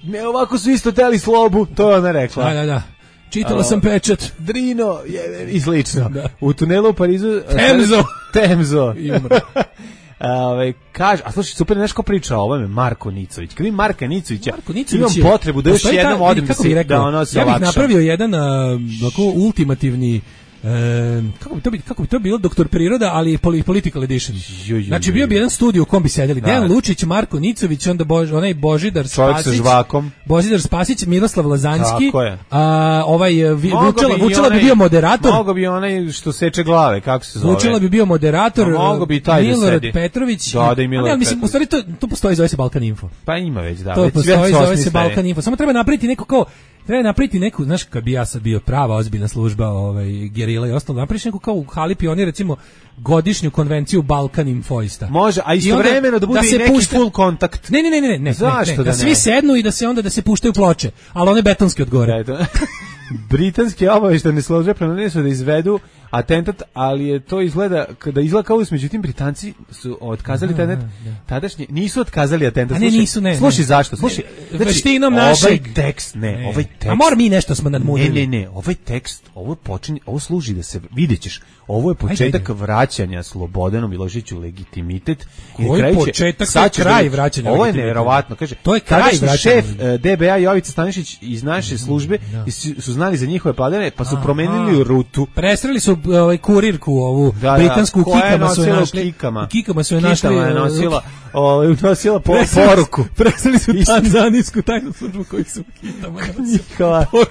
Ne, ovako su isto teli slobu, to je ona rekla. Da. Čitala sam pečat. Drino i slično. U tunelu u Parizu... Temzo. I umre. Kaže, a slušaj, super nešto priča o ovome Marko Nicović. Kad vidim Marka Nicovića, imam potrebu da još jednom odem da ono se olakšam. Ja bih lakša. napravio jedan ultimativni kako bi to bilo Doktor Priroda, ali political edition. Znači bio bi jedan studio u kom bi sedeli Dejan Lučić, Marko Nicović, onda onaj Božidar Spasić, Božidar Spasić, Miroslav Lazanski, Vučela bi bio moderator. Mogo bi onaj što seče glave, kako se zove. Vučela bi bio moderator, Milorad Petrović. Da, i Milorad Petrović. Mislim, u stvari to postoji, zove se Balkan Info. Pa ima već, da. To postoji, zove se Balkan Info. Samo treba napraviti neko kao treba napraviti neku, znaš, kad bi ja sad bio prava ozbiljna služba, gerila i ostalo, napraviš neku kao u hali pioni, recimo, godišnju konvenciju Balkan Infoista. Može, a istovremeno da bude i neki full kontakt. Ne. Zašto da svi sednu i da se onda da se puštaju ploče, ali one betonske od gore. Britanske obaveštajne službe planiraju su da izvedu atentat, ali je to izgleda kao međutim Britanci su otkazali tadašnji, nisu otkazali atentat. Slušaj zašto? Slušaj, veštinom našeg ovaj tekst. A mora mi nešto smo nadmudili. Ne, ovaj tekst, ovo služi da se videćeš. Ovo je početak vraćanja Slobodanu Miloševiću legitimitet. Koji početak, kraj vraćanja. Ovo je neverovatno, kaže. To je kraj vraćanja. Šef DBA Jovica Stanišić iz naše službe su znali za njihove padane, pa su promenili rutu. Presreli su kurirku ovu britansku, u Kikama su je našli. Nosila poruku. Presreli su tanzanijsku tajnu službu koju su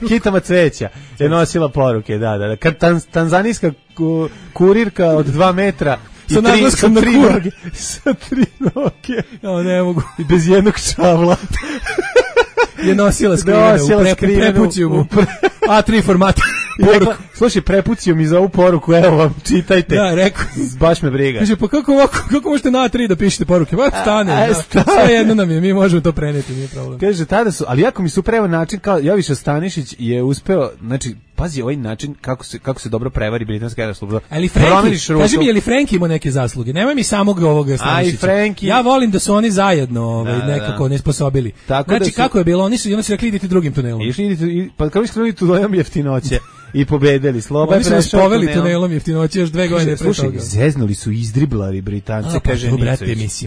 Kitama cveća je nosila poruke, da. Tanzanijska kurirka od 2 metra sa naglaskom na kur. Sa 3 noge. Ne mogu. I bez jednog čavla. Je nosila skrivenu u prepucijumu. A3 formata. Slušaj, prepucio mi za ovu poruku, evo vam, čitajte. Da, rekao. Baš me briga. Kaže, pa kako možete na A3 da pišete poruke? Ba, stane. Sve jedno nam je, mi možemo to preneti, nije problem. Kaže, tada su, ali jako mi su preveo način, kao Joviša Stanišić je uspeo, znači, pazi ovaj način kako se dobro prevari britanska služba. Ali Frenki, kaži mi, je li Frenki imao neke zasluge? Nemoj mi samog ovoga Stanišića. Ja volim da su oni zajedno nekako nesposobili. Znači, kako je bilo? Oni su rekli, idite drugim tunelom. Pa kako skrenuli tunelom jeftinoće i pobedili. Sloba oni su nas poveli tunelom jeftinoće još 2 godine pre toga. Slušaj, zeznuli su izdriblari Britance, kaže Nicović.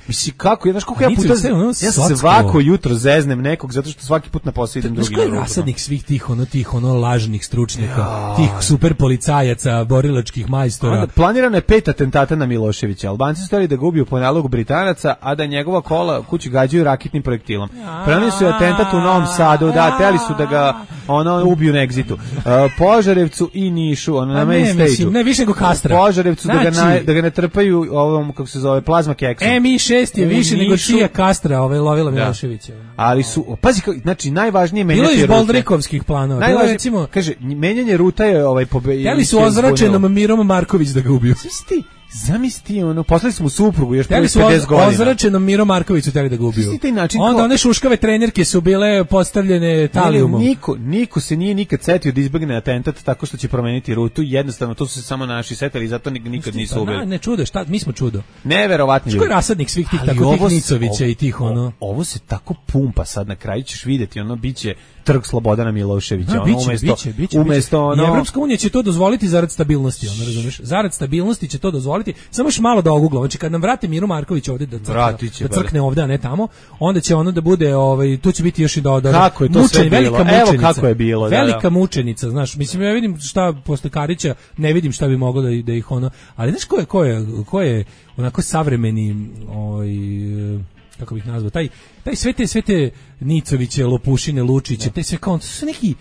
Mislim, kako, znaš koliko ja puta, ja svako jutro zeznem nekog, zato što svaki put na posao idem drugim rutom. Rasadnik svih tih lažnih stručnjaka, tih super policajaca, borilačkih majstora. Planirano je 5 atentata na Miloševića. Albanci su htjeli da ga ubiju po nalogu Britanaca, a da njegova kola kući gađaju raketnim projektilom. Planirali su atentat u Novom Sadu, htjeli su da ga ubiju na egzitu. Požarevcu i Nišu, na main stage-u. Ne, više nego Kastra. Požarevcu da ga ne trpaju ovom, kako se zove, plazma keksom. Mi6 je više nego čija Kastra, lovila Miloševića. Ali su, pazi, znači, najvažnije menjati rute. Bilo iz Boldrikovskih planova. Recimo, kaže, menjanje ruta je htjeli su ozračenom Mirom Marković da ga ubiju. Zamisli ono, poslali smo suprugu još prvih 50 godina. Ozračenom Miro Markoviću teli da ga ubiju. Onda one šuškave trenerke su bile postavljene talijumom. Niko se nije nikad setio da izbegne atentat tako što će promeniti rutu. Jednostavno, to su se samo naši setili, zato nikad nisu ubili. Ne čudo, šta, mi smo čudo. Neverovatni ljudi. Što je rasadnik svih tih tako tih Nicovića i tih ono. Ovo se tako pumpa sad, na kraju ćeš vidjeti, ono biće trg Slobodana Miloševića, umesto ono. Evropska unija će to dozvoliti zarad stabilnosti, ono, razumeš? Zarad stabilnosti će to dozvoliti. Samo još malo da ogugla. Znači kad nam vrate Miru Marković ovde da crkne ovde, a ne tamo, onda će ono da bude, tu će biti još i kako je to sve bilo? Evo kako je bilo. Velika mučenica, znaš. Mislim, ja vidim šta posle Karića, ne vidim šta bi moglo da ih ono, ali znaš ko je onako savremeni, kako bih nazvao, taj sve te Nicoviće, Lopušine, Lučiće, te sve kao, to su neki,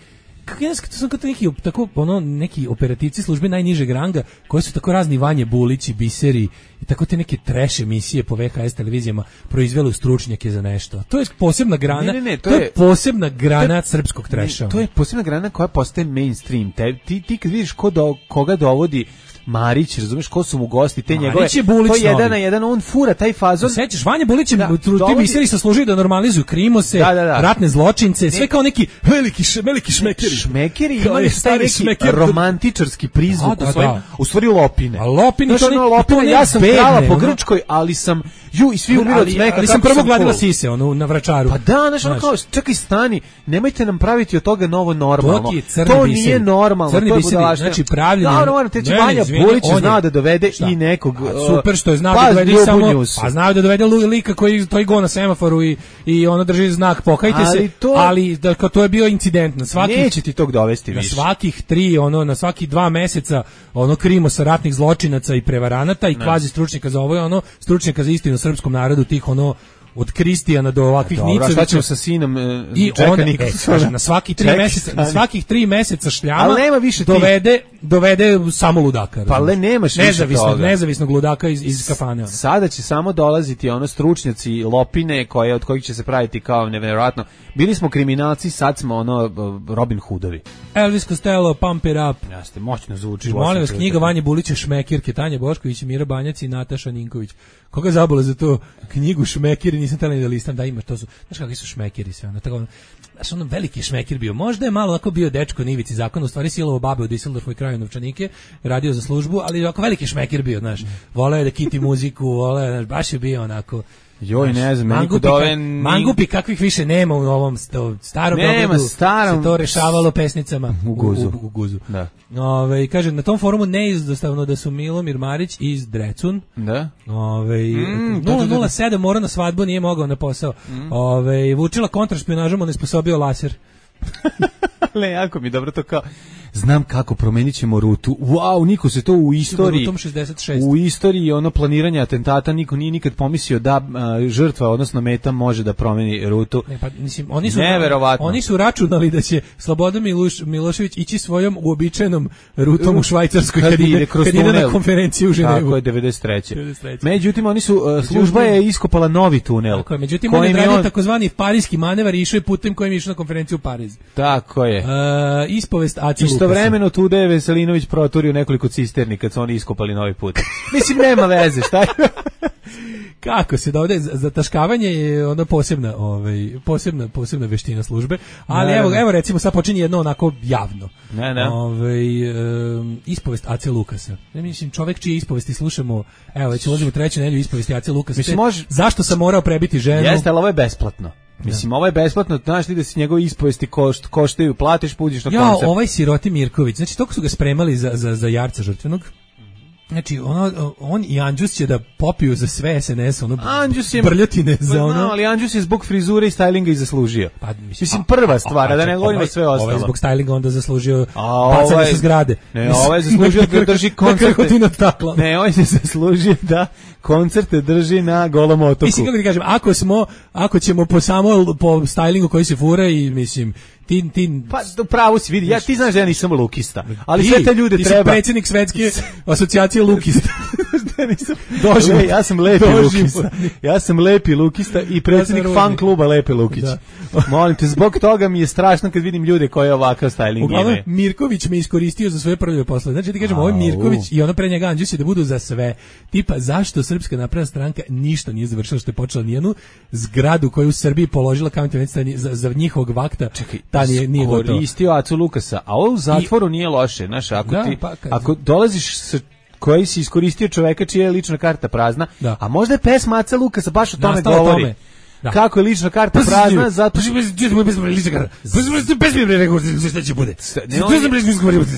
to su neki, tako, neki operativci službe najnižeg ranga, koji su tako razni Vanje Bulići, Biseri i tako te neke trash emisije po VHS televizijama proizveli stručnjake za nešto. To je posebna grana, to je posebna grana srpskog trasha. To je posebna grana koja postaje mainstream. Ti kad vidiš koga dovodi Marić, razumeš, ko su mu gosti, te njegove, to je jedan na jedan, on fura taj fazon. Sećaš, Vanja Bulić je ti misli sa služi da normalizuju krimose, ratne zločince, sve kao neki veliki šmekeri. Šmekeri imaju taj neki romantičarski prizvuk u stvari Lopine. A Lopine, ja sam krala po Grčkoj, ali sam, i svi umiru od smeka. Ali sam prvo gladila sise, na Vračaru. Pa da, znaš, ono kao, čekaj, stani, nemojte nam praviti od toga novo normalno. To nije normalno. Crni biseri, znači pravljeno. Bulić znao da dovede i nekog. Super što je znao da dovede samo, a znao da dovede lika koji to i go na semaforu i ono drži znak pokajte se, ali da to je bio incident na svakih. Neće ti tog dovesti više. Na svakih 3, na svaki 2 meseca krimo sa ratnih zločinaca i prevaranata i kvazi stručnjaka za ovo, stručnjaka za istinu srpskom narodu, tih od Kristijana do ovakvih Nicovića. Šta ćemo sa sinom na svakih 3 meseca šljama dovede samo ludaka. Pa le nemaš nezavisnog ludaka iz kafane. Sada će samo dolaziti stručnjaci Lopine od kojih će se praviti kao nevjerojatno. Bili smo kriminalci, sad smo Robin Hoodovi. Elvis Costello, Pump It Up. Jeste, moćno zvuči. Molim vas, knjiga Vanje Bulića Šmekirke, Tanja Bošković, Mira Banjac i Nataša Ninković. Koga zabole za to knjigu Šmekiri, nisam tali da listam, da imaš, to su, znaš kakvi su šmekiri sve, znaš, veliki šmekir bio, možda je malo ako bio dečko Nivici zakon, u stvari silovo babe u Düsseldorfu i kraju novčanike, radio za službu, ali ako veliki šmekir bio, znaš, voleo je da kiti muziku, znaš, baš je bio onako, joj, ne znam, mangupi kakvih više nema u ovom starom Beogradu, se to rešavalo pesnicama u Guzu. Da. Kaže, na tom forumu neizostavno da su Milomir Marić iz Drecun. Da. 007 mora na svadbu, nije mogao na posao. Vučila kontrašpionažom, on je sposobio laser. Le, jako mi dobro to kao, znam kako, promenit ćemo rutu. Wow, niko se to u istoriji, u istoriji planiranja atentata, niko nije nikad pomislio da žrtva, odnosno meta, može da promeni rutu. Ne, pa, mislim, oni su računali da će Slobodan Milošević ići svojom uobičajenom rutom u Švajcarskoj kad ide na konferenciju u Ženevu. Tako je, 93. Međutim, služba je iskopala novi tunel. Tako je, međutim, on je radio takozvani parijski manevar i išao je putem kojim je išao na konferenciju u Pariz. Tako je. Ispovest Aci Lukasa. Istovremeno tude je Veselinović proturio nekoliko cisterni kad su oni iskopali novi put. Mislim, nema veze, šta je? Kako se dovede, zataškavanje je ona posebna veština službe, ali evo recimo sad počinje jedno onako javno. Ispovest Ace Lukasa. Mislim, čovek čije ispovesti slušamo, evo već ulazimo u 3. nedelju ispovesti Ace Lukasa. Zašto sam morao prebiti ženu? Jeste, ali ovo je besplatno. Mislim, ovo je besplatno, znaš ti da se njegove ispovesti koštaju, platiš, puđiš na koncert. Ja, ovaj siroti Mirković, znači toliko su ga spremali za jarca žrtvenog. Znači, on i Anđus će da popiju za sve SNS, brljotine za ono. Ali Anđus je zbog frizure i stylinga i zaslužio. Pa, mislim, prva stvar, da ne govorimo sve ostalo. Ovaj zbog stylinga onda zaslužio bacanje sa zgrade. Ne, ovaj je zaslužio da drži koncerte. Ne, ovaj je zaslužio da koncerte drži na Golom otoku. Mislim, kako ti kažem, ako ćemo po stylingu koji se fura i, mislim, Pa upravo si vidi, ti znaš da ja nisam lukista, ali sve te ljude treba. Ti si predsjednik svetske asocijacije lukista. Ja sam lepi lukista. Ja sam lepi lukista i predsjednik fan kluba Lepe Lukić. Molim te, zbog toga mi je strašno kad vidim ljude koji ovakav styling imaju. Uglavnom, Mirković me iskoristio za svoje prljave poslove. Znači ti kažemo, ovo je Mirković i ono pre njega Andžusi da budu za sve. Tipa, zašto Srpska napredna stranka ništa nije završila što je počela nijednu zgradu koju u Srbiji položila kamen za njihovog vakta. Čekaj, ta nije gotovo. Koristio Acu Lukasa, a ovo u zatvoru nije loše. Znaš, ako dolaziš sa koji si iskoristio čoveka čija je lična karta prazna, a možda je pesma Aca Lukasa baš o tome govori. Da. Kako je lična karta prazna, zato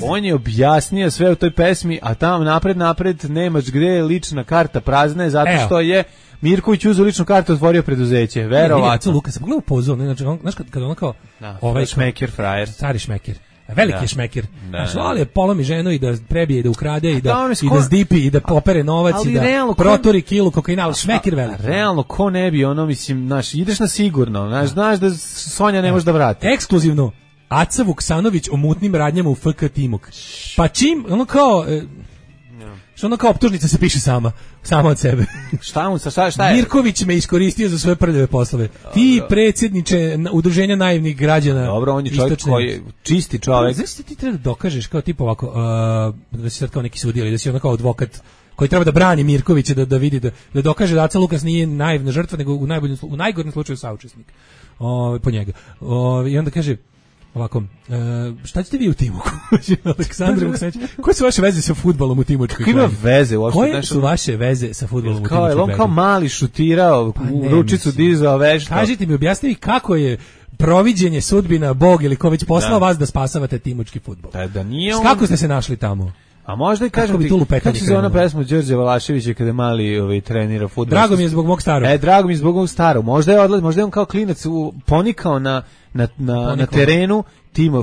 on je objasnio sve u toj pesmi, a tamo napred nemaš gde je lična karta prazna je zato što je Mirković uzeo ličnu kartu, otvorio preduzeće, verovatno. Luka se pogledao pozor, znači znaš kad ona kao ovaj šmeker frajer, stari šmeker. Veliki je šmeker. Znači, ali je polomi ženu i da prebije, i da ukrade, i da zdipi, i da popere novac, i da protori kilu kokaina, šmeker veliki. Realno, ko ne bi, mislim, ideš na sigurno, znaš da Sonja ne može da vrati. Ekskluzivno, Aca Vuksanović o mutnim radnjama u FK Timok. Pa čim, što kao optužnica se piše sama od sebe. Šta je? Mirković me iskoristio za svoje prljave poslove. Ti predsjedniče udruženja naivnih građana. Dobro, on je čovjek koji je čisti čovjek. Znači ti treba da dokažeš kao tipa ovako, da si sad kao neki sudija ili da si ono kao advokat koji treba da brani Mirkovića, da vidi, da dokaže da Aca Lukas nije naivna žrtva, nego u najgorem slučaju saučesnik. Po njega. I onda kaže ovako, šta ćete vi u Timoku? Aleksandar Vuksanović, koje su vaše veze sa fudbalom u Timočkoj krajini? Ima veze uopšte? Koje su vaše veze sa fudbalom u Timočkoj krajini? On kao mali šutirao, u ručicu dizao vešto. Kažite mi, objasni kako je proviđenje, sudbina, Bog ili ko već poslao vas da spasavate timočki fudbal. Da nije on... Kako ste se našli tamo? A možda i kažem ti, kako se zove ona pesma Đorđe Valaševića kada mali trenira fudbal? Drago mi je zbog mog starog. Drago mi je zbog mog starog. Možda je on kao klinac ponikao na terenu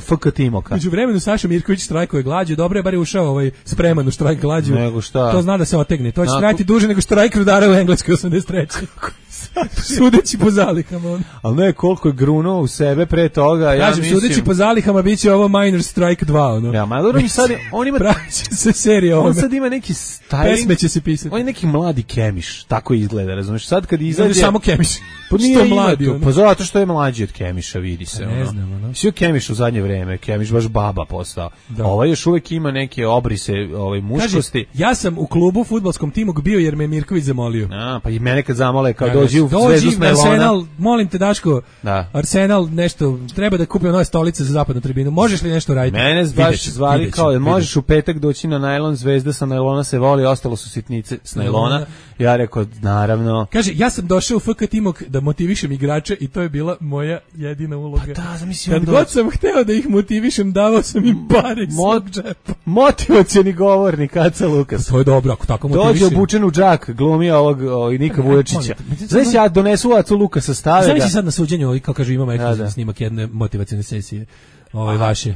FK Timoka. Među vremenu Saša Mirković štrajkuje glađu, dobro je bar je ušao spreman u štrajk glađu. Nego šta? To zna da se otegne. To će trajati duže nego štrajk rudara u Engleskoj 83. Sudeći po zalihama. Ali ne, koliko je grunuo u sebe pre toga. Kažem, sudeći po zalihama biće ovo Minor Strike 2. Ja, ma dobro, on ima... Praviće se serija on sad ima neki styling. Pesme će se pisati. On je neki mladi Kemiš, tako izgleda, razumiješ? Sad kad izađe... Samo Kemiš. Pa nije mladi. Pa zato što je mlađi od Kemiša, vidi se. Ne znam, Svi Kemiš u zadnje vreme, Kemiš baš baba postao. Ovaj još uvijek ima neke obrise muškosti. Kaže, ja sam u klubu fudbalskom Timok bio jer me Mirković zamolio. Pa i mene kad zamole, kao dođi u Zvezdu s Nailona. Arsenal, molim te Daško, Arsenal nešto, treba da kupimo nove stolice za zapadnu tribinu. Možeš li nešto raditi? Mene baš zvali kao, možeš u petak doći na Nailon, Zvezda sa Nailona se voli, ostalo su sitnice s Nailona. Ja rekao, naravno. Kaže, ja sam došao u FK Timok da motivišem igrače i to je bila moja jedina uloga. Pa da, zamislim. Kad god sam hteo da ih motivišem, davao sam im pare iz svog džepa. Motivacioni govornik Aca Lukas. To je dobro, ako tako motivišem. Dođe obučen u džak, glumi ovog Nika Vujačića. Znači, ja donesu Acu Lukasa, stave ga. Zamisli sad na suđenju, kao kažu, imamo ekskluzivan snimak jedne motivacione sesije. Vaše.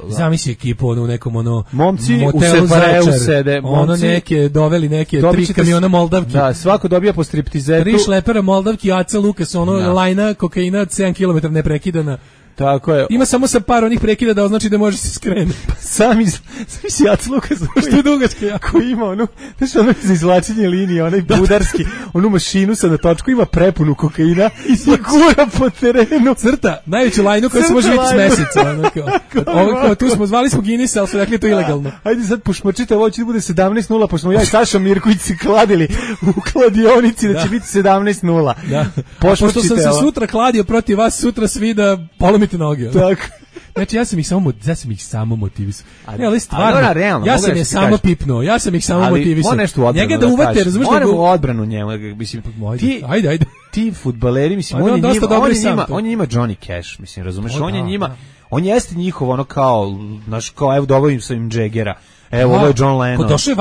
Zamisli ekipu u nekom momci u Separeu sede. Doveli neke 3 kamiona Moldavki. Da, svako dobija po striptizetu. 3 šlepera Moldavki, Aca Lukas, lajna kokaina 7 km neprekidana. Tako je. Ima samo sa par onih prekida da označi da može se skrenuti. Sami si Aca Lukas, što je dugačka jako. Ima ono za izvlačenje linije, onaj budarski, onu mašinu sa na točku, ima prepunu kokaina i gura po terenu. Crta, najveću lajnu koja se može vidjeti s meseca. Tu smo zvali smo Guinnessa, ali su rekli to ilegalno. Ajde sad pušmačite, ovo će da bude 17:0, pošto smo ja i Saša Mirković se kladili u kladionici da će biti 17:0. Pošto sam se sutra kladio protiv vas, sutra svi da polomite noge. Tako. Znači ja sam ih samo motivisao. Ali stvarno, realno, ja sam je samo pipnuo, ja sam ih samo motivisao. Njega da uvate, razumiješ? Moramo u odbranu njemu, mislim. Ajde. Ti fudbaleri, mislim, on je njima Johnny Cash, mislim, razumeš? On jeste njihov kao, evo dovodim sa im Jaggera. Evo, ovo je John Lennon. Došao je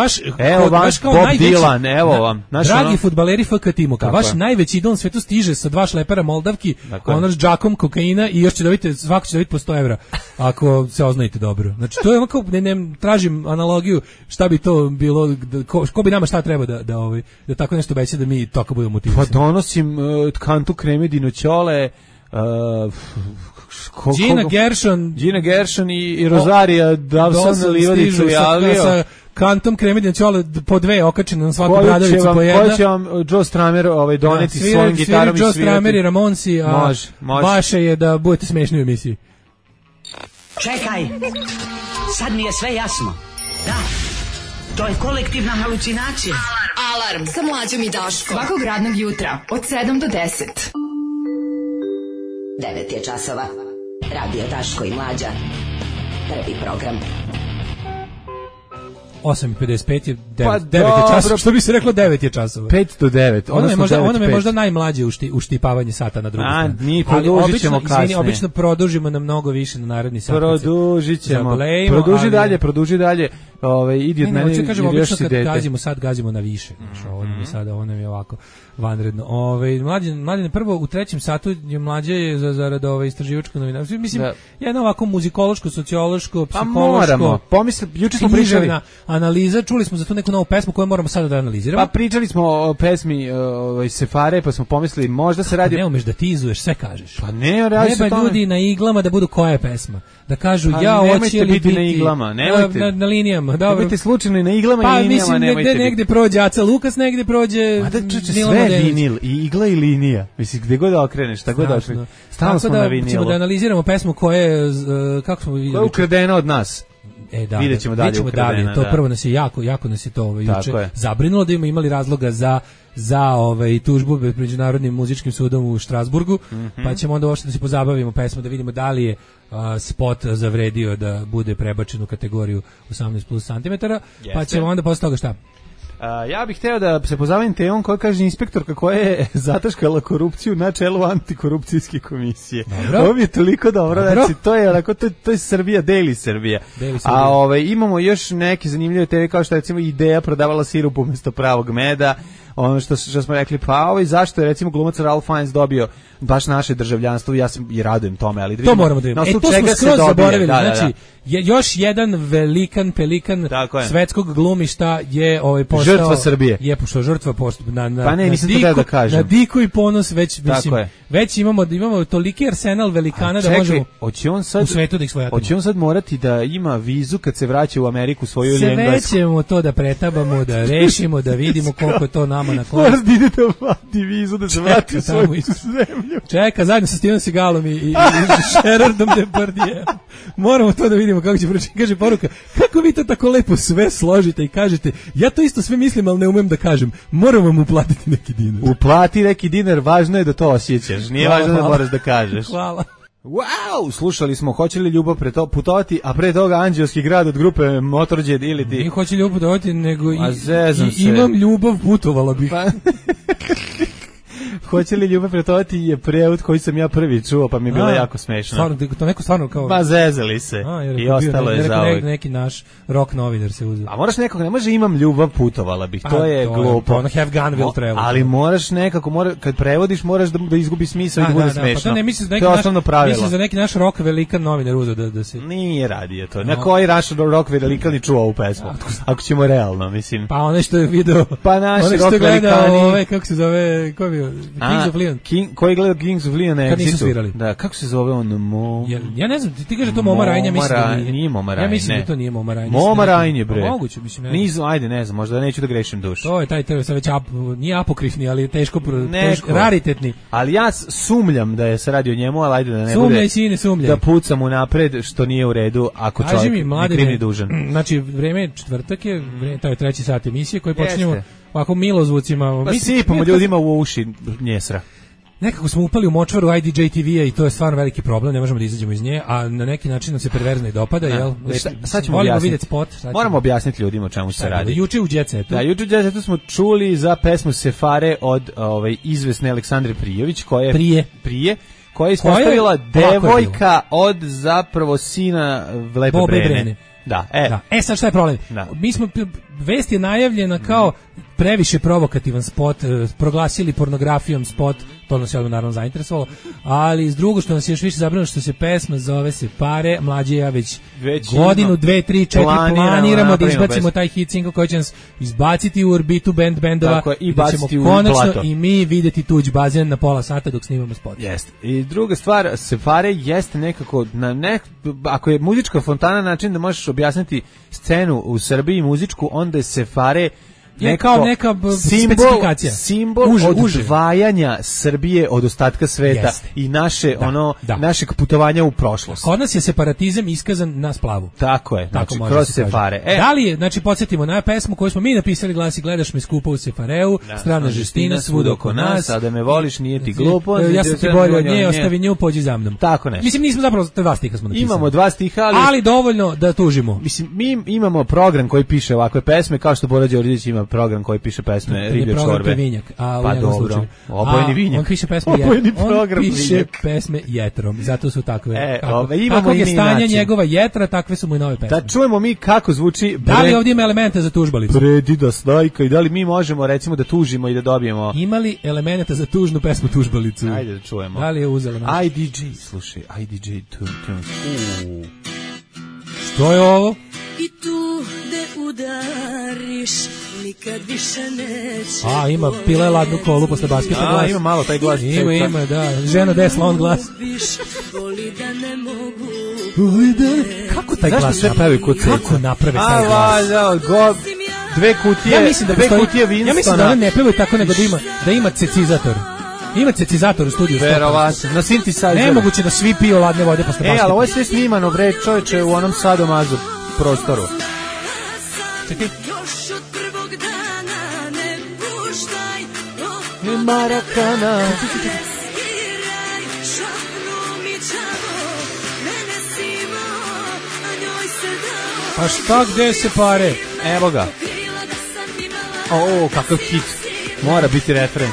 vaš kao Bob najveći... Dylan, evo vam. Dragi fudbaleri FK Timoka, vaš najveći idol na svetu stiže sa 2 šlepera Moldavki, s džakom kokaina i još će dobiti, svako će dobiti po 100 evra, ako se oznajete dobro. Znači, to je onako, ne tražim analogiju šta bi to bilo, ko bi nama šta treba da tako nešto beće da mi tako budemo motivisani. Pa donosim kantu kreme dinoćole, Gina Gershon i Rosaria Dawson na livadicu javio. Sa kantom Kremedina Ćole po dve okačene na svaku bradavicu po jedna. Ko će vam Joe Stramer doneti svojim gitarom i svirati? Joe Stramer i Ramonsi, a može. vaše je da budete smešni u emisiji. Čekaj, sad mi je sve jasno. Da, to je kolektivna halucinacija. Alarm sa Mlađom i Daškom. Svakog radnog jutra od 7 do 10. 9 je časova. Radio Daško i Mlađa. Prvi program. 8:55 je 9 je časova. Što bi se reklo 9 je časova. 5 do 9. Ono je možda najmlađe uštipavanje sata na drugu stranu. Mi produžit ćemo kasnije. Obično produžimo na mnogo više na naredni sat. Produžit ćemo. Produži dalje. Idi od mene i još si dete. Sad gazimo na više. Ovo nam je ovako vanredno. Mlađe prvo u trećem satu je Mlađe zarad istraživačko novinarstvo. Mislim, jedno ovako muzikološko, sociološko, psihološko. Juče smo pričali analiza, čuli smo za tu neku novu pesmu koju moramo sada da analiziramo. Pa pričali smo o pesmi Sefare, pa smo pomislili možda se radi... Ne umeš da tizuješ, sve kažeš. Pa ne, radi se o tome. Ljudi na iglama da budu koja je pesma. Da kažu pa ja hoće li biti na iglama, nemojte. Na linijama, dobro. Nemojte slučajno na iglama i linijama, nemojte. Pa mislim, negde prođe Aca Lukas, negde prođe... A da čuče, sve vinil, i igla i linija. Mislim, gde god da okreneš, šta god da okreneš. Stalno smo na vinilu. Ćemo da analiziramo pesmu koja je, kako smo vidjeli... Koja je ukradena od nas. Vidjet ćemo dalje ukradena. To prvo nas je jako nas je to juče zabrinulo da imali razloga za tužbu pred Međunarodnim muzičkim sudom u Štrasburgu, pa ćemo onda uopšte da se pozabavimo pesmom, da vidimo da li je spot zavredio da bude prebačen u kategoriju 18+ cm, pa ćemo onda posle toga šta? Ja bih hteo da se pozabavim temom koja kaže inspektorka koja je zataškala korupciju na čelu antikorupcijske komisije. Ovo mi je toliko dobro. Znači, to je Srbija, Daily Srbija. A imamo još neke zanimljive teme kao što je recimo Ideja prodavala sirup umjesto pravog meda. Ono što smo rekli, pa zašto je recimo glumac Ralph Fiennes dobio baš naše državljanstvo, ja se i radujem tome, ali to moramo da vidimo. To smo skroz zaboravili, znači još jedan velikan pelikan svetskog glumišta je postao žrtva Srbije. Je pošto žrtva pa ne, nisam to da kažem. Na diku i ponos već imamo toliki arsenal velikana da možemo u svetu da ih svojatimo. Hoće on sad morati da ima vizu kad se vraća u Ameriku svoju ili Englesku? Sve ćemo to da pretabamo, da rešimo, da vidimo koliko to nama na korist. Moraš da ide da vati vizu, da se vrati u svoju zemlju. Čeka, zajedno sa Steven Seagalom i Gerardom Depardieu. Moramo to da vidimo kako će proći. Kaže poruka, kako vi to tako lepo sve složite i kažete, ja to isto sve mislim, ali ne umem da kažem. Moram vam uplatiti neki dinar. Uplati neki dinar, važno je da to osjećaš. Nije važno da moraš da kažeš. Hvala. Wow, slušali smo Hoće li ljubav putovati, a pre toga Anđelski grad od grupe Motorhead ili ti. Nije Hoće ljubav putovati, nego imam ljubav, putovala bih. Hoće li ljubav putovati je prevod koji sam ja prvi čuo, pa mi je bilo jako smešno. Stvarno, to neko stvarno kao... Ma zezali se i ostalo je za uvijek. Neki naš rock novinar se uzeo. A moraš nekog, ne može imam ljubav, putovala bih, to je glupo. Ono have gun will travel. Ali moraš nekako, kad prevodiš moraš da izgubi smisao i da bude smešno. Pa to ne misliš to je osnovno pravilo. Misliš za neki naš rock velikan novinar uzeo da se... Nije radio to. Na koji naš rock velikan i čuo ovu pesmu? Ako ćemo realno, mislim. Pa onaj što je video... Pa naši rock velikani... Kako se zove, ko je bio? Kings of Leon. Koji gleda Kings of Leon na Kad nisu svirali. Da, kako se zove on? Ja ne znam, ti kaže to Moma Rajnja, mislim da nije Moma Rajnja. Ja mislim da to nije Moma Rajnja. Moma Rajnja, bre. Moguće, mislim. Ajde, ne znam, možda neću da grešim dušu. To je taj sad već nije apokrifni, ali teško raritetni. Ali ja sumljam da je se radi o njemu, ali ajde da ne bude. Sumljaj, sine, sumljaj. Da pucam unapred, što nije u redu, ako čovjek je krivni dužan. Znači, vreme je četvrtak je, taj treći sat emisije koji počinjemo ovako milozvucima. Pa sipamo ljudima u uši njesra. Nekako smo upali u močvaru IDJ TV-a i to je stvarno veliki problem, ne možemo da izađemo iz nje, a na neki način nam se perverzno i dopada, jel? Sad ćemo vidjeti spot. Moramo objasniti ljudima o čemu se radi. Juče u Jet Setu. Da, juče u Jet Setu smo čuli za pesmu Sefare od izvesne Aleksandre Prijović, koja je koja je ispostavila devojka od zapravo sina Lepe Brene. Da, sad šta je problem? Vest je najavljena kao previše provokativan spot, proglasili pornografijom spot, to nas je naravno zainteresovalo, ali s drugo što nas je još više zabrinulo što se pesma zove Se pare, Mlađe ja već godinu, 2, 3, 4 planiramo da izbacimo taj hit single koji će nas izbaciti u orbitu bendova i da ćemo konačno i mi videti tuđ bazen na pola sata dok snimamo spot. Jeste. I druga stvar, Se pare jeste nekako, ako je muzička fontana način da možeš objasniti scenu u Srbiji muzičku, onda je Se pare kao neka specifikacija. Simbol odvajanja Srbije od ostatka sveta i našeg putovanja u prošlost. Kod nas je separatizam iskazan na splavu. Tako je, znači kroz Se pare. Da li je, znači podsjetimo na pesmu koju smo mi napisali, glasi Gledaš me skupo u Se pareu, strana žestina svud oko nas. A da me voliš nije ti glupo. Ja sam ti bolje od nje, ostavi nju, pođi za mnom. Tako nešto. Mislim, nismo zapravo 2 stiha smo napisali. Imamo 2 stiha, ali dovoljno da tužimo. Mislim, mi imamo program koji piše ovakve pesme, kao što Bora Đorđević ima program koji piše pesme Riblje čorbe. Pa dobro, obojeni vinjak. On piše pesme pesme jetrom, zato su takve. Kako je stanje njegova jetra, takve su mu i nove pesme. Da čujemo mi kako zvuči. Da li ovdje ima elemente za tužbalicu? Predida snajka i da li mi možemo recimo da tužimo i da dobijemo. Ima li elemenata za tužnu pesmu tužbalicu? Ajde da čujemo. Da li je uzela naš? IDJ, slušaj, IDJ Tunes. Što je ovo? I tu de udariš nikad više neće. Ima pila ladnu kolu posle basketa glas. Ima malo taj glas. Ima, da. Žena desla, on glas. Voli da ne mogu. Kako taj glas sve pravi kod srca? Kako naprave taj glas? Dve kutije Winston. Ja mislim da one ne pevaju tako nego da ima cecizator. Ima cecizator u studiju. Verovatno. Na synthesizeru. Nemoguće da svi piju ladne vode posle basketa. Ali ovo je sve snimano, bre, čoveče, u onom sadomazu prostoru. Čekaj. Još od prvog dana ne puštaj Marakana. Sviraj šapnu mi čavo, mene si imao, a njoj se dao. A šta gde se pare? Evo ga. Kakav hit. Mora biti refren.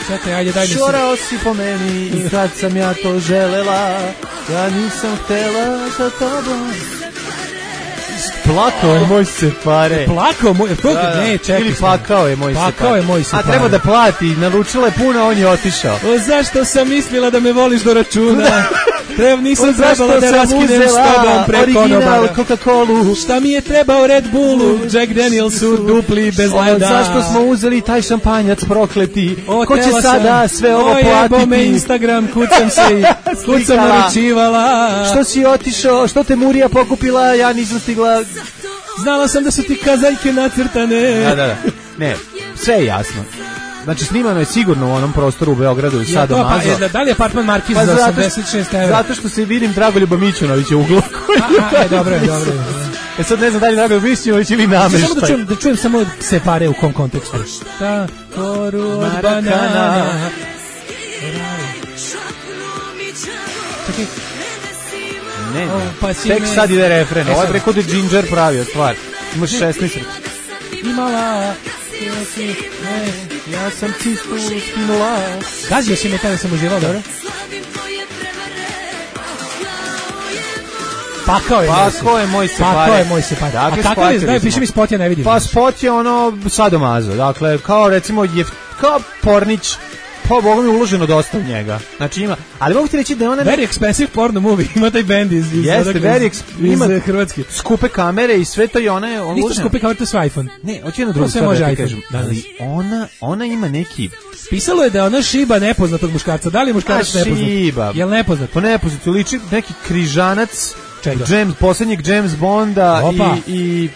Čekaj, ajde, daj mi se. Šorao si po meni i kad sam ja to želela, ja nisam htela sa tobom. Plakao je moj Se pare. Plakao moj, ne, čekaj. Ili plakao je moj Se pare. Plakao je moj Se pare. A treba da plati, naručila je puno, on je otišao. Zašto sam mislila da me voliš do računa? Nisam trebala da raskinem s tobom preko original Coca-Colu. Šta mi je trebao Red Bullu, Jack Danielsu, dupli bez leda. Zašto smo uzeli taj šampanjac prokleti? Ko će sada sve ovo platiti? Ojebo me Instagram, kucam se i kucam naručivala. Što si otišao, što te Murija pokupila, ja nisam stigla. Znala sam da su ti kazaljke nacrtane. Da. Ne, sve je jasno. Znači snimano je sigurno u onom prostoru u Beogradu i Sadomazo. Da li je apartman Markiz za 86 €? Zato što se vidim Dragoljuba Mićunovića u uglu. Dobro. Sad ne znam da li Dragoljub Mićunović ili nameštaj. Samo da čujem samo Se pare u kom kontekstu. Ta koru od banana. Čekaj. Ne, tek sad ide refren. Ovo je preko da Ginger pravio stvar. Imaš 16. Imala... Ja sam čistu skinula. Gazio si me kada sam uživao, dobro? Pakao je moj Se pare. A kakav je, daj, piši mi spot, ja ne vidim. Pa spot je ono sadomazo. Dakle, kao recimo, kao Pornić. Pa Boga mi je uloženo dosta u njega. Znači ima, ali mogu ti reći da je ona... Very expensive porno movie, ima taj band iz Hrvatske. Skupe kamere i sve to i ona je... Ništa skupe kamere, to je sve iPhone. Ne, hoću jedno drugo stvar da ti kažem. Ali ona ima neki... Pisalo je da je ona šiba nepoznatog muškarca. Da li je muškarac nepoznat? Šiba. Jel nepoznat? Po nepoznatu liči neki križanac posljednjeg James Bonda i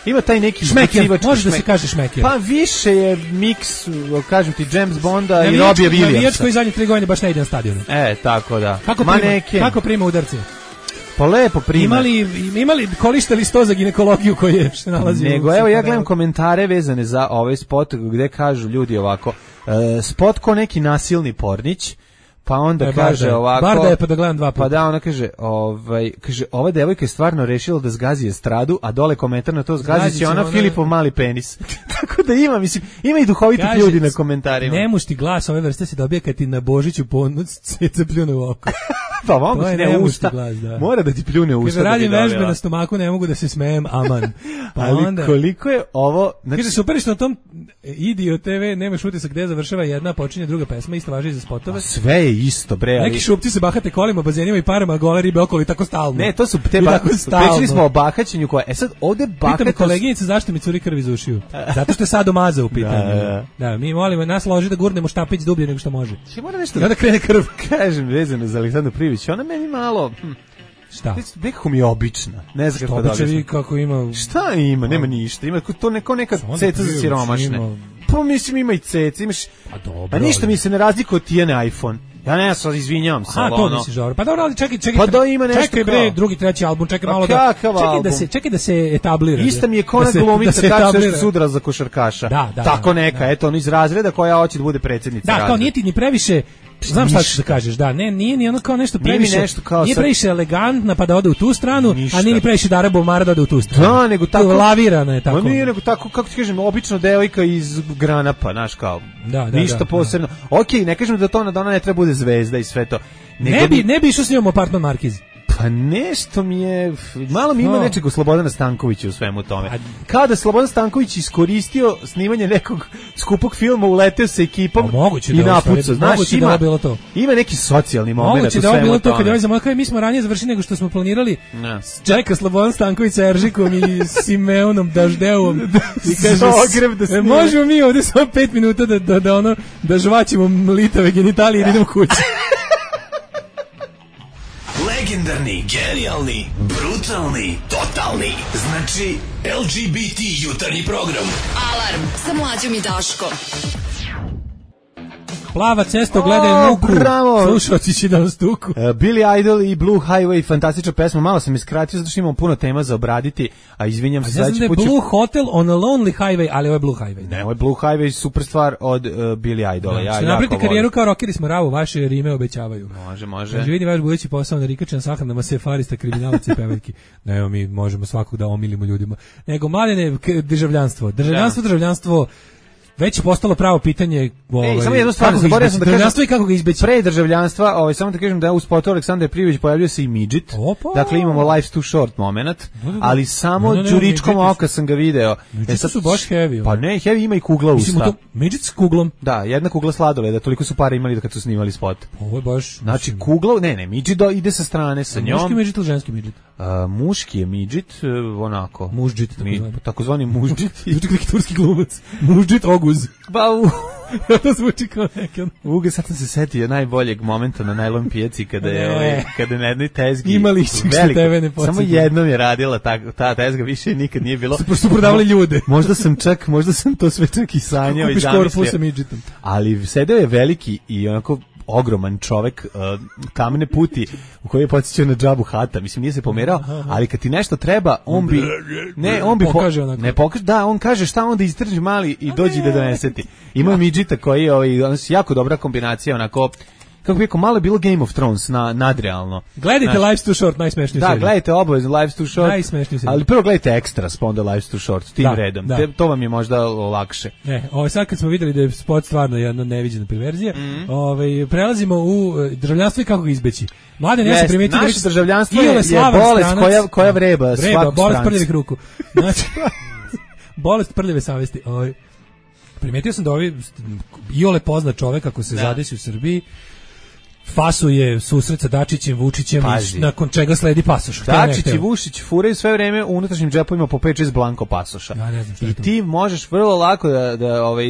ima taj neki šmeker, može da se kaže šmeker. Pa više je miks, kažem ti, James Bonda i Robija Williamsa. Navijač koji zadnje 3 godine baš ne ide na stadionu. Tako da. Kako prima udarce? Pa lepo prima. Imali korištali 100 za ginekologiju koji je se nalazi. Nego, evo ja gledam komentare vezane za ovaj spot gde kažu ljudi ovako, spot ko neki nasilni pornić, Pa onda kaže ovako... Barda je pa da gledam 2 puta. Pa da, ona kaže, ova devojka je stvarno rešila da zgazi estradu, a dole komentar na to zgazi će ona Filipov mali penis. Tako da ima, mislim, ima i duhovitih ljudi na komentarima. Nemušti glas ove vrste se dobije kad ti na Božiću ponoć ceca pljune u oko. Pa mogu ti ne usta. Glas, da. Mora da ti pljune u usta. Kada radim vežbe na stomaku, ne mogu da se smejem, aman. Pa ali onda, koliko je ovo... Znači, kaže, super što na tom Idio TV nemaš utisak gde završava jedna, počinje druga pesma, isto važi i za spotove. Sve je isto, bre. Neki šupci se bahate kolima, bazenima i parama, a gole ribe okolo i tako stalno. Ne, to su te pričali smo o bahaćenju koje... sad ovde bahatost... Pitam koleginice zašto mi curi krv iz ušiju. Zato što je sadomaza u pitanju. Da, mi molimo nas loži da gurnemo štapić dublje nego što može. I onda krene krv. Kažem, vezano za Aleksandru Privić, ona meni malo... Šta? Nekako mi je obična. Ne znam kako da objasnim. Kako ima... Šta ima? Nema ništa. Ima to neka ceca za siromašne. Pa mislim ima i ceca. Imaš... Pa dobro. Pa ništa mi se ne razlikuje od Tijene iPhone. Ja ne znam, izvinjavam se. A, to misliš, dobro. Pa dobro, ali čekaj. Pa da ima nešto čekaj, bre, drugi, treći album, čekaj malo da... Čekaj da se etablira. Ista mi je kona glumica, tako što sudra za košarkaša. Tako neka, eto, ono iz razreda koja hoće da bude predsjednica razreda. Da, kao nije ti ni previše... Znam šta ćeš da kažeš, da, nije ni ono kao nešto previše, nije previše elegantna pa da ode u tu stranu, a nije ni previše Dara Bomara da ode u tu stranu. Da, nego tako... Lavirana je tako. Nije nego tako, kako ti kažem, obično devojka iz Granapa, znaš kao, ništa posebno. Okej, ne kažem da ona ne treba bude zvezda i sve to. Ne bi išao s njom Apartman Markiz. Pa nešto mi je, malo mi ima nečeg u Slobodana Stankovića u svemu tome. Kada Slobodan Stanković iskoristio snimanje nekog skupog filma, uleteo sa ekipom i napucao. Znaš, ima neki socijalni moment u svemu tome. Moguće da je bilo to kad je ovaj zamolio, mi smo ranije završili nego što smo planirali. Čeka Slobodan Stanković sa Eržikom i Simeonom Daždevom. I kaže, možemo mi ovdje samo 5 minuta da žvaćemo litave genitalije i idemo kući. Legendarni, genijalni, brutalni, totalni. Znači, LGBT jutarnji program. Alarm sa Mlađom i Daškom. Plava cesta, gledaj muku. Slušalci će da nas tuku. Billy Idol i Blue Highway, fantastična pesma. Malo sam iskratio, zato što imamo puno tema za obraditi, a izvinjam se. Ja znam da je Blue Hotel on a Lonely Highway, ali ovo je Blue Highway. Ne, ovo je Blue Highway, super stvar od Billy Idola. Što napravite karijeru kao rockeri smo ravo, vaše rime obećavaju. Može. Znači vidi vaš budući posao na rikačan sahranama sefarista, kriminalaca i pevaljki. Ne, mi možemo svakog da omilimo ljudima. Nego, mladene, državljanstvo, već je postalo pravo pitanje. Samo jednu stvar, zaboravio sam da državljanstvo i kako ga izbeći. Pre državljanstva, samo da kažem da u spotu Aleksandar Prijović pojavljuje se i midžit. Dakle imamo life's too short moment, ali samo đuričkom oka sam ga video. Sad su baš heavy. Pa ne, heavy ima i kugla usta. Midžit s kuglom. Da, jedna kugla sladoleda, toliko su pare imali kad su snimali spot. Ovo je baš. Znači kugla, ne, midžit ide sa strane sa njom. Muški midžit ili ženski midžit? Muški je midžit, onako. Muždžit, takozvani muždžit. Neki turski glumac. Muždžit Oguz. To zvuči kao nekan. Uge, sad sam se setio najboljeg momenta na najlon pijaci kada je na jednoj tezgi imali što tebe ne podsjeća. Samo jednom je radila ta tezga, više nikad nije bilo. Su prodavali ljude. Možda sam to sve čak i sanjao i zamislio. Ali sedeo je veliki i onako ogroman čovek, kamene puti u kojoj je podsjećao na Džabu Hata. Mislim, nije se pomerao, ali kad ti nešto treba, on pokaže onako. Ne pokaže, da, on kaže šta onda istrži mali i dođi da doneseti. Ima je midžita koji je jako dobra kombinacija, onako, kako bi rekao, malo je bilo Game of Thrones nadrealno. Gledajte Life's Too Short, najsmešniju seriju. Da, gledajte obavezno Life's Too Short. Najsmešniju seriju. Ali prvo gledajte Extras, pa onda Life's Too Short, tim redom. To vam je možda lakše. Sad kad smo vidjeli da je spot stvarno jedna neviđena perverzija, prelazimo u državljanstvo i kako ga izbeći. Mladen, ja sam primetio naše državljanstvo je bolest koja vreba svaku strancu. Bolest prljavih ruku. Znači, bolest prljave savesti. Primetio sam da iole poznat čovek ako se zadesi u Srbiji, fasuje susret sa Dačićem, Vučićem, nakon čega sledi pasoš. Dačić i Vučić furaju sve vreme u unutrašnjim džepovima po 5-6 blanko pasoša. I ti možeš vrlo lako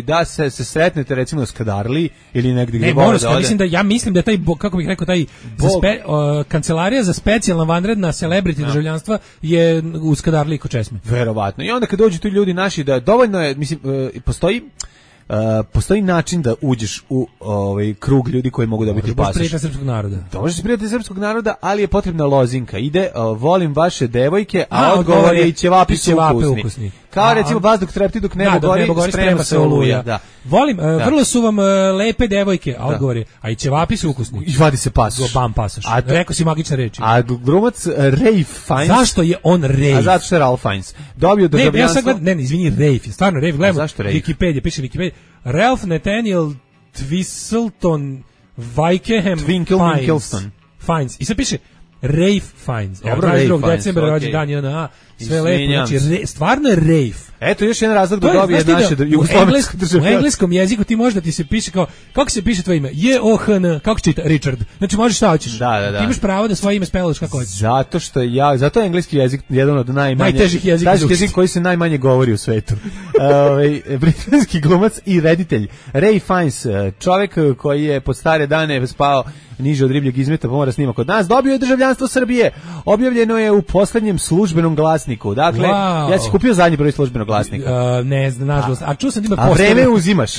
da se sretnete recimo na Skadarli ili negdje gdje vole da ode. Ja mislim da taj, kako bih rekao, taj kancelarija za specijalna vanredna celebrity državljanstva je u Skadarli kod Česme. Verovatno. I onda kad dođu tu ljudi naši, da dovoljno je, mislim, postoji način da uđeš u krug ljudi koji mogu dobiti pasoš. Prijatelj srpskog naroda. Možeš prijatelj srpskog naroda, ali je potrebna lozinka. Ide, volim vaše devojke, a odgovor je i ćevapi su ukusni. Kao recimo vazduh trepti dok nebo gori, sprema se oluja. Da. Volim, vrlo su vam lepe devojke, a odgovor je, a i ćevapi su ukusni. I vadi se pasoš. Bam pasoš. Rekao si magične reči. A glumac Ralph Fiennes. Zašto je on Ralph? A zato što je Ralph Fiennes. Dobio državljanstvo. Ne, izvini, Ralph, stvarno Ralph, gledamo. Wikipedia, piše Wikipedia. Ralph Nathaniel Twistleton Vikeham Fiennes. I sad piše Ralph Fiennes. Dobro, Ralph Fiennes. Decembar rođen dan JNA. Sve lepo, znači stvarno je Ralph. Eto još jedan razlog da dobije naše jugoslovensko državljanstvo. U engleskom jeziku ti može da ti se piše kao, kako se piše tvoje ime? J-O-H-N, kako čita? Richard. Znači možeš šta hoćeš. Da. Ti imaš pravo da svoje ime speluješ kako hoćeš. Zato je engleski jezik jedan od najtežih jezika. Jezik koji se najmanje govori u svetu. Britanski glumac i reditelj Ralph Fiennes, čovjek koji je pod stare dane spao niže od ribljeg izmeta, pomora snima kod nas, dobio je državljanstvo Srbije. Objavljeno je u poslednjem službenom glasniku. Dakle, ja sam kupio zadnji broj službenog glasnika. Ne znam, nažalost. A čuo sam da ima poster. A vreme uzimaš.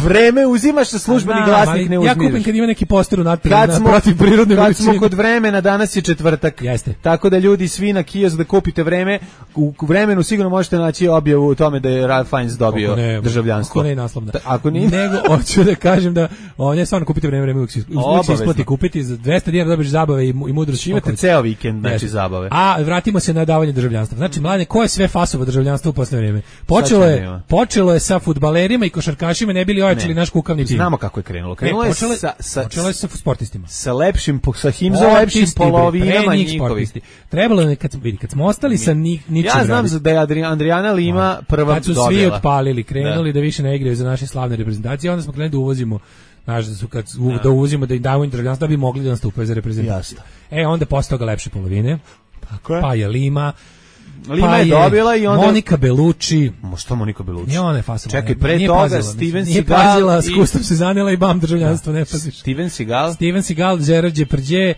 Vreme uzimaš sa službeni glasnik ne uzmiraš. Ja kupim kad ima neki poster u natprijed protiv prirodne veličine. Kad smo kod vremena, danas je četvrtak. Jeste. Tako da ljudi svi na kiosk da kupite vreme. U vremenu sigurno možete naći objavu o tome da je Ralph Fiennes dobio državljanstvo. Ako ne naslovna. Ako nije. Nego hoću da kažem da ne samo kupite vreme uvijek se isplati kupiti za 200 dinara dobiš zabave i mudrost. Imate ceo vikend znači zabave. A vratimo se na davanje državljanstva. Znači mlade, ko je sve fasovo državljanstvo u poslednje vreme? Počelo je sa fudbalerima i košarkašima, ne bili ojačali naš kukavni tim. Znamo kako je krenulo. Krenulo je sa sportistima. Sa lepšim, sa himzom lepšim polovinama njihovih. Trebalo je kad smo ostali sa ničim. Ja znam da je Adriana Lima prva dobila. Kad su svi otpalili, krenuli da više ne igraju za naše slavne reprezentacije, onda smo krenuli da uvozimo. Znaš, da uvozimo, da im damo državljanstvo da bi mogli da nastupaju za reprezentaciju. Onda posle toga lepše polovine. Tako je. Pa je Lima je dobila i onda Monika Bellucci. Što Monika Bellucci? Nije ona je fasovna. Čekaj, pre toga Steven Seagal. Nije pazila, s kustom se zanela i bam državljanstvo, ne paziš. Steven Seagal, Gerard Depardieu.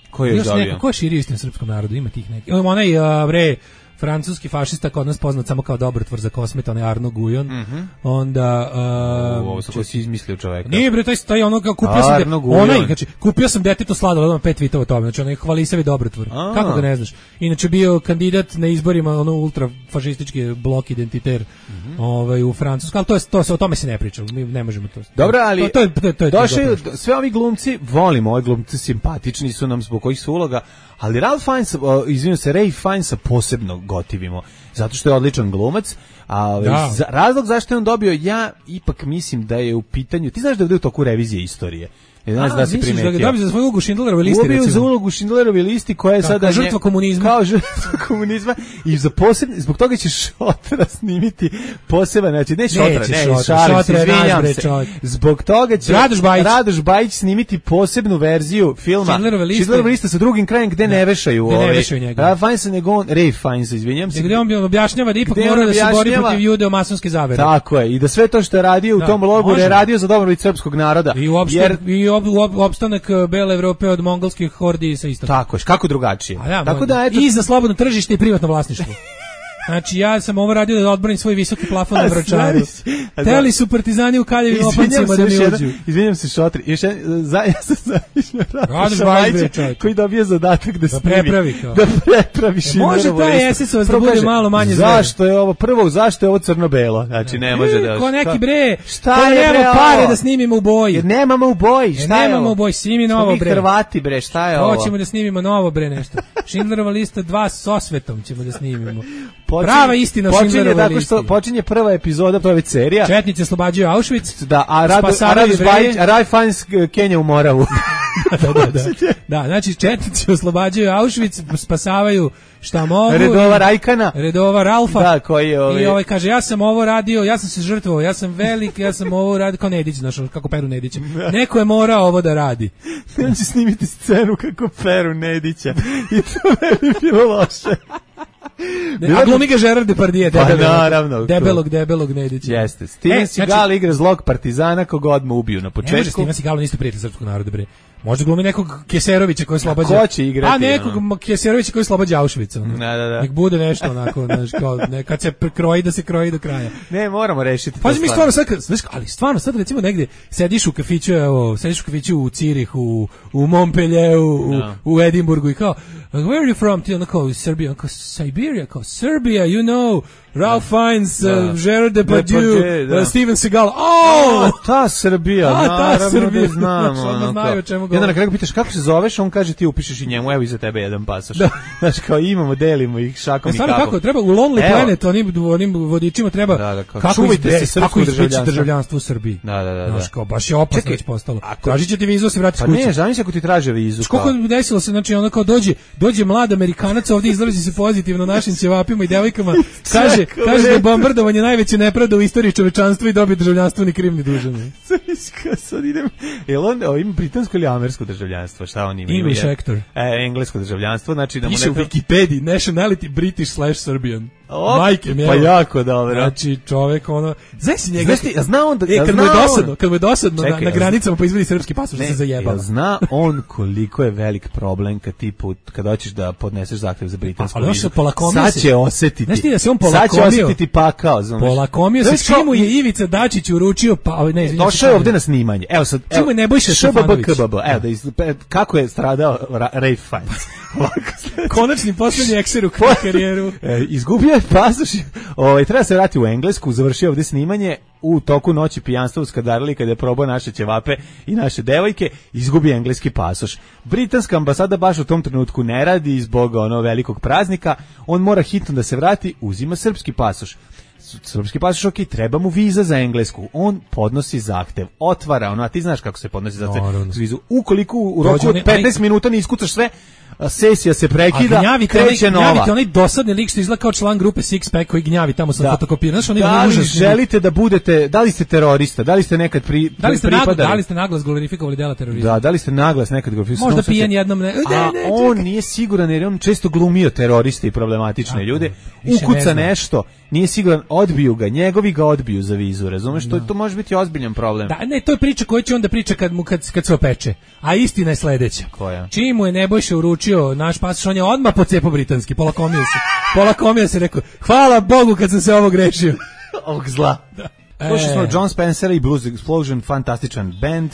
Ko je još dobio? Ko je širio istim srpskom narodu? Ima tih neki. Onaj, francuski fašista kod nas poznat samo kao dobrotvor za kosmeta, onaj Arno Gujon. Onda ovo što si izmislio čoveka. Nije bre, taj ono kao kupio sam detetu sladoled, ima 5 tweetova o tome, znači onaj hvalisavi dobrotvor. Kako ga ne znaš? Inače bio kandidat na izborima ono ultrafašistički blok identiter u Francusku, ali o tome se ne priča, mi ne možemo to. Dobro, ali došli sve ovi glumci, volimo ove glumci, simpatični su nam zbog kojih su uloga, ali Ralph Fiennes, Ralph Fiennes posebno gotivimo, zato što je odličan glumac, a razlog zašto je on dobio, ja ipak mislim da je u pitanju, ti znaš da je u toku revizije istorije. Da se primetio. Da ga dobio za svoju ulogu Schindlerove listi, recimo. Za ulogu Schindlerove listi koja je sada žrtva komunizma. Kao žrtva komunizma i zbog toga će Šotra snimiti poseban, znači ne Šotra, izvinjam se. Zbog toga će Radoš Bajić snimiti posebnu verziju filma Schindlerova lista sa drugim krajem gde ne vešaju njega. Ralph Fiennes, izvinjam se. Gde on objašnjava da ipak mora da se bori protiv judeo-masonske zavere. Tako je, i da sve to što je radio u tom logoru je radio za dobrobit srpskog naroda. I opstanak bele Evrope od mongolskih hordi sa istoka. Tako je, kako drugačije. Tako da, eto, i za slobodno tržište i privatno vlasništvo. Znači, ja sam ovo radio da odbranim svoj visoki plafon na Vračaru. Teli su partizani u kaljevim opancima da mi uđu. Izvinjam se, Šotri. Ja sam zavišnja koji dobije zadatak da snimi. Da prepravi Schindlerovu listu. Može taj SS-ovac da bude malo manje zver. Zašto je ovo crno-belo? Znači, ne može da... Ko neki bre, ko nema pare da snimimo u boji. Jer nemamo u boji, šta je ovo? Nemamo u boji, snimi novo bre. Mi Hrvati bre, šta je ovo? Hoćemo da snimimo novo bre nešto. Schindlerova lista 2 s osvetom ćemo da snimimo. Prava istina o Schindlerovoj listi. Počinje prva epizoda, to je već serija. Četnici oslobađaju Auschwitz. Da, a Ralph Fiennes Kenja u Moravu. Da, znači četnici oslobađaju Auschwitz, spasavaju šta mogu. Redova Ralfa. Da, koji je I ovaj kaže, ja sam ovo radio, ja sam se žrtvovao, ja sam velik, ja sam ovo radio, kao Nedić, znaš, kako Peru Nedića. Neko je morao ovo da radi. On će snimiti scenu kako Peru Nedića. I to ne bi bilo loše. A glumi ga Gerard Depardieu, debelog Nedića. Jeste. Steven Seagal igra zlog partizana kog odmah ubiju na početku. Ne može Steven Seagal isto prijatelj srpskog naroda, bre. Možda glumi nekog Keserovića koji oslobađa. Ko će igrati? A nekog Keserovića koji oslobađa Auschwitza. Da. Nek bude nešto onako, znaš, kao kad se kroji da se kroji do kraja. Ne, moramo rešiti. Pa mi stvarno sad, znaš, ali stvarno sad recimo negde sediš u kafiću u Cirihu, u Montpellieru, u Edinburgu i kao where are you from? Ti onako Serbia, kao Siberia, kao Serbia, you know, Ralph Fiennes, Gerard Depardieu, Steven Seagal. Ta Srbija, naravno da znam. I onda na kraju pitaš kako se zoveš, on kaže ti upišeš i njemu, evo iza tebe jedan pasoš. Znaš, kao imamo, delimo ih šakom i kapom. Kako treba u Lonely Planet, onim vodičima treba kako izbeći državljanstvo u Srbiji. Znaš, kao baš je opasno već postalo. Tražit će ti vizu, se vrati s kuće. Pa ne, zamisli ako ti traže vizu. Koliko desilo se, znači ono kao dođe mlad Amerikanac ovdje, izrazi se pozitivno našim ćevapima i devojkama, kaže da je bombardovanje najveće nepravda u istoriji čovečanstva i dobije državljanstvo ni kriv ni dužan. Sad idem. Jel on ima britansko ili američko državljanstvo? Šta on ima? English actor. Englesko državljanstvo, znači da mu piše u Wikipediji nationality British/Serbian. Majke mi. Pa jako dobro. Znači čovjek ono, znaš si njega. Zna on da kad mu je dosadno na granicama pa izvadi srpski pasoš da se zajebava. Zna on koliko je velik problem kad hoćeš da podneseš zahtev za britansku vizu. Sad će osetiti. Znaš ti da se on polakomio? Sad će osetiti pakao, znaš. Polakomio se, čemu je Ivica Dačić uručio, došao je ovde na snimanje. Evo sad, čemu je Nebojša Stefanović? Kako je stradao Ralph Fiennes? Konačni poslednji ekser u karijeru. Izgubio je pasoš. Treba se vratiti u Englesku, završio ovde snimanje, u toku noći pijanstva uskadarili kada je probao naše ćevape i naše devojke, izgubi engleski pasoš. Britanska ambasada baš u tom trenutku ne radi zbog velikog praznika, on mora hitno da se vrati, uzima srpski pasoš. Srpski pasoš, ok, treba mu viza za Englesku. On podnosi zahtev, otvara, a ti znaš kako se podnosi zahtev za vizu. Ukoliko u roku od 15 minuta ne iskucaš sve, sesija se prekida, kreće nova. Gnjavite onaj dosadni lik što izgleda kao član grupe Six Pack koji gnjavi tamo sa fotokopira. Da li želite da budete, da li ste terorista, da li ste nekad pripadali? Da li ste naglas glorifikovali dela terorizma? Da li ste naglas nekad glorifikovali? Možda pijen jednom ne. On nije siguran jer on često glumio teroriste i problematične ljude. Ukuca nešto, nije siguran, odbiju ga, njegovi ga odbiju za vizu, razumeš? To može biti ozbiljan problem. Da, ne, to je priča koju će onda priča kad se opeče. A istina je sledeća. Koja? Čim mu je Nebojša uručio naš pasoš, on je odmah pocepao britanski, polakomio se, rekao, hvala Bogu kad sam se ovo grešio. Ovog zla. Slušali smo John Spencer i Blues Explosion, fantastičan band.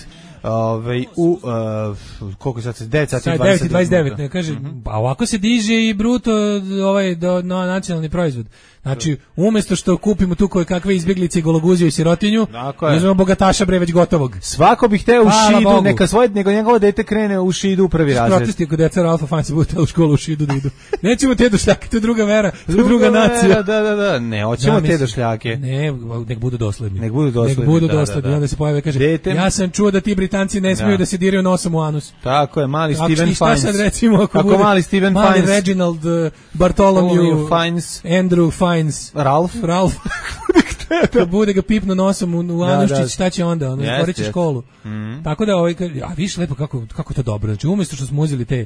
Koliko sad se 9:29 ne kaže, pa ovako se diže i bruto na nacionalni proizvod. Znači, umjesto što kupimo tu koje kakve izbjeglice i gologuziju i sirotinju, uzmemo bogataša bre već gotovog. Svako bi hteo u Šidu, nego njegovo dete krene u Šidu u prvi razred. Protesti ako deca Ralfa Fiennesa budu u školu u Šidu da idu. Nećemo te došljake, to je druga vera, druga nacija. Da, ne, hoćemo te došljake. Ne, nek budu dosledni. Nek budu dosledni, onda se pojave kaže, ja sam čuo da ti Britanci ne smiju da se diraju nosom u anus. Tako je, mali Steven Fiennes. Šta sad recimo ako bude mali Steven Fiennes, mali Reginald Bartholomew Fiennes, Andrew Fiennes, Ralph. Kad bude ga pipno nosom u anuščić, šta će onda? Ono izgorit će školu. Tako da, a viš lepo kako to dobro. Znači, umjesto što smo uzeli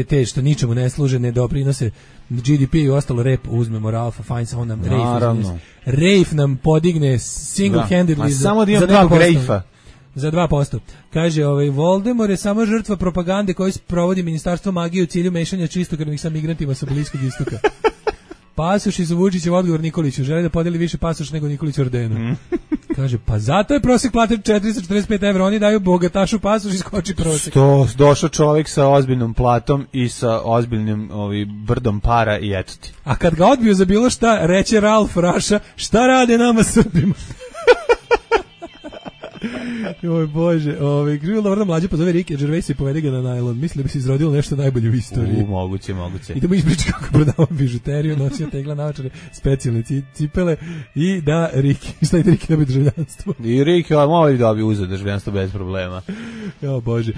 te što ničemu ne služe, ne doprinose GDP i ostalo rep, uzmemo Ralfa Fiennesa, on nam Rafe nam podigne single-handedly samo da imam 2 Rafe-a. Za 2%. Kaže, Voldemort je samo žrtva propagande koju provodi Ministarstvo magije u cilju mešanja čistokrvnih sa migrantima sa Bliskog istoka. Pasoš iz Vučićev odgovor Nikoliću. Želi da podeli više pasoš nego Nikolić ordenu. Kaže, pa zato je prosjek plate 445 evra. Oni daju bogatašu pasoš i skoči prosjek. Došao čovjek sa ozbiljnom platom i sa ozbiljnim brdom para i eto ti. A kad ga odbiju za bilo šta, reče Ralf Raša, šta rade nama Srbima? Oj Bože, krivo dobro mlađe pozove Rike Gervais i povede ga na najlon. Mislim da bi se izrodilo nešto najbolje u istoriji. Moguće. Idemo ispričati kako prodava bižuteriju, nosio tegla naočare, specijalne cipele i da Riki, šta ide Riki da bi državljanstvo? I Riki, moj da bi uzeo državljanstvo bez problema. Jo Bože.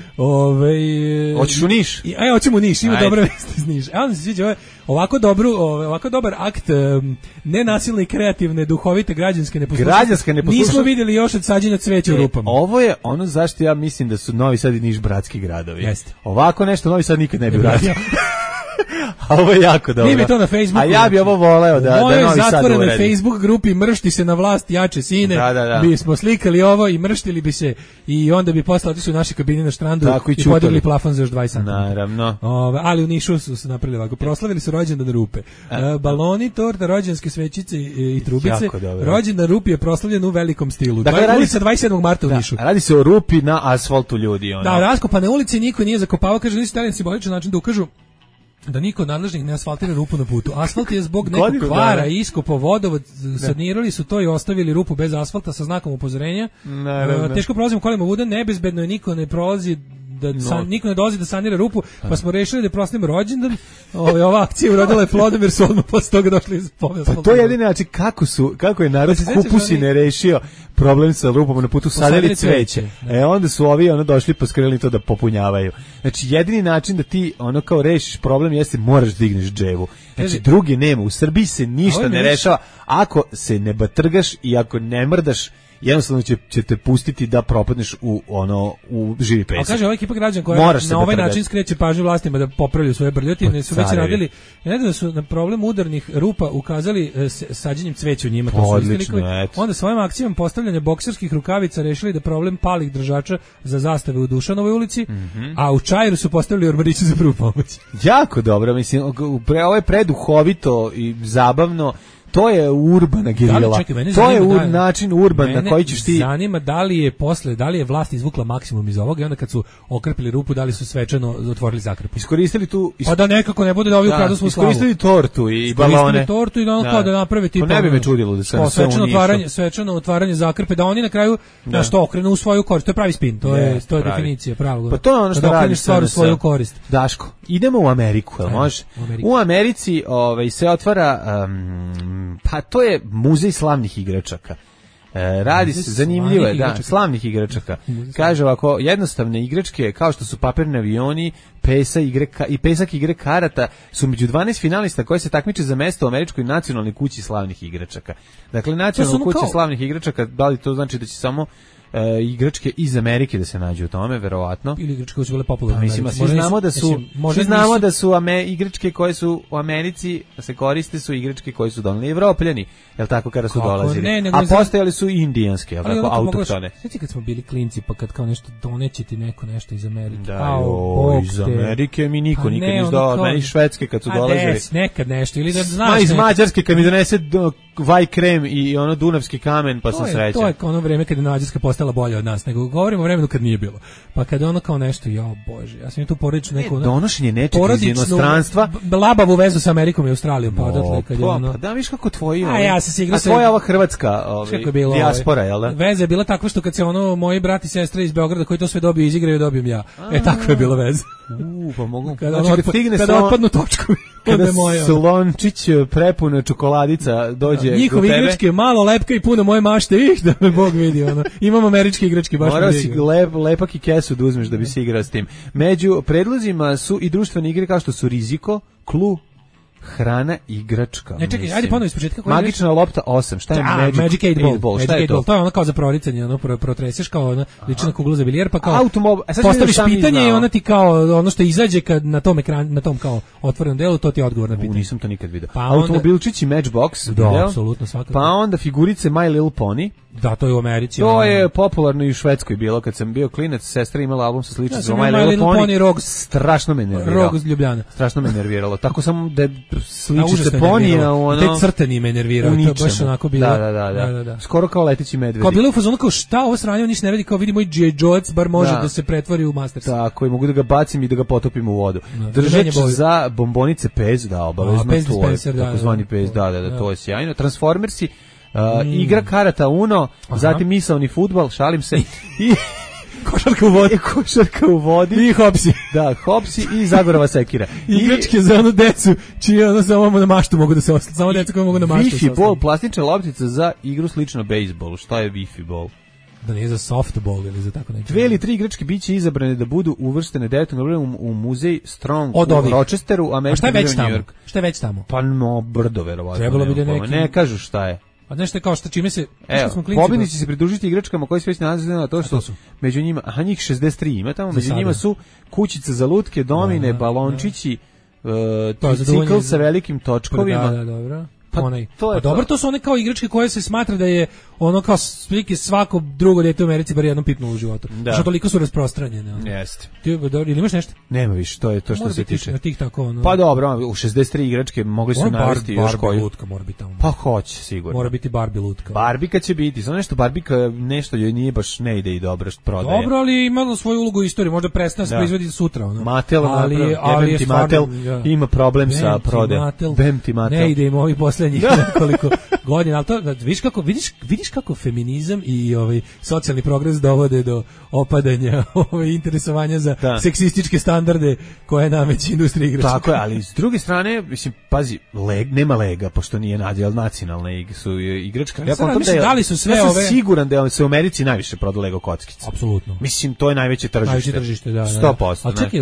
Hoćeš u Niš? Hoćemo u Niš, ima dobre vesti iz Niša. Onda se sviđa ovako dobar akt nenasilne i kreativne, duhovite građanske neposlušnosti. Nismo vidjeli još od sađenja cveća u rupama. Ovo je ono zašto ja mislim da su Novi Sad i Niš bratski gradovi. Jeste. Ovako nešto Novi Sad nikad ne bi uradio. A ovo je jako dobro. Nije mi to na Facebooku. A ja bi ovo voleo da Novi Sad uredi. U mojoj zatvorenoj Facebook grupi mršti se na vlast jače sine. Bi smo slikali ovo i mrštili bi se i onda bi posle otišli u naše kabine na štrandu i podigli plafon za još 20 cm. Naravno. Ali u Nišu su se napravili ovako. Proslavili su rođendan Rupe. Baloni, torta, rođendanske svećice i trubice. Rođendan Rupi je proslavljen u velikom stilu. Dakle, ulica 27. marta u Nišu. Radi se o Rupi na asfaltu ljudi. Da, raskopane ulici niko nije zakopavao, kaže nisu stavljeni simboličan način da ukažu da niko od nadležnih ne asfaltira rupu na putu. Asfalt je zbog nekog kvara i iskopo vodovod, sanirali su to i ostavili rupu bez asfalta sa znakom upozorenja. Teško prolazimo kolima vuda, nebezbedno je, niko ne prolazi niko ne dolazi da sanira rupu, pa smo rešili da proslavimo rođendan. Ova akcija urodila je plodom jer su odmah posle toga došli iz povesti. Pa to je jedini način kako je narod Kupusine rešio problem sa rupom na putu, sadili cveće. Onda su ovi došli poskrili to da popunjavaju. Znači jedini način da ti kao rešiš problem jeste moraš digneš dževu. Znači drugi nema. U Srbiji se ništa ne rešava ako se ne batrgaš i ako ne mrdaš. Jednostavno će te pustiti da propadneš u živi pesak. A kaže ovaj ekipa građana koja na ovaj način skreće pažnju vlastima da popravljaju svoje brljotine, su već radili. Ja da su na problem udarnih rupa ukazali sađenjem cveća u njima. Onda svojim akcijama postavljanja bokserskih rukavica rešili da problem palih držača za zastave u Dušanovoj ulici, a u Čairu su postavili ormariće za prvu pomoć. Jako dobro, mislim, ovo je preduhovito i zabavno. To je urbana gerila. To je način urban na koji ćeš ti... Zanima da li je vlast izvukla maksimum iz ovoga i onda kad su okrpili rupu, da li su svečano otvorili zakrpu. Iskoristili tu... Pa da nekako ne bude da ovi ukradu smo slavu. Iskoristili tortu i balone. Iskoristili tortu i kao da naprave tipa... To ne bi me čudilo da se na sve unišu. Svečano otvaranje zakrpe, da oni na kraju što okrenu u svoju korist. To je pravi spin, to je definicija pravog. Pa to je ono što radiš stvar u svoju korist. Daško, idemo u Ameriku, jel može? U Americi se otvara... Pa to je muzej slavnih igračaka. Radi se, zanimljivo je, slavnih igračaka. Kaže ovako, jednostavne igračke kao što su papirni avioni, pesak igre karata su među 12 finalista koji se takmiče za mesto u američkoj nacionalnoj kući slavnih igračaka. Dakle, nacionalna kuća slavnih igračaka, da li to znači da će samo igračke iz Amerike da se nađu u tome, verovatno. Ili igračke koje su bile popularne. Mislim, svi znamo da su igračke koje su u Americi se koriste su igračke koje su doneli Evropljani, jel tako, kada su dolazili. A postojali su i indijanske, jel tako, autohtone. Znači kad smo bili klinci, pa kad kao nešto doneće ti neko nešto iz Amerike. Da, iz Amerike mi niko nikad nije dao, meni Švedske kad su dolazili. Nekad nešto, ili da znaš. Iz Mađarske kad mi donese vaj krem i dunavski kamen, pa sam srećan. To je ono vreme kad je Mađarska postala bolja od nas, nego govorimo o vremenu kad nije bilo. Pa kad ono kao nešto, bože, ja sam tu porodično neku donošenje nečega iz inostranstva, labavu vezu sa Amerikom i Australijom, pa odatle kad je ono. Pa da, viš kako tvoji. Ja se sigrao sa tvoja ova hrvatska, dijaspora, jel da? Veza je bila takva što kad se moji brat i sestra iz Beograda koji to sve dobiju izigraju, dobijem ja. Takva je bila veza. Pa mogu. Kada otpadnu točkovi. Kada slončić prepuna čokoladica dođe do tebe. Njihove igračke, malo lepka i puno moje mašte, da me Bog vidi. Imamo američke igračke, baš morao si lepak i kesu da uzmeš da bi se igrao s tim. Među predlozima su i društvene igre kao što su riziko, klu, hrana, igračka. Ne, čekaj, ajde ponovo ispočetka. Magična lopta 8. Šta je Magic 8 Ball? Šta je to? To je ono kao za proricanje, protreseš kao lična kugla za bilijer, pa kao postaviš pitanje i ona ti kao ono što izađe kad na tom ekranu, na tom kao otvorenom delu, to ti je odgovor na pitanje. Nisam to nikad video. Automobilčići Matchbox, da, apsolutno, svakako. Pa onda figurice My Little Pony. Da, to je u Americi. To je popularno i u Švedskoj bilo. Kad sam bio klinac, sestra imala album sa sličicom za My Little Pony. Rog, strašno me nerviralo. Rog iz Ljubljana. Strašno me nerviralo. Tako sam da sličice ponija u ono. Te crteni me nervirao. To je baš onako bilo. Da. Skoro kao leteći medvedi. Kao bilo u fazonu kao šta ovo sranje, on ništa ne vidi, kao vidi moj G.I. Joe, bar može da se pretvori u Masters. Tako, i mogu da ga bacim i da ga potopim u vodu. Držač za bombonice Pez, da, obavezno to je. Takozvani Pez, da, to je sjajno. Transformersi, igra karata Uno, zatim misaoni fudbal, šalim se, i košarka u vodi i hopsi. Da, hopsi i Zagorova sekira. Igračke za onu decu, čiji ono samo na maštu mogu da se ostane. Samo deca koje mogu na maštu. Wi-Fi ball, plastična loptica za igru slično bejsbolu. Šta je Wi-Fi ball? Da nije za softball ili za tako nešto. 2 ili 3 igračke biće izabrane da budu uvrštene 9. u muzej Strong u Rochesteru, američki New York. Šta je već tamo? Pa brdo, verovatno. Trebalo bi da neki... Ne kažu šta je. A nešto je kao što čime se... Pobjednici se pridružiti igračkama koji se već nalaze na to što su među njima, njih 63 ima tamo, među njima su kućice za lutke, domine, balončići, Tricikl sa velikim točkovima. Da, dobro. Pa, to je dobro, to su one kao igračke koje se smatra da je ono kao slike svako drugo dete u Americi bar jednom pitnulo u životu. Što toliko su rasprostranjene. Jeste. Ti ili imaš nešto? Nema više, to je to što se tiče. Tih tako, ono. Pa dobro, u 63 igračke mogli su navesti još koju. Barbie lutka mora biti tamo. Pa hoće sigurno. Mora biti Barbie lutka. Barbika će biti, samo nešto Barbika nešto joj nije baš ne ide i dobro što prodaje. Dobro, ali imalo svoju ulogu u istoriji, možda prestane se proizvodi sutra, ono. Mattel, ali ti Mattel ima problem sa prodajom. Bemti Mattel. Ne ide im ovi poslednjih nekoliko godina, al to vidiš kako feminizam i socijalni progres dovode do opadanja interesovanja za seksističke standarde koje nameće industrija igračaka. Tako je, ali s druge strane, mislim, pazi, nema lega, pošto nije nacionalne su igračke. Ja da li su sve sam siguran da se u Americi najviše proda Lego kockice. Apsolutno. Mislim, to je najveće tržište. Da. 100%. Ali čekaj,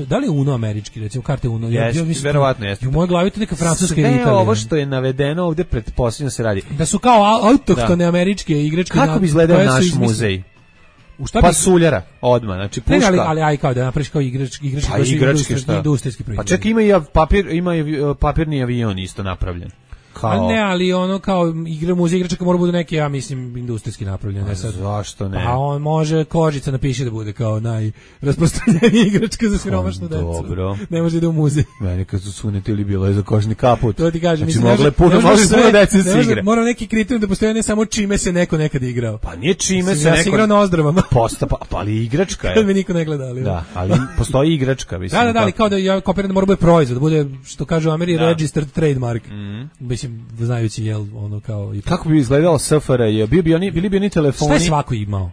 da li Uno američki, recimo karte Uno? Verovatno jeste. U mojoj glavi to neka francuska ili Sve ovo što je navedeno ovde pretpostavljam se radi. Da su kao autohtone američke igračke. Kako bi izgledao naš muzej? Pasuljara, odmah, znači puška. Ne, ali kao da napraviš kao igračke industrijski proizvod. Pa čekaj, ima i papirni avion isto napravljen. Ali ono kao muzej igračaka mora bude neki, ja mislim, industrijski napravljen. Zašto ne? Pa on može kožica napiše da bude kao najrasprostranjenija igračka za siromašnu decu. Dobro. Ne može da u muzej. Meni kad su sunetili bilo je za kožni kaput. To ti kažem. Znači mogle puno dece se igre. Mora neki kriterijum da postoje ne samo čime se neko nekad igrao. Pa nije čime se neko... Ja sam igrao na ozdravama. Pa ali igračka je. Kad me niko ne gleda. Da, ali postoji igračka. Da, ali kao da ja kopiram da mora bude proizvod, da bude, što kažu u Americi, registered trademark. Mislim, znajući ono kao i kako bi izgledalo SFRJ, bili bi oni telefoni. Sve svako imao.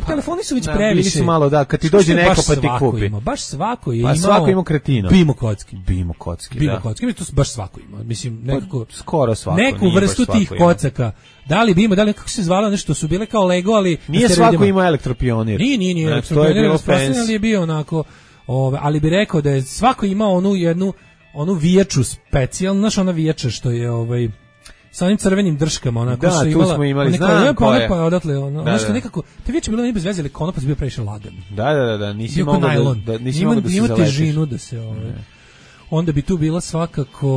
Telefoni su već previše. Bili su malo kad ti dođe neko pa ti kupi. Baš svako je imao. Pa svako ima kretino. Bimo kocki, to baš svako ima. Mislim nekako skoro svako. Neku vrstu tih kocaka. Da li Bimo, da li kako se zvalo nešto su bile kao Lego, ali nije svako imao elektropionir. Nije elektropionir, ali je bio onako, ali bi rekao da je svako imao onu vijaču specijalnu, znaš ona vijača što je sa onim crvenim drškama, onako što imala. Da, tu smo imali, znam koja je. Pa odatle, ono što nekako, te vijače bilo ne bez veze, ali konopac bio previše lagan. Da, nisi mogao da se zaletiš. Ima težinu da se, onda bi tu bila svakako,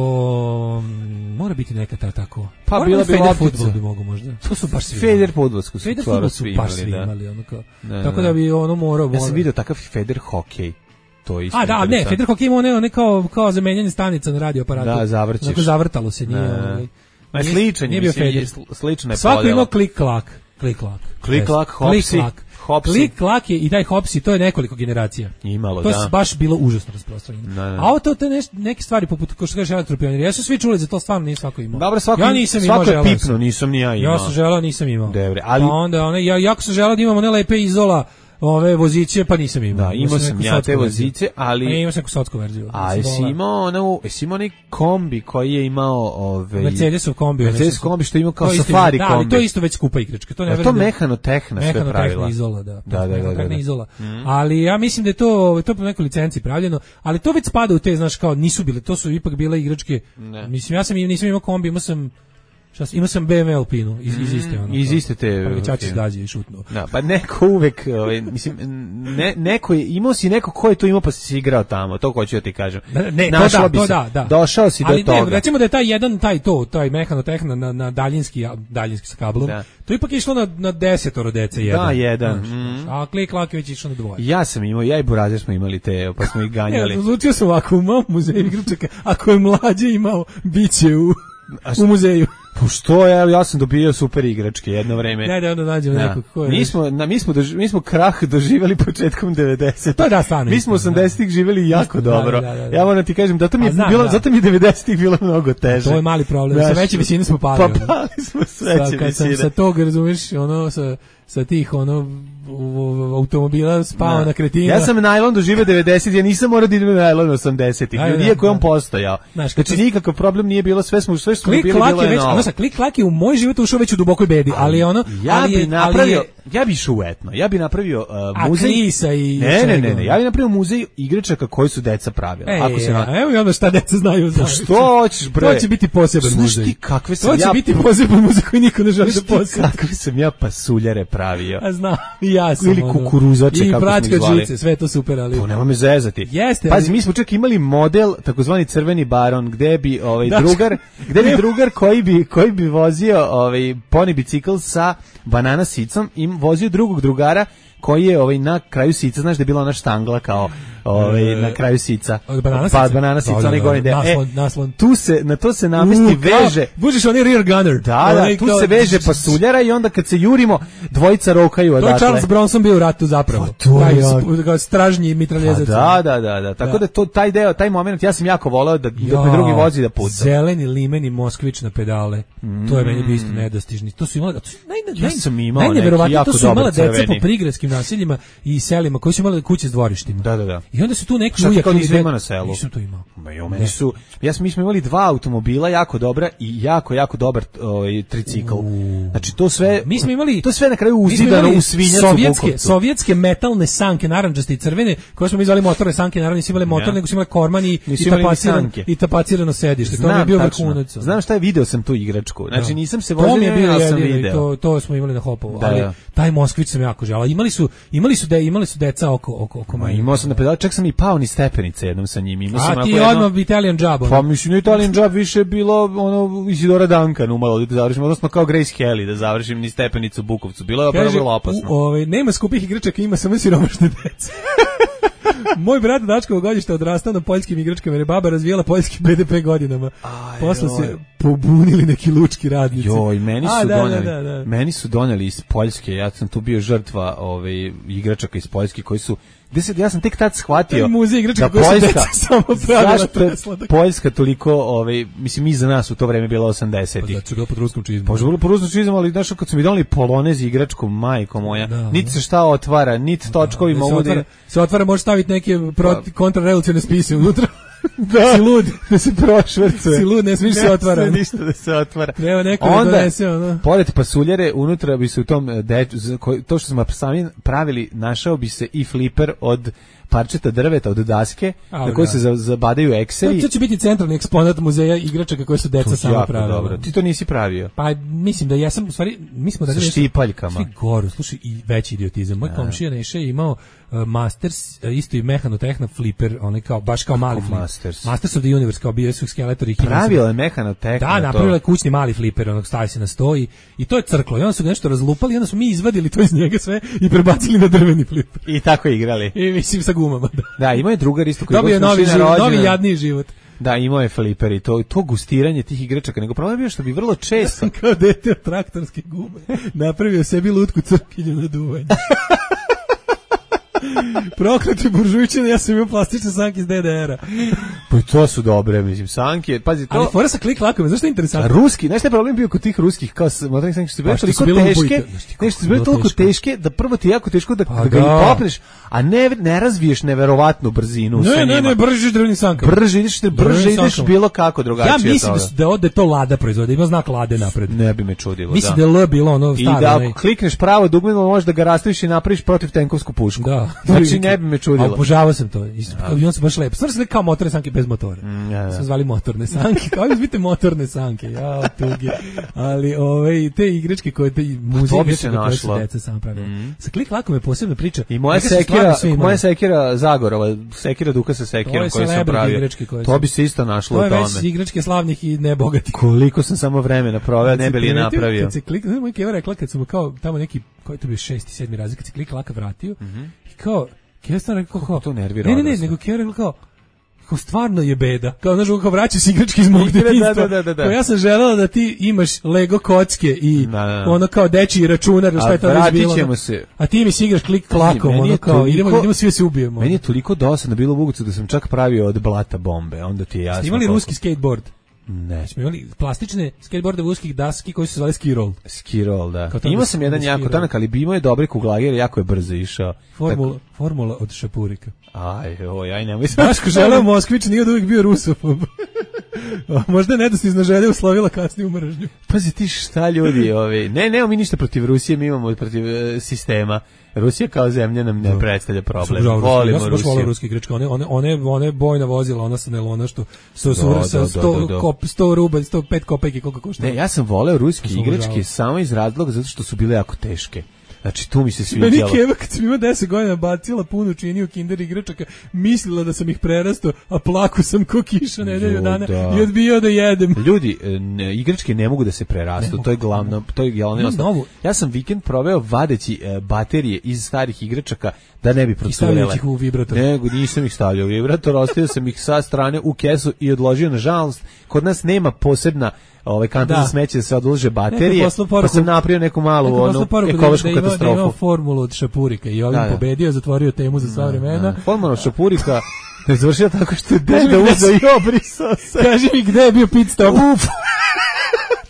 mora biti neka tako. Pa bila bi fudbal bi mogu možda. To su baš svi. Feder fudbalsku su baš svi imali, ono kao. Tako da bi ono morao. Ja sam vidio takav Feder hokej. To isto. Ne, Feder hokej ima one kao zamenjanje stanica na radioaparatu. Da, zavrćiš. Onako zavrtalo se, nije. Ma sličan je, slična je podela. Svako ima klik-klak. Klik-klak, hopsi. Klik-klak je i taj hopsi, to je nekoliko generacija. Imalo, to je baš bilo užasno rasprostranjeno. A to te neke stvari, poput, kao što kažeš, elektropioniri, ja su svi čuli za to, stvarno nije svako imao. Dobro, svako je pipno, nisam ni ja imao. Ja sam želao, nisam imao. Dobre, ali... Pa onda, ja jako sam želao da imam one lepe Izola, ove voziće, pa nisam imao. Da, imao sam ja te voziće, ali... A imao sam neku sotsku verziju. A jesi imao onaj kombi koji je imao... Mercedesov kombi. Mercedes kombi što je imao kao safari kombi. Da, ali to je isto već skupa igračka. To mehano-tehna sve pravila. Mehano-tehna Izola, da. Da. Izola. Ali ja mislim da je to po nekoj licenci pravljeno, ali to već spada u te, znaš, kao nisu bile, to su ipak bile igračke. Mislim, nisam imao kombi, imao sam BMW Alpinu iz iste ono. Iz iste te. Prvićač izgađa i šutnuo. Da, pa neko uvek, mislim, neko je, imao si neko ko je to imao pa si igrao tamo, to hoću da ti kažem. Ne, to da. Došao si do toga. Ali recimo da je taj mehano-tehna na daljinski sa kablom, to ipak je išlo na 10 dece jedan. Da, jedan. A klik-klak je već išlo na 2. Ja sam imao, ja i Burazir smo imali te, pa smo ih ganjali. Odlučio sam ovako, u mom muzeju igračaka, ako je mlađe imao, bit će u muzeju. Pa što ja sam dobio super igračke jedno vreme. Da onda nađemo nekog ko je. Mi smo krah doživjeli početkom 90. To da stvarno. Mi smo 80-ih živjeli jako dobro. Ja moram ti kažem, zato mi je 90-ih bilo mnogo teže. To je mali problem. Sa veće visine smo pali. Pa pali smo s veće visine. Kad sam sa tog, razumeš, sa tih automobila spao na kretina. Ja sam najlon doživio 90, ja nisam morao da idem na najlon 80-ih. Iako je on postojao. Znači nikakav problem nije bilo, sve smo bili bilo je sa klik-klak je u moj život ušao već u dubokoj bedi, ali ono... Ja bi išao u etno, ja bi napravio muzej... Aklisa i... Ne, ja bi napravio muzej igračaka koji su deca pravila. Evo i onda šta deca znaju za... Što hoćeš, bre? To će biti poseban muzej. Ti kakve sam to će biti poseban muzej koji niko ne želi da posjeti. Kakve sam ja pasuljare pravio. A znam, i ja sam. Ili kukuruzače, kako smo ih zvali. Žice, sve to super, ali... To nema me zezati. Jeste. Pazi, mi smo čak imali model, takozvani crveni baron, gde bi drugar koji bi vozio poni bicikl sa banana sicom i vozio drugog drugara koji je na kraju sica, znaš da je bila ona štangla kao na kraju sica. Banana sica, onaj gornji deo. Naslon. Na to se namesti veže. Bužiš onaj rear gunner. Da, tu se veže pasuljara i onda kad se jurimo, dvojica rokaju odatle. To je Charles Bronson bio u ratu zapravo. Taj stražnji mitraljezac. Da. Tako da taj deo, taj moment, ja sam jako voleo da me drugi vozi da puca. Zeleni limeni Moskvić na pedale. To je meni bio isto nedostižni. To su imali, ja sam imao neki jako dobar crveni. To su imala deca po prigradskim naseljima i selima koji su imali kuće s dvorištima. Da. I onda su tu neki ujak kao nisam imao na selu. Nisam to imao. Mi smo imali 2 automobila jako dobra i jako dobar tricikl. Znači to sve mi smo imali to sve na kraju uzidano u Svinjacu. Sovjetske metalne sanke narandžaste i crvene, koje smo mi zvali motorne sanke, naravno nisu imale motor, nego su imale korman i tapacirano sedište. To je bio vrhunac. Znam šta je, video sam tu igračku. Znači nisam se vozio, ja sam video. To smo imali na Hopovu, ali taj Moskvić sam jako želeo. Imali su deca oko mene. Imao sam na pedal, čak sam i pao ni stepenice jednom sa njim. A ti odmah Italian Job. Pa mislim, Italian Job više bilo Isidora Duncan umalo da završim, odnosno kao Grace Kelly da završim ni stepenicu u Bukovcu. Bilo je vrlo opasno. Nema skupih igračaka, ima samo siromašne dece. Moj brat Dačkovo godište odrastao na poljskim igračkama, jer je baba razvijala poljski BDP godinama. Posle se pobunili neki lučki radnici. Meni su doneli iz Poljske, ja sam tu bio žrtva igračaka iz Poljske koji su ja sam tek tad shvatio da Poljska zašto Poljska toliko, mislim, iza nas u to vreme bila 80-ih. Znači, bilo pod ruskom čizmom. Pa bilo pod ruskom čizmom, ali znaš, kad su mi doneli polonez igračku, majko moja, niti se šta otvara, niti točkovi mogu da... Se otvara, može staviti neke kontrarevolucione spise unutra. Da, si lud, da se prošvercuje. Si lud, ne smiješ se otvara. Ne ništa da se otvara. Treba neko da donese ono. Pored pasuljare, unutra bi se u tom, to što smo sami pravili, našao bi se i fliper od parčeta drveta, od daske, na koje se zabadaju ekseri. To će biti centralni eksponat muzeja igračaka koje su deca sama pravila. Dobro. Ti to nisi pravio? Pa mislim da jesam, u stvari, mi smo da sa štipaljkama. Slušaj, i veći idiotizam. Moj komšija Neša je imao Masters, isto i mehanotehna flipper, onaj kao, baš kao mali flipper. Masters of the Universe, kao bio su skeletori. Pravila je mehanotehna. Da, napravila je kućni mali flipper, onog stavi se na sto i to je crklo. I onda su nešto razlupali, i onda smo mi izvadili to iz njega sve i prebacili na drveni flipper. I tako igrali. I mislim sa gumama. Da, imao je drugar isto koji dobio novi jadniji život. Da, imao je fliper i to gustiranje tih igračaka, nego problem je što bi vrlo često... Ja sam kao dete od traktorske gume napravio sebi lutku crkinju na duvanje. Prokleti buržujčine, ja sam imao plastične sanke iz DDR-a. Pa to su dobre, mislim, sanke. Pazi, to... Ali fora sa klik-lakom, znaš što je interesantno? Ruski, znaš šta je problem bio kod tih ruskih, kao motornih sanke, što su bile toliko teške, nešto su bile toliko teške, da prvo ti je jako teško da ga i popneš, a ne razviješ neverovatnu brzinu sa njima. Ne, brže ideš drvenim sankama. Brže ideš bilo kako drugačije. Ja mislim da to Lada proizvode, ima znak Lade napred. Ne bi me čudilo, da. Mislim da je L bilo ono staro. I da ako klikneš pravo dugmeno, možeš da ga rastaviš i napraviš protivtenkovsku pušku. Da. Znači ne bi me čudilo. A obožavao sam to. I on se baš lepo. Stvarno se kao motorne sanke bez motora. Sam zvali motorne sanke. Kao izbite motorne sanke. Ja, tugi. Ali te igračke koje te muzike koje su deca sam pravila. Sa klik-lakom je posebna priča. I moja sekira Zagorova, sekira Duka sa sekirom koju sam pravio. To bi se isto našlo u tome. To je već igračke slavnih i nebogatih. Koliko sam samo vremena proveo, ne bi li je napravio. Kad se klik-laka, moj keva rekla kad sam kao tamo neki, koji to bio 6. 7. razred, kad se klik-laka vratio i kao Keva rekao kao to nervira. Ne, nego Keva rekao kao stvarno je beda. Kao znaš, kao vraćaš igračke iz mog detinjstva. Da. Ja sam želela da ti imaš Lego kocke i ono kao dečiji računar, šta je to već bilo. A ti mi si igraš klik-klakom, ono kao idemo svi se ubijemo. Meni je toliko dosadno bilo u Bugovcu da sam čak pravio od blata bombe. Onda ti je jasno. Ste imali ruski skateboard? Ne. Smo imali plastične skateboardove uskih daski koji su zvali ski roll. Ski roll, da. Imao sam jedan jako tanak, ali bi imao je dobre kuglagere, jako je brzo išao. Formula od šapurika. Aj nemoj. Daško želeo Moskvić, nije od uvijek bio rusofob. Možda je nedostižna želja uslovila kasniju mržnju. Pazi ti šta ljudi, nemamo mi ništa protiv Rusije, mi imamo protiv sistema. Rusija kao zemlja nam ne predstavlja problem. Volimo ja sam baš volio ruske igračke. One bojna vozila, ona sa nelona što su sa 100 rubalj, 105 kopeki, koliko košta. Ne, ja sam voleo ruske igračke samo iz razloga zato što su bile jako teške. Znači, tu mi se sviđalo. Meni Keva, kad sam ima 10 godina, bacila punu činiju Kinder igračaka, mislila da sam ih prerastao, a plaku sam ko kiša nedelju dana i odbio da jedem. Ljudi, igračke ne mogu da se prerastu, to je glavno osnovno. Ja sam vikend proveo vadeći baterije iz starih igračaka da ne bi procurele. I stavljaju ih u vibrator. Nego, nisam ih stavljao u vibrator, ostavio sam ih sa strane u kesu i odložio, nažalost, kod nas nema posebna kanta za smeće da se odlože baterije, pa sam napravio neku malu ekološku katastrofu. Da imao formulu od šapurika i ovim pobedio, zatvorio temu za sva vremena. Formula od šapurika ne završio tako što je deda uzeo i obrisao se. Kaži mi gde je bio pit stop?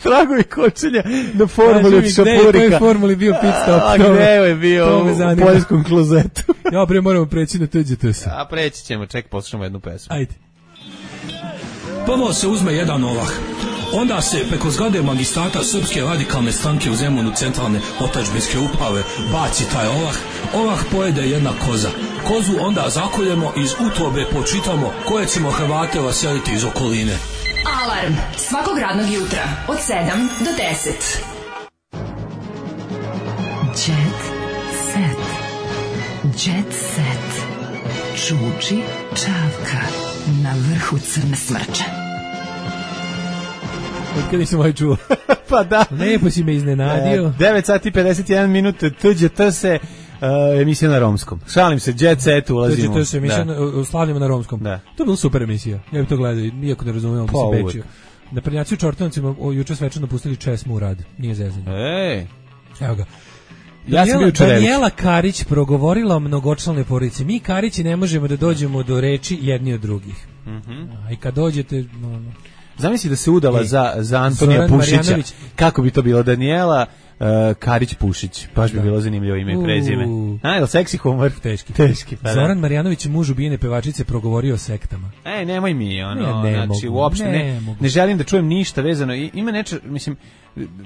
Tragovi kočenja na formuli od šapurika. Gde je formuli bio pit stop? A gde je bio u poljskom klozetu? Ja, bre, moramo preći na TGTS. A preći ćemo, ček, poslušamo jednu pesmu. Ajde. Prvo se uzme jedan ovah. Onda se preko zgrade magistrata Srpske radikalne stranke u Zemunu centralne otadžbinske uprave baci taj ovah. Ovah pojede jedna koza. Kozu onda zakoljemo, iz utrobe počitamo koje ćemo Hrvate vaseliti iz okoline. Alarm svakog radnog jutra od 7 do 10. Jet set. Jet set. Čuči Čavka na vrhu crne smrče. Od kada nisam ovaj čuo. Pa da. Lepo si me iznenadio. 9 sati 51 minuta, TGT se emisija na romskom. Šalim se, Jet Set ulazimo. TGT se emisija slavljamo na romskom. Da. To je bila super emisija. Ja bih to gledao, iako ne razumijem, bi se pečio. Na prednjaci u Čortanovcima juče svečano pustili česmu u rad. Nije zezanje. Evo ga. Ja sam bio Daniela Karić progovorila o mnogočlanoj porodici. Mi Karići ne možemo da dođemo do reči jedni od drugih. I kad dođete... Zamisli da se udala za Antonija Pušića. Kako bi to bilo? Daniela Karić Pušić. Baš bi bilo zanimljivo ime i prezime. Je li seksi humor? Teški. Pa Zoran Marjanović, muž ubijene pevačice, progovorio o sektama. Nemoj mi, znači, uopšte ne želim da čujem ništa vezano. Ima nešto, mislim,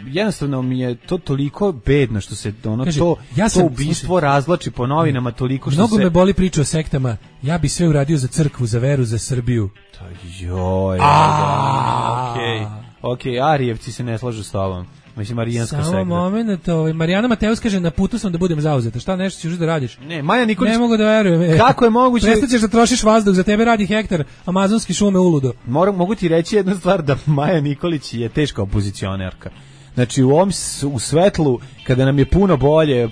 jednostavno mi je to toliko bedno što se to ubistvo razvlači po novinama toliko što mnogo me boli priča o sektama. Ja bi sve uradio za crkvu, za veru, za Srbiju. Joj. Okej, Arijevci se ne slažu s tobom. Mislim, Marijanska sekta. Samo moment, Marijana Mateus kaže, na putu sam da budem zauzeta. Šta nešto ćeš da radiš? Ne, Maja Nikolić... Ne mogu da verujem. Kako je moguće... Prestaćeš da trošiš vazduh, za tebe radi hektar amazonski šume uludo. Mogu ti reći jednu stvar, da Maja Nikolić je teška opozicionerka. Znači u svetlu, kada nam je puno bolje,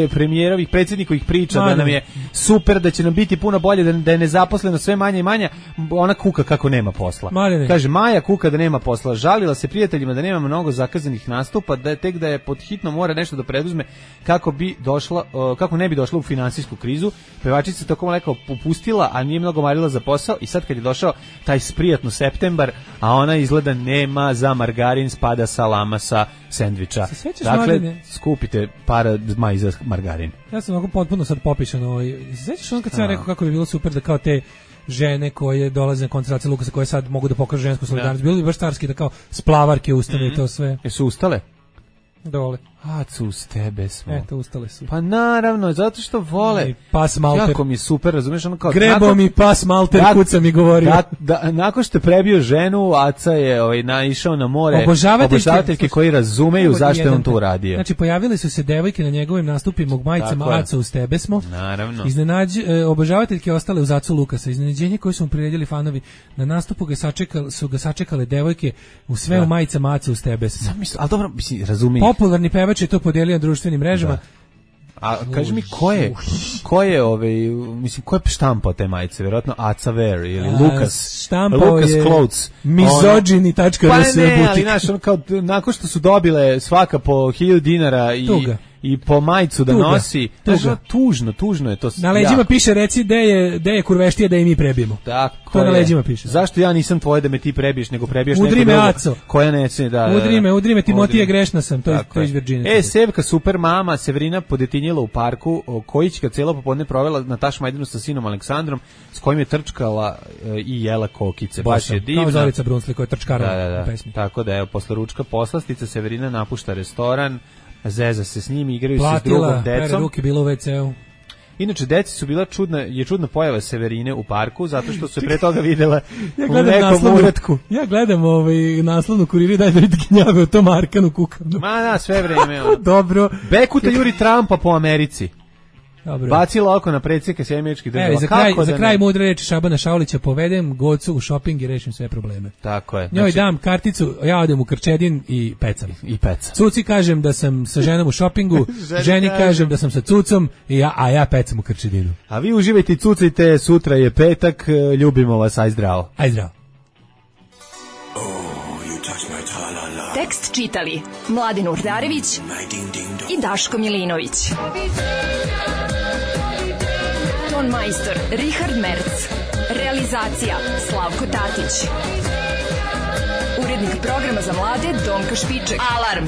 premijerovih, predsjednikovih priča, da nam je super, da će nam biti puno bolje, da je nezaposleno sve manje i manje, ona kuka kako nema posla. Kaže, Maja kuka da nema posla, žalila se prijateljima da nema mnogo zakazanih nastupa, da je tek da je pod hitno mora nešto da preduzme kako ne bi došla u finansijsku krizu. Pevačica se tako lekao popustila, a nije mnogo marila za posao, i sad kad je došao taj sprijatno septembar, a ona izgleda nema za margarin, spada salama sa sendviča. Dakle, skupite para Maji za margarin. Ja sam ovako potpuno sad popišan. Sećaš on kad sam rekao kako bi bilo super da kao te žene koje dolaze na koncentraciju Lukasa, koje sad mogu da pokažu žensku solidarnost, bilo bi baš carski da kao splavarke ustane i to sve. Jesu ustale? Dole. Acu, uz tebe smo. Eto, ustale su. Pa naravno, zato što vole. Pas malter. Jako mi je super, razumiješ? Grebo mi pas malter, kuca mi govorio. Nakon što je prebio ženu, Aca je naišao na more obožavateljke koji razumeju zašto je on to uradio. Znači, pojavili su se devojke na njegovim nastupima u majicama Aca, uz tebe smo. Naravno. Obožavateljke ostale uz Acu Lukasa. Iznenađenje koje su mu priredili fanovi. Na nastupu su ga sačekale devojke u sve u majicama Aca, uz tebe smo. Ali dobro, mislim, razumijem. Popularni pevač je to podelio na društvenim mrežama. A kaži mi ko je mislim, ko je štampao te majice? Vjerojatno Aca Wear ili Lucas Clothes. Mizogini.rs. Pa ne, ali znaš, nakon što su dobile svaka po 1000 dinara i i po majicu da nosi. Tužno je to. Na leđima piše reci gde je kurveštija da i mi prebijemo. Tako to na leđima piše. Zašto ja nisam tvoje da me ti prebiješ, nego prebiješ neko drugo koja neće da... Udri me, Timotije, grešna sam, to je iz Virginije. Sevka super mama Severina podetinjila u parku, Kojićka cijelo popodne provela na Taš Majdanu sa sinom Aleksandrom, s kojim je trčkala i jela kokice. Baš je divna. Kao Zorica Brunsli koja je trčkara u pesmi. Tako da, evo, posle ručka poslastica Severina napušta restoran, zeza se s njim, igraju se s drugom decom. Platila, ruke bilo u WC-u. Inače, deci su bila čudna pojava Severine u parku, zato što su pre toga videla u nekom uratku. Ja gledam naslovnu Kuriri, daj da vidite gnjave o tom Arkanu kukavnu. Ma da, sve vreme. Dobro. Bekuta juri Trumpa po Americi. Dobro. Bacila oko na predsjednika Sjemeničkih država. Za kraj mudre reči Šabana Šaulića, povedem Gocu u šoping i rešim sve probleme. Tako je. Njoj dam karticu, ja odem u Krčedin i pecam. Cuci kažem da sam sa ženom u šopingu, ženi kažem da sam sa cucom, a ja pecam u Krčedinu. A vi uživajte i cucajte, sutra je petak, ljubimo vas, aj zdravo. Aj zdravo. Tekst čitali Mladin Urdarević i Daško Milinović. Ton majstor Richard Merc. Realizacija Slavko Tatić. Urednik programa za mlade Donka Špiček. Alarm!